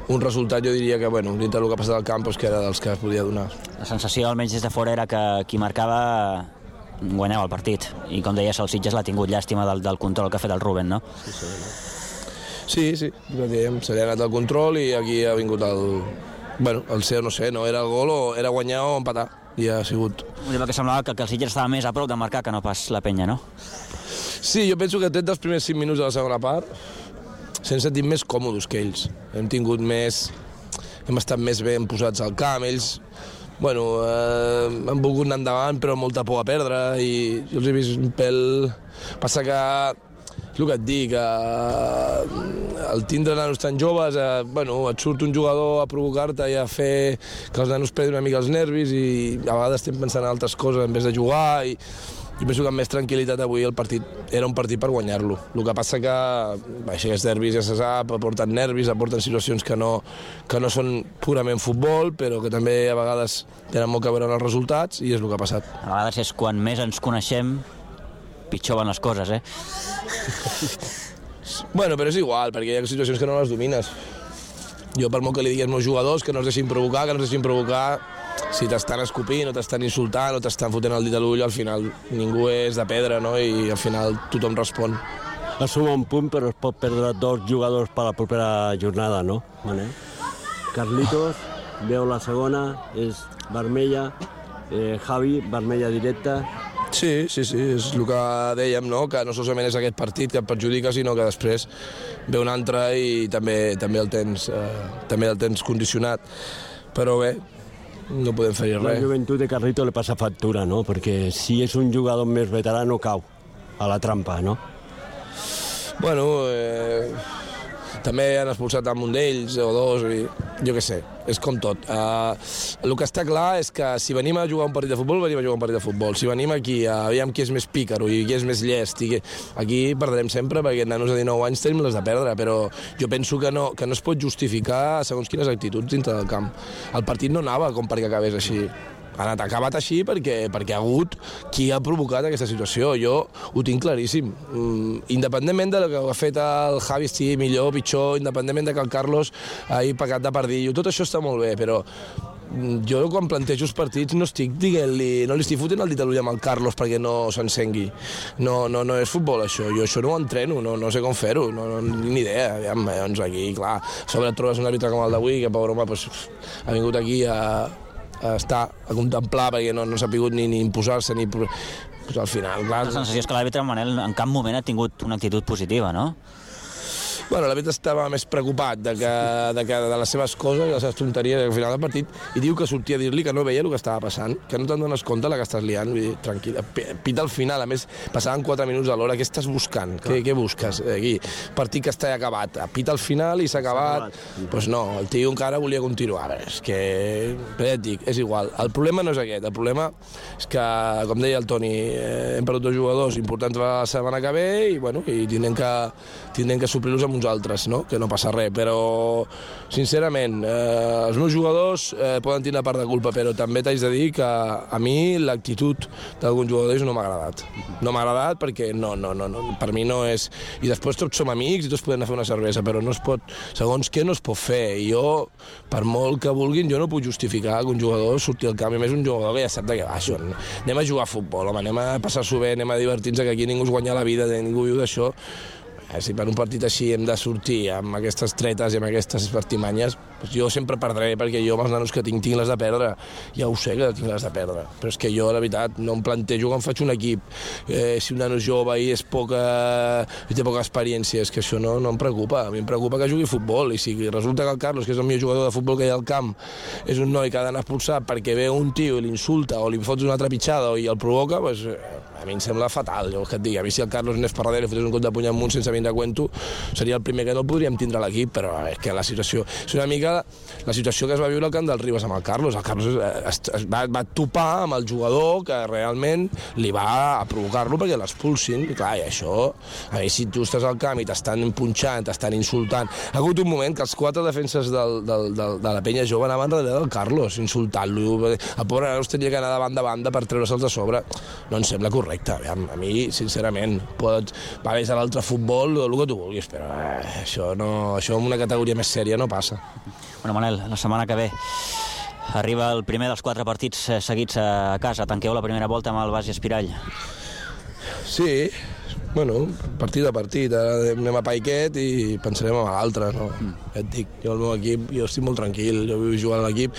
K: un resultat jo diria que, bueno, dintre del que ha passat al camp, pues, que era dels que es podia donar.
A: La sensació, almenys des de fora, era que qui marcava guanyava el partit. I com deies, el Sitges l'ha tingut llàstima del control que ha fet el Rubén, no?
K: Sí, se li ha anat el control i aquí ha vingut el seu, no sé, no era el gol o era guanyar o empatar, i ha sigut.
A: Que semblava que el Sitges estava més a prop de marcar que no pas la penya, no?
K: Sí, jo penso que tret dels primers 5 minuts de la segona part s'han sentit més còmodes que ells. Hem estat més ben posats al camp, ells han volgut anar endavant però amb molta por a perdre, i jo els he vist un pèl. Passa que el que et dic, al tindre nanos tan joves, et surt un jugador a provocar-te i a fer que els nanos perdin una mica els nervis, i a vegades estem pensant en altres coses en vez de jugar, i Jo penso que amb més tranquil·litat avui el partit era un partit per guanyar-lo. El que passa que aquests derbis ja se sap, aporten nervis, aporten situacions que no són purament futbol, però que també a vegades tenen molt que veure amb els resultats, i és el que ha passat.
A: A vegades és quan més ens coneixem, pitjor van les coses,
K: Bueno, però és igual, perquè hi ha situacions que no les domines. Jo, per molt que li digui als meus jugadors que no es deixin provocar, si t'estan escopint, o t'estan insultant, o t'estan fotent el dit a l'ull, al final ningú és de pedra, no? I al final tothom respon.
J: Es suma un punt, però es pot perdre 2 jugadors per la propera jornada, no? Carlitos, veu la segona, és vermella, Javi, vermella directa.
K: Sí, és el que dèiem, no? Que no solament és aquest partit que et perjudica, sinó que després ve un altre i també el tens condicionat. Però bé, no podem fer res.
J: La joventut de Carlito li passa factura, no? Perquè si és un jugador més veterà no cau a la trampa, no?
K: Bueno, també han expulsat amb un d'ells o dos, i jo què sé, és com tot. El que està clar és que si venim a jugar un partit de futbol, venim a jugar un partit de futbol. Si venim aquí a veure qui és més pícaro i qui és més llest, aquí perdrem sempre, perquè nanos de 19 anys tenim les de perdre, però jo penso que no es pot justificar segons quines actituds dintre del camp. El partit no anava com perquè acabés així. Ha acabat així perquè ha hagut qui ha provocat aquesta situació. Jo ho tinc claríssim. Independentment de que ha fet el Javi estigui millor o pitjor, independentment de que el Carlos hagi pecat de pardillo, tot això està molt bé, però jo quan plantejo els partits no estic dient-li, no li estic fotent el dit a l'ull amb el Carlos perquè no s'encengui. No és futbol, això. Jo això no ho entreno, no sé com fer-ho, ni idea. Doncs aquí, clar, a sobre et trobes un àrbitre com el d'avui, que pobre home ha vingut aquí a contemplar perquè no s'ha pogut ni imposar-se ni... Al final, clar...
A: La sensació és que l'àrbitre, Manel, en cap moment ha tingut una actitud positiva, no?
K: Bueno, l'àrbitre estava més preocupat de les seves coses, de les seves tonteries al final del partit, i diu que sortia a dir-li que no veia el que estava passant, que no te'n dones compte la que estàs liant. Vull dir, tranquil, pita al final, a més, passaven 4 minuts a l'hora, què estàs buscant? Què busques aquí? Partit que està acabat, pita al final i s'ha acabat. Doncs no, el tio encara volia continuar. És que, ja et dic, és igual. El problema no és aquest, el problema és que, com deia el Toni, hem perdut 2 jugadors importants la setmana que ve i tindrem que suplir-los amb uns altres, no? Que no passa res, però sincerament els meus jugadors poden tenir part de culpa, però també t'haig de dir que a mi l'actitud d'alguns jugadors no m'ha agradat. No m'ha agradat perquè no, per mi no és... I després tots som amics i tots podem anar a fer una cervesa, però no es pot, segons què no es pot fer. I jo, per molt que vulguin, jo no puc justificar que un jugador surti al camp, i més un jugador que ja sap de què va això. Anem a jugar a futbol, home, anem a passar-s'ho bé, anem a divertir-nos, que aquí ningú es guanya la vida, ningú viu d'això. Si per un partit així hem de sortir amb aquestes tretes i amb aquestes artimanyes, doncs jo sempre perdré, perquè jo amb els nanos que tinc les de perdre. Ja ho sé que tinc les de perdre, però és que jo, la veritat, no em plantejo quan faig un equip. Si un nano és jove i té poca experiència, és que això no em preocupa. A mi em preocupa que jugui a futbol, i si resulta que el Carlos, que és el millor jugador de futbol que hi ha al camp, és un noi que ha d'anar expulsat perquè ve un tio i l'insulta o li fots una trepitjada i el provoca, doncs a mi em sembla fatal. Jo que et dic, a mi si el Carlos anés per darrere i fotés un cop de puny amunt sense venir a cuento, seria el primer que no podríem tindre a l'equip, però és que la situació és una mica la situació que es va viure al camp del Ribas amb el Carlos. El Carlos es va topar amb el jugador que realment li va provocar-lo perquè l'expulsin. I clar, i això, a mi si tu estàs al camp i t'estan punxant, t'estan insultant... Ha hagut un moment que els 4 defenses de la penya jove anaven darrere del Carlos, insultant-lo. El pobre Carlos tenia que anar de banda per treure-se'ls de sobre. No em sembla correcte. A mi, sincerament, va més a l'altre futbol, el que tu vulguis, però això en una categoria més sèria no passa.
A: Bueno, Manel, la setmana que ve arriba el primer dels 4 partits seguits a casa. Tanqueu la primera volta amb el Bas i Espirall.
K: Sí, bueno, partit a partit. Ara anem a Paiquet i pensarem en l'altre, no? Ja et dic, jo el meu equip, jo estic molt tranquil, jo vull jugar a l'equip.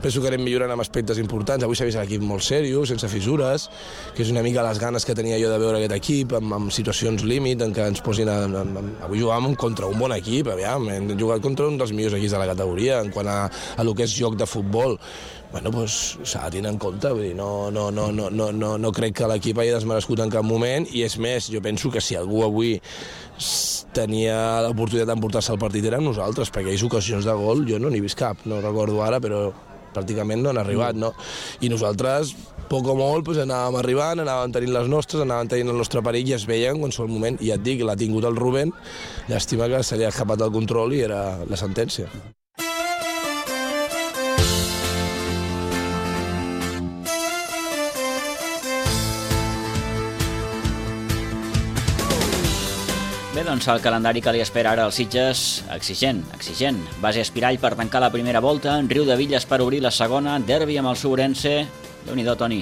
K: Penso que anem millorant amb aspectes importants. Avui s'ha vist l'equip molt seriós, sense fissures, que és una mica les ganes que tenia jo de veure aquest equip, amb situacions límit, en què ens posin... Avui jugàvem contra un bon equip, aviam, hem jugat contra un dels millors equips de la categoria, en quant a lo que és joc de futbol. Bueno, doncs s'ha de tenir en compte, vull dir, no crec que l'equip hagi desmerescut en cap moment, i és més, jo penso que si algú avui tenia l'oportunitat d'emportar-se el partit eren nosaltres, perquè hi ha ocasions de gol, jo no n'he vist cap, no recordo ara, però pràcticament no han arribat, no? I nosaltres, poc o molt, doncs anàvem arribant, anàvem tenint les nostres, anàvem tenint el nostre perill i es veien en qualsevol moment. I ja et dic, l'ha tingut el Rubén, llàstima que se li ha escapat el control i era la sentència.
A: Bé, doncs el calendari que li espera ara als Sitges, exigent. Base Espirall per tancar la primera volta, Riu de Villes per obrir la segona, derbi amb el Sobrense, Déu-n'hi-do, Toni.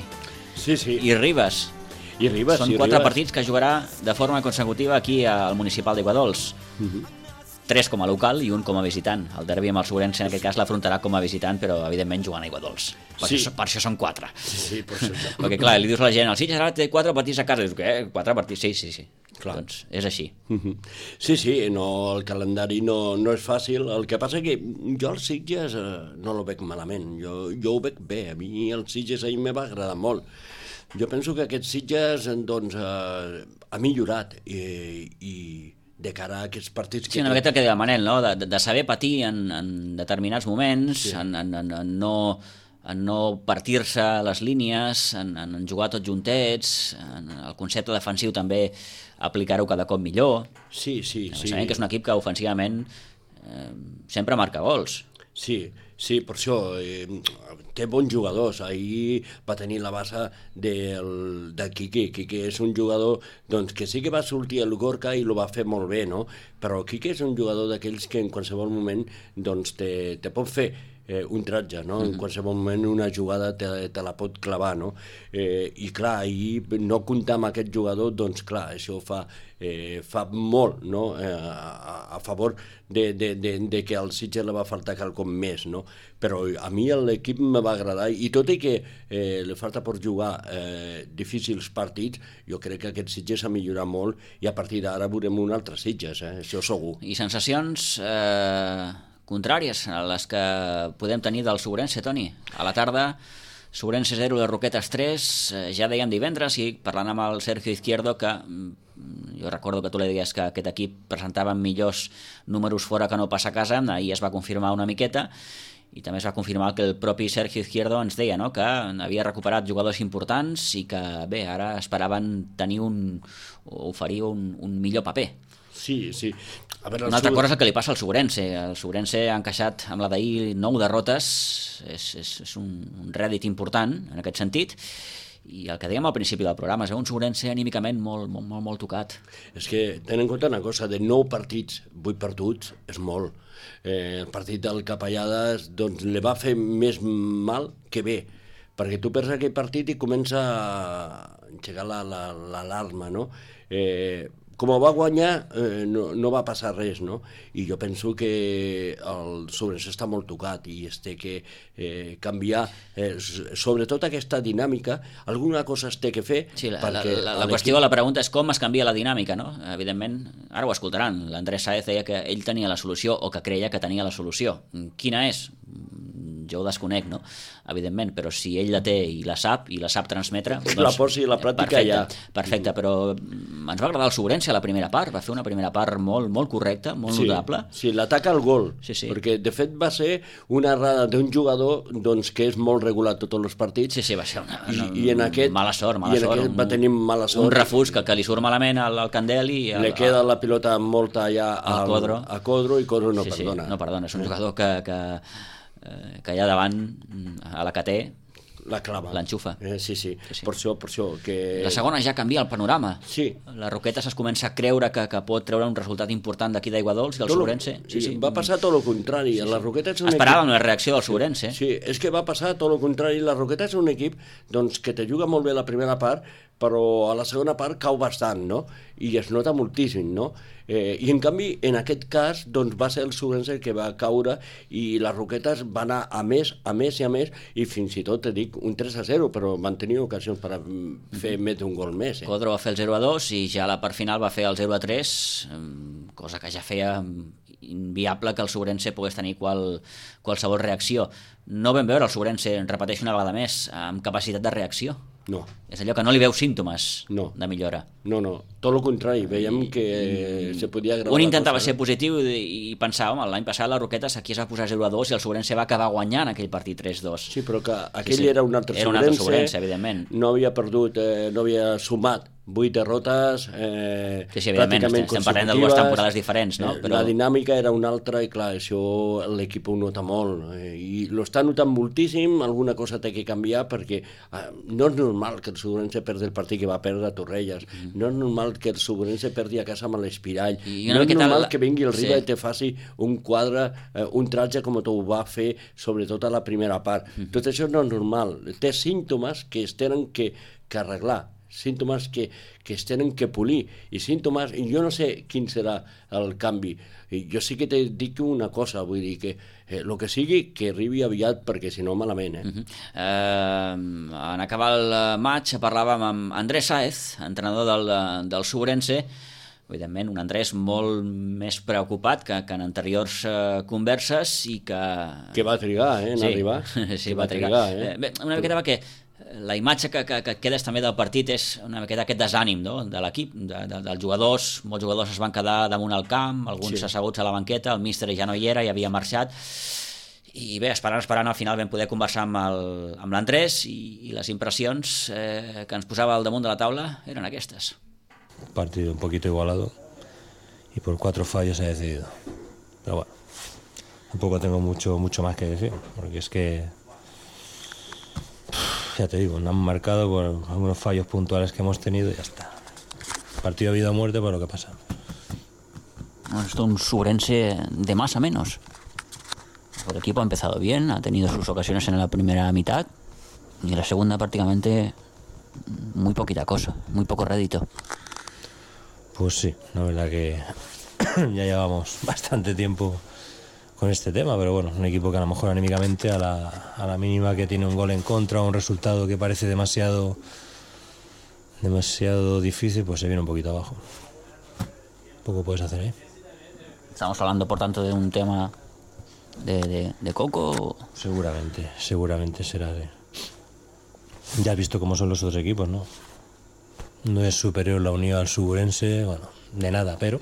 M: Sí.
A: I Ribes. Són 4 partits que jugarà de forma consecutiva aquí al municipal d'Aiguadols. 3 com a local i 1 com a visitant. El derbi amb el Sobrense en aquest cas l'afrontarà com a visitant, però evidentment jugant a Aiguadols. Per això són 4.
M: Sí, per això.
A: Perquè clar, li dius a la gent, el Sitges ara té 4 partits a casa. Dius, què? 4 partits? Sí. Clar. Doncs és així.
M: Sí, no, el calendari no és fàcil. El que passa que jo els Sitges no el veig malament. Jo ho veig bé. A mi els Sitges ahir me va agradar molt. Jo penso que aquests Sitges doncs, ha millorat i de cara a aquests partits...
A: Sí, una miqueta el que deia el Manel, no? De saber patir en determinats moments, en no partir-se les línies, en jugar tots juntets, en el concepte defensiu també aplicar-ho cada cop millor.
M: Sí.
A: Sabem que és un equip que ofensivament sempre marca gols.
M: Sí, per això té bons jugadors. Ahir va tenir la base de Quique. Quique és un jugador doncs, que sí que va sortir el Gorka i lo va fer molt bé, no? Però Quique és un jugador d'aquells que en qualsevol moment doncs, te pot fer un tratge, no? En qualsevol moment una jugada te la pot clavar, no? I clar, ahir no comptar amb aquest jugador, doncs clar, això fa molt, no? A favor de que al Sitges li va faltar quelcom més, no? Però a mi l'equip me va agradar i tot i que li falta per jugar difícils partits, jo crec que aquest Sitges ha millorat molt i a partir d'ara veurem un altre Sitges, això segur.
A: I sensacions contràries a les que podem tenir del Sobrense, Toni. A la tarda, Sobrense 0, de Roquetes 3, ja dèiem divendres, i parlant amb el Sergio Izquierdo, que jo recordo que tu li deies que aquest equip presentava millors números fora que no pas a casa, ahir es va confirmar una miqueta, i també es va confirmar que el propi Sergio Izquierdo ens deia, no?, que havia recuperat jugadors importants i que, bé, ara esperaven tenir oferir un millor paper.
M: Sí. A veure,
A: una altra cosa és el que li passa al Sobrense. El Sobrense ha encaixat amb la d'ahir 9 derrotes, és un rèdit important en aquest sentit, i el que dèiem al principi del programa és un Sobrense anímicament molt tocat.
M: És que ten en compte una cosa, de 9 partits, 8 perduts és molt. El partit del Capellades doncs, li va fer més mal que bé, perquè tu perds aquell partit i comença a engegar l'alarma, no? Com va guanyar, no va passar res, no? I jo penso que el Sobrense està molt tocat i es té que canviar, sobretot aquesta dinàmica, alguna cosa es té que fer.
A: Sí, la qüestió, la pregunta és com es canvia la dinàmica, no? Evidentment, ara ho escoltaran, l'Andrés Sáez deia que ell tenia la solució o que creia que tenia la solució. Quina és? Jo ho desconec, no? Evidentment, però si ell la té i la sap transmetre...
M: Doncs, la posi a la pràctica ja.
A: Perfecte, però ens va agradar el Sobrense a la primera part, va fer una primera part molt correcta, molt notable.
M: Sí, l'ataca al gol, perquè de fet va ser una errada d'un jugador doncs, que és molt regular tots els partits.
A: Sí, va ser
M: una
A: mala sort.
M: I en aquest va tenir mala sort.
A: Un refús que li surt malament al Candel i...
M: Le queda la pilota molta allà a Codro i Codro no perdona.
A: No perdona, és un jugador que allà davant, a la que té,
M: la clava,
A: l'enxufa.
M: Sí. Per això que...
A: La segona ja canvia el panorama.
M: Sí.
A: La Roquetes es comença a creure que pot treure un resultat important d'aquí d'Aiguadols i el Sobrense.
M: Sí. Va passar tot el contrari. La Roquetes és un
A: esperàvem la reacció del Sobrense.
M: Sí, és que va passar tot el contrari. La Roquetes és un equip doncs, que te juga molt bé la primera part, però a la segona part cau bastant, no? I es nota moltíssim, no? I en canvi, en aquest cas, doncs va ser el Sobrense que va caure i les Roquetes van anar a més, i fins i tot, te dic, un 3-0, però van tenir ocasions per fer més d'un gol més.
A: Codro va fer el 0-2 i ja a la part final va fer el 0-3, cosa que ja feia inviable que el Sobrense pogués tenir qualsevol reacció. No vam veure el Sobrense, repeteixo una vegada més, amb capacitat de reacció.
M: No.
A: És allò que no li veu símptomes de millora.
M: No, tot el contrari, veiem que se podia agravar.
A: Un intentava ser positiu i pensar, home, l'any passat la Roquetes aquí es va posar 0-2 i el Sobrense va acabar guanyant aquell partit 3-2.
M: Sí, però que aquell era un altre Sobrense,
A: evidentment.
M: No havia perdut, no havia sumat 8 derrotes
A: evidentment, estem parlant de dues temporades diferents, no?
M: La dinàmica era una altra i clar, això l'equip ho nota molt i l'està notant moltíssim, alguna cosa té que canviar perquè no és normal que el Sobrense perdi el partit que va perdre a Torrelles, no és normal que el Sobrense perdi a casa amb l'Espirall, no és normal que vingui el Riba i te faci un quadre, un tratge com ho va fer sobretot a la primera part. Tot això no és normal, té símptomes que es tenen que arreglar, símptomes que es tenen que polir i símptomes, i jo no sé quin serà el canvi, jo sí que te dic una cosa, vull dir que el que sigui que arribi aviat perquè si no malament.
A: En acabar el maig parlàvem amb Andrés Sáez, entrenador del Sobrense, evidentment un Andrés molt més preocupat que en anteriors converses i que
M: va trigar en arribar.
A: Sí, va trigar. Bé, una miqueta va que la imatge que quedes també del partit és una miqueta aquest desànim, no?, de l'equip, dels jugadors. Molts jugadors es van quedar damunt el camp, alguns asseguts a la banqueta, el míster ja no hi era, ja havia marxat, i bé, esperant, al final vam poder conversar amb l'Andrés i les impressions que ens posava al damunt de la taula eren aquestes.
N: Partido un poquito igualado y por 4 fallos se ha decidido, pero bueno, tampoco tengo mucho más que decir, porque es que ya te digo, nos han marcado por algunos fallos puntuales que hemos tenido y ya está. Partido de vida o muerte por lo que pasa.
A: Bueno, esto es un Sobrense de más a menos. El equipo ha empezado bien, ha tenido sus ocasiones en la primera mitad y en la segunda prácticamente muy poquita cosa, muy poco rédito.
N: Pues sí, la verdad que ya llevamos bastante tiempo con este tema, pero bueno, un equipo que a lo mejor anímicamente a la mínima que tiene un gol en contra o un resultado que parece demasiado difícil, pues se viene un poquito abajo. Poco puedes hacer ahí.
A: Estamos hablando, por tanto, de un tema de Coco.
N: Seguramente será de... Ya has visto cómo son los otros equipos, ¿no? No es superior la Unión al Sobrense, bueno, de nada, pero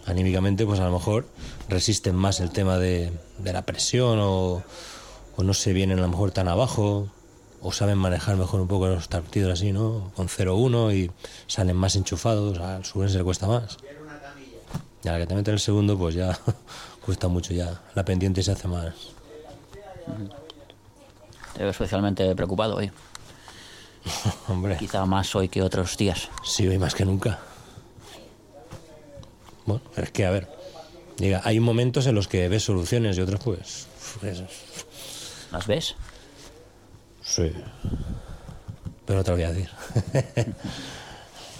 N: anímicamente pues a lo mejor resisten más el tema de la presión o no se vienen a lo mejor tan abajo o saben manejar mejor un poco los partidos así, ¿no? Con 0-1 y salen más enchufados, al Sobrense le cuesta más. Y a la que te meten el segundo pues ya cuesta mucho, ya la pendiente se hace más.
A: Te veo especialmente preocupado hoy.
N: Hombre.
A: Quizá más hoy que otros días.
N: Sí, hoy más que nunca. Bueno, pero es que, a ver, diga, hay momentos en los que ves soluciones y otros pues...
A: ¿Las ves?
N: Sí. Pero no te lo voy a decir.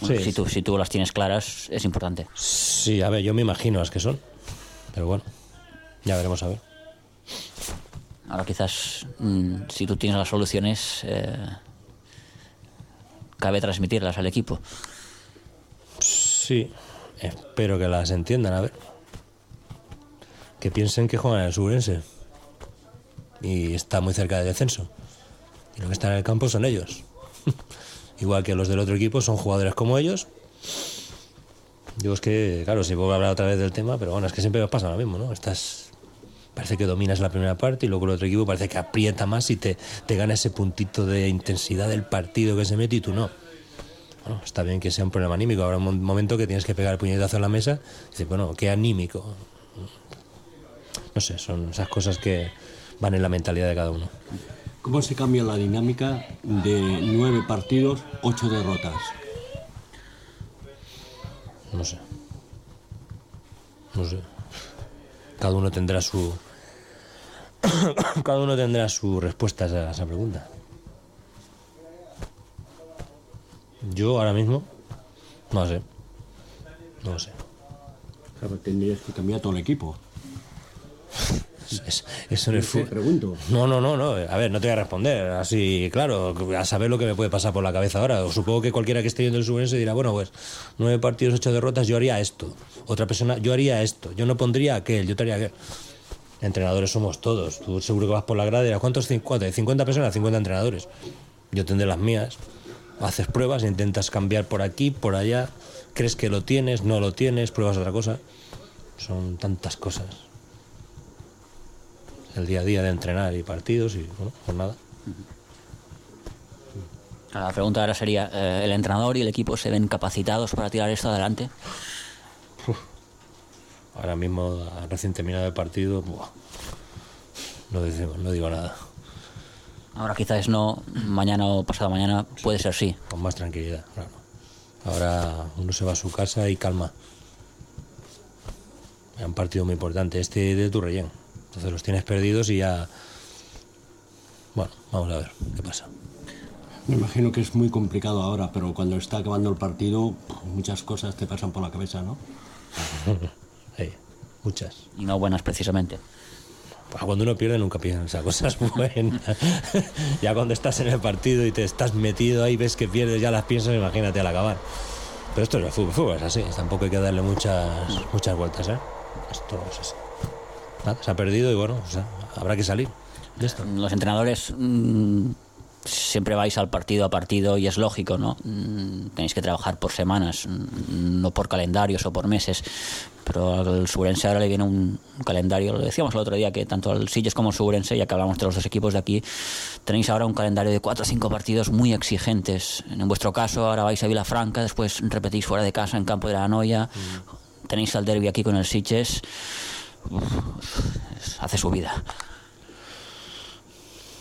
A: Bueno, sí. Si tú las tienes claras, es importante.
N: Sí, a ver, yo me imagino las que son. Pero bueno, ya veremos a ver.
A: Ahora quizás, si tú tienes las soluciones, cabe transmitirlas al equipo.
N: Sí, espero que las entiendan, a ver. Que piensen que juegan en el Sobrense. Y está muy cerca del descenso. Y los que están en el campo son ellos. Igual que los del otro equipo son jugadores como ellos. Digo, es que, claro, si puedo hablar otra vez del tema, pero bueno, es que siempre nos pasa lo mismo, ¿no? Parece que dominas la primera parte y luego el otro equipo parece que aprieta más y te gana ese puntito de intensidad del partido que se mete y tú no. Bueno, está bien que sea un problema anímico. Habrá un momento que tienes que pegar el puñetazo en la mesa y dices, bueno, qué anímico. No sé, son esas cosas que van en la mentalidad de cada uno.
J: ¿Cómo se cambia la dinámica de 9 partidos, 8 derrotas?
N: No sé. Cada uno tendrá su respuesta a esa pregunta. Yo ahora mismo no sé.
J: Claro, tendrías que cambiar todo el equipo.
N: Eso no es
J: pregunto.
N: No. A ver, no te voy a responder así, claro, a saber lo que me puede pasar por la cabeza ahora. O supongo que cualquiera que esté viendo el Sobrense dirá, bueno, pues 9 partidos, 8 derrotas, yo haría esto. Otra persona, yo haría esto. Yo no pondría aquel, yo te haría aquel. Entrenadores somos todos. Tú seguro que vas por la grada y dirás, ¿cuántos? 50 personas, 50 entrenadores. Yo tendré las mías. Haces pruebas, intentas cambiar por aquí, por allá, crees que lo tienes, no lo tienes, pruebas otra cosa. Son tantas cosas. El día a día de entrenar y partidos y, bueno, pues nada.
A: La pregunta ahora sería, ¿el entrenador y el equipo se ven capacitados para tirar esto adelante?
N: Ahora mismo, recién terminado el partido, no digo nada.
A: Ahora quizás no, mañana o pasado mañana puede ser sí.
N: Con más tranquilidad, claro. Ahora uno se va a su casa y calma. Es un partido muy importante, este de Turrellén. Entonces los tienes perdidos y ya... Bueno, vamos a ver qué pasa.
J: Me imagino que es muy complicado ahora, pero cuando está acabando el partido, muchas cosas te pasan por la cabeza, ¿no?
N: Sí, muchas.
A: Y no buenas, precisamente.
N: Cuando uno pierde nunca piensa cosas buenas. Ya cuando estás en el partido y te estás metido ahí, ves que pierdes, ya las piensas, imagínate al acabar. Pero esto es el fútbol es así, tampoco hay que darle muchas vueltas, ¿eh? Esto es así. Nada, se ha perdido y bueno, o sea, habrá que salir de esto.
A: Los entrenadores siempre vais al partido a partido y es lógico, ¿no? Tenéis que trabajar por semanas, no por calendarios o por meses. Pero al Suburense ahora le viene un calendario, lo decíamos el otro día, que tanto al Sitges como al Suburense, ya que hablamos de los dos equipos de aquí, tenéis ahora un calendario de 4 o 5 partidos muy exigentes. En vuestro caso, ahora vais a Vilafranca, después repetís fuera de casa en Campo de la Anoia, tenéis el derbi aquí con el Sitges. Hace su vida.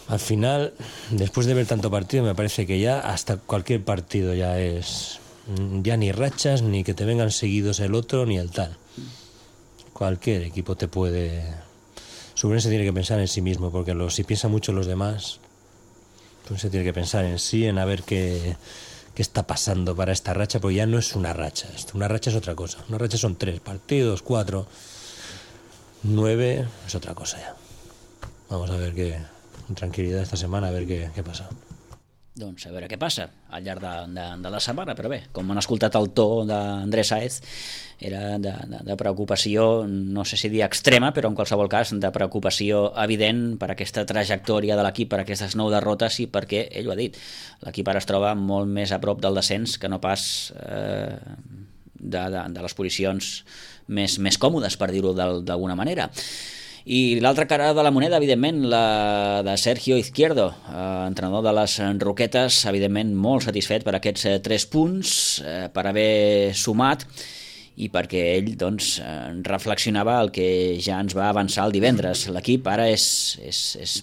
N: Al final, después de ver tanto partido, me parece que ya hasta cualquier partido ya es... Ya ni rachas, ni que te vengan seguidos el otro, ni el tal. Cualquier equipo te puede... Suburense tiene que pensar en sí mismo, porque si piensa mucho en los demás, pues se tiene que pensar en sí, en a ver qué está pasando para esta racha, porque ya no es una racha. Una racha es otra cosa. Una racha son 3 partidos, 4, 9, es otra cosa ya. Vamos a ver con tranquilidad esta semana, a ver qué pasa.
A: Doncs a veure què passa al llarg de la setmana, però bé, com han escoltat el to d'Andrés Sáez, era de preocupació, no sé si dir extrema, però en qualsevol cas de preocupació evident per aquesta trajectòria de l'equip, per aquestes 9 derrotes i perquè, ell ho ha dit, l'equip ara es troba molt més a prop del descens que no pas de les posicions més còmodes, per dir-ho d'alguna manera. I l'altra cara de la moneda, evidentment, la de Sergio Izquierdo, entrenador de les Roquetes, evidentment molt satisfet per aquests 3 punts, per haver sumat i perquè ell doncs, reflexionava el que ja ens va avançar el divendres. L'equip ara és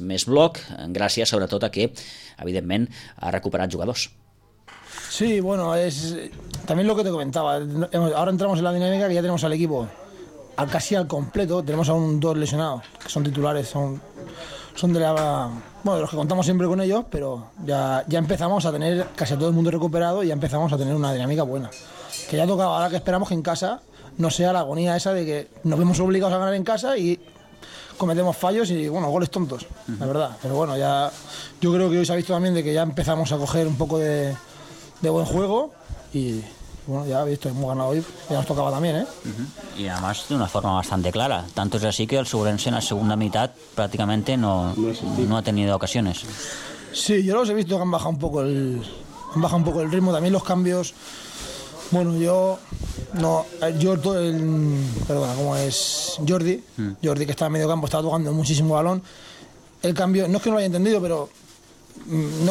A: més bloc, gràcies sobretot a que, evidentment, ha recuperat jugadors.
P: Sí, bueno, también lo que te comentaba. Ahora entramos en la dinámica que ya tenemos al equipo casi al completo. Tenemos aún 2 lesionados, que son titulares, son de de los que contamos siempre con ellos, pero ya empezamos a tener casi a todo el mundo recuperado y ya empezamos a tener una dinámica buena. Que ya tocaba, ahora que esperamos que en casa no sea la agonía esa de que nos vemos obligados a ganar en casa y cometemos fallos y, bueno, goles tontos, la verdad. Pero bueno, ya yo creo que hoy se ha visto también de que ya empezamos a coger un poco de buen juego y... Bueno, ya he visto, hemos ganado hoy, ya nos tocaba también, ¿eh?
A: Y además de una forma bastante clara. Tanto es así que el Suburense en la segunda mitad prácticamente no ha tenido ocasiones.
P: Sí, yo los he visto que han bajado un poco el ritmo, también los cambios. Bueno, ¿cómo es? Jordi que está en medio campo, estaba tocando muchísimo balón. El cambio, no es que no lo haya entendido, pero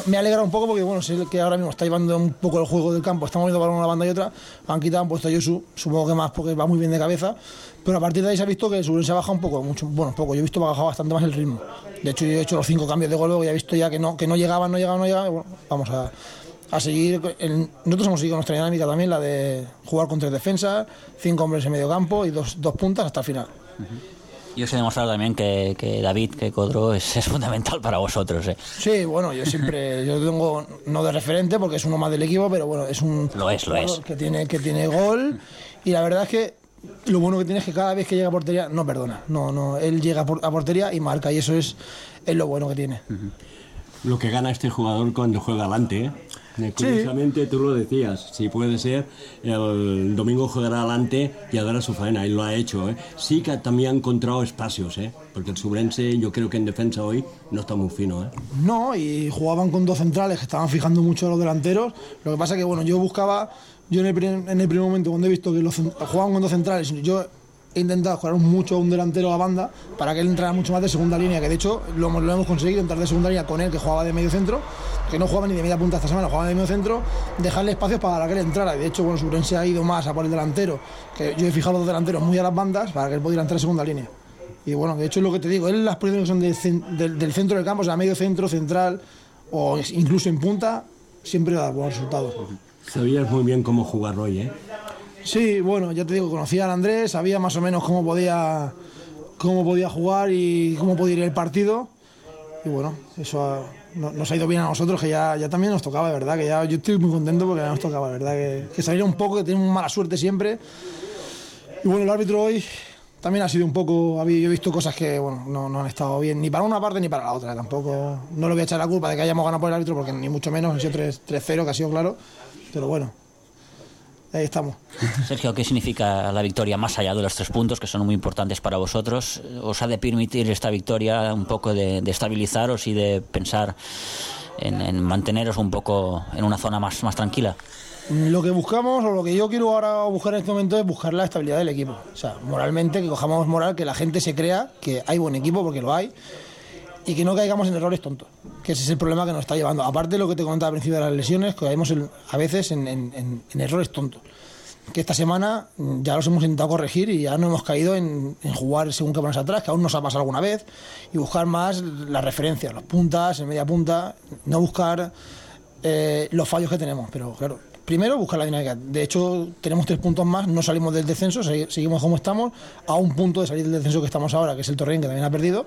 P: me alegra un poco porque, bueno, sé que ahora mismo está llevando un poco el juego del campo, estamos viendo balón una banda y otra, han quitado, han puesto a Yosu, supongo que más porque va muy bien de cabeza, pero a partir de ahí se ha visto que el Suburense ha bajado un poco, yo he visto que ha bajado bastante más el ritmo. De hecho, yo he hecho los 5 cambios de gol, luego ya he visto ya que no llegaban, bueno, vamos a seguir. Nosotros hemos seguido nuestra dinámica también, la de jugar con 3 defensas, 5 hombres en medio campo y dos puntas hasta el final.
A: Yo os he demostrado también que David, que Codro es fundamental para vosotros, ¿eh?
P: Sí, bueno, yo tengo, no de referente porque es uno más del equipo, pero bueno, es un jugador que tiene gol y la verdad es que lo bueno que tiene es que cada vez que llega a portería no perdona, él llega a portería y marca y eso es lo bueno que tiene.
J: Lo que gana este jugador cuando juega adelante, Curiosamente, tú lo decías, si puede ser, el domingo jugará adelante y hará su faena, y lo ha hecho. Sí que también ha encontrado espacios, porque el Subrense, yo creo que en defensa hoy no está muy fino.
P: No, y jugaban con dos centrales que estaban fijando mucho a los delanteros. Lo que pasa que, bueno, yo en el primer momento, cuando he visto que jugaban con dos centrales, yo he intentado jugar mucho a un delantero a banda para que él entrara mucho más de segunda línea, que de hecho lo hemos conseguido, entrar de segunda línea con él, que jugaba de medio centro, que no jugaba ni de media punta esta semana, jugaba de medio centro, dejarle espacios para que él entrara. Y de hecho, bueno, Subrense ha ido más a por el delantero, que yo he fijado los delanteros muy a las bandas para que él pudiera entrar de segunda línea. Y bueno, de hecho es lo que te digo, él las posiciones que son del centro del campo, o sea, medio centro, central o incluso en punta, siempre da buenos resultados.
J: Sabías muy bien cómo jugar hoy,
P: Sí, bueno, ya te digo, conocía al Andrés, sabía más o menos cómo podía jugar y cómo podía ir el partido. Y bueno, eso nos ha ido bien a nosotros, que ya también nos tocaba, de verdad, que ya yo estoy muy contento porque ya nos tocaba, de verdad, que saliera un poco, que tenemos mala suerte siempre. Y bueno, el árbitro hoy también ha sido un poco, yo he visto cosas que bueno, no han estado bien, ni para una parte ni para la otra, tampoco, no le voy a echar la culpa de que hayamos ganado por el árbitro, porque ni mucho menos, ha sido 3-0, que ha sido claro, pero bueno. Ahí estamos.
A: Sergio, ¿qué significa la victoria más allá de los 3 puntos que son muy importantes para vosotros? ¿Os ha de permitir esta victoria un poco de estabilizaros y de pensar en manteneros un poco en una zona más tranquila?
P: Lo que buscamos, o lo que yo quiero ahora buscar en este momento, es buscar la estabilidad del equipo. O sea, moralmente, que cojamos moral, que la gente se crea que hay buen equipo, porque lo hay, y que no caigamos en errores tontos, que ese es el problema que nos está llevando. Aparte de lo que te comentaba al principio de las lesiones, que caemos a veces en errores tontos, que esta semana ya los hemos intentado corregir y ya no hemos caído en jugar según qué pones atrás, que aún nos ha pasado alguna vez, y buscar más las referencias, los puntas, en media punta, no buscar los fallos que tenemos, pero claro, primero buscar la dinámica. De hecho, tenemos 3 puntos más, no salimos del descenso, seguimos como estamos, a un punto de salir del descenso que estamos ahora, que es el Torrent, que también ha perdido.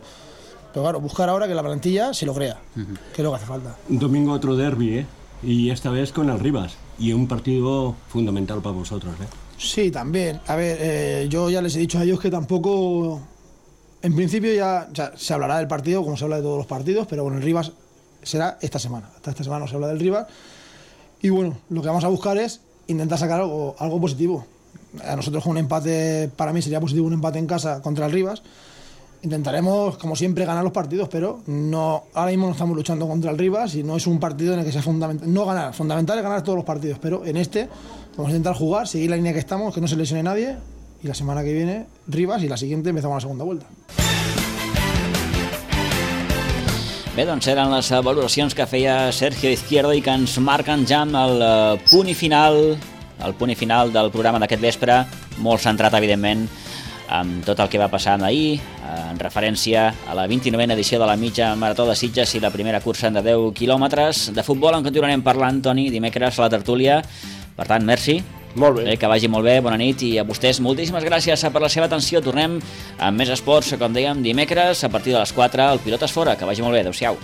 P: Pero claro, buscar ahora que la plantilla se lo crea, que es lo que hace falta.
J: Domingo otro derbi, y esta vez con el Rivas, y un partido fundamental para vosotros.
P: Sí, también. A ver, yo ya les he dicho a ellos que tampoco, en principio ya se hablará del partido, como se habla de todos los partidos, pero bueno, el Rivas será esta semana. Hasta esta semana no se habla del Rivas. Y bueno, lo que vamos a buscar es intentar sacar algo positivo. A nosotros con un empate, para mí sería positivo un empate en casa contra el Rivas. Intentaremos, como siempre, ganar los partidos, pero ahora mismo no estamos luchando contra el Rivas y no es un partido en el que sea fundamental. No ganar, fundamental es ganar todos los partidos, pero en este vamos a intentar jugar, seguir la línea que estamos, que no se lesione nadie, y la semana que viene Rivas y la siguiente empezamos la segunda vuelta.
A: Bé, doncs eren les valoracions que feia Sergio Izquierdo i que ens marquen ja amb el punt i final del programa d'aquest vespre, molt centrat, evidentment, amb tot el que va passar ahir, en referència a la 29a edició de la mitja marató de Sitges i la primera cursa de 10 quilòmetres. De futbol en continuarem parlant, Toni, dimecres a la tertúlia. Per tant, merci.
M: Molt bé.
A: Que vagi molt bé, bona nit, i a vostès moltíssimes gràcies per la seva atenció. Tornem amb més esports, com dèiem, dimecres a partir de les 4 al Pilotes Fora. Que vagi molt bé, adeu-siau.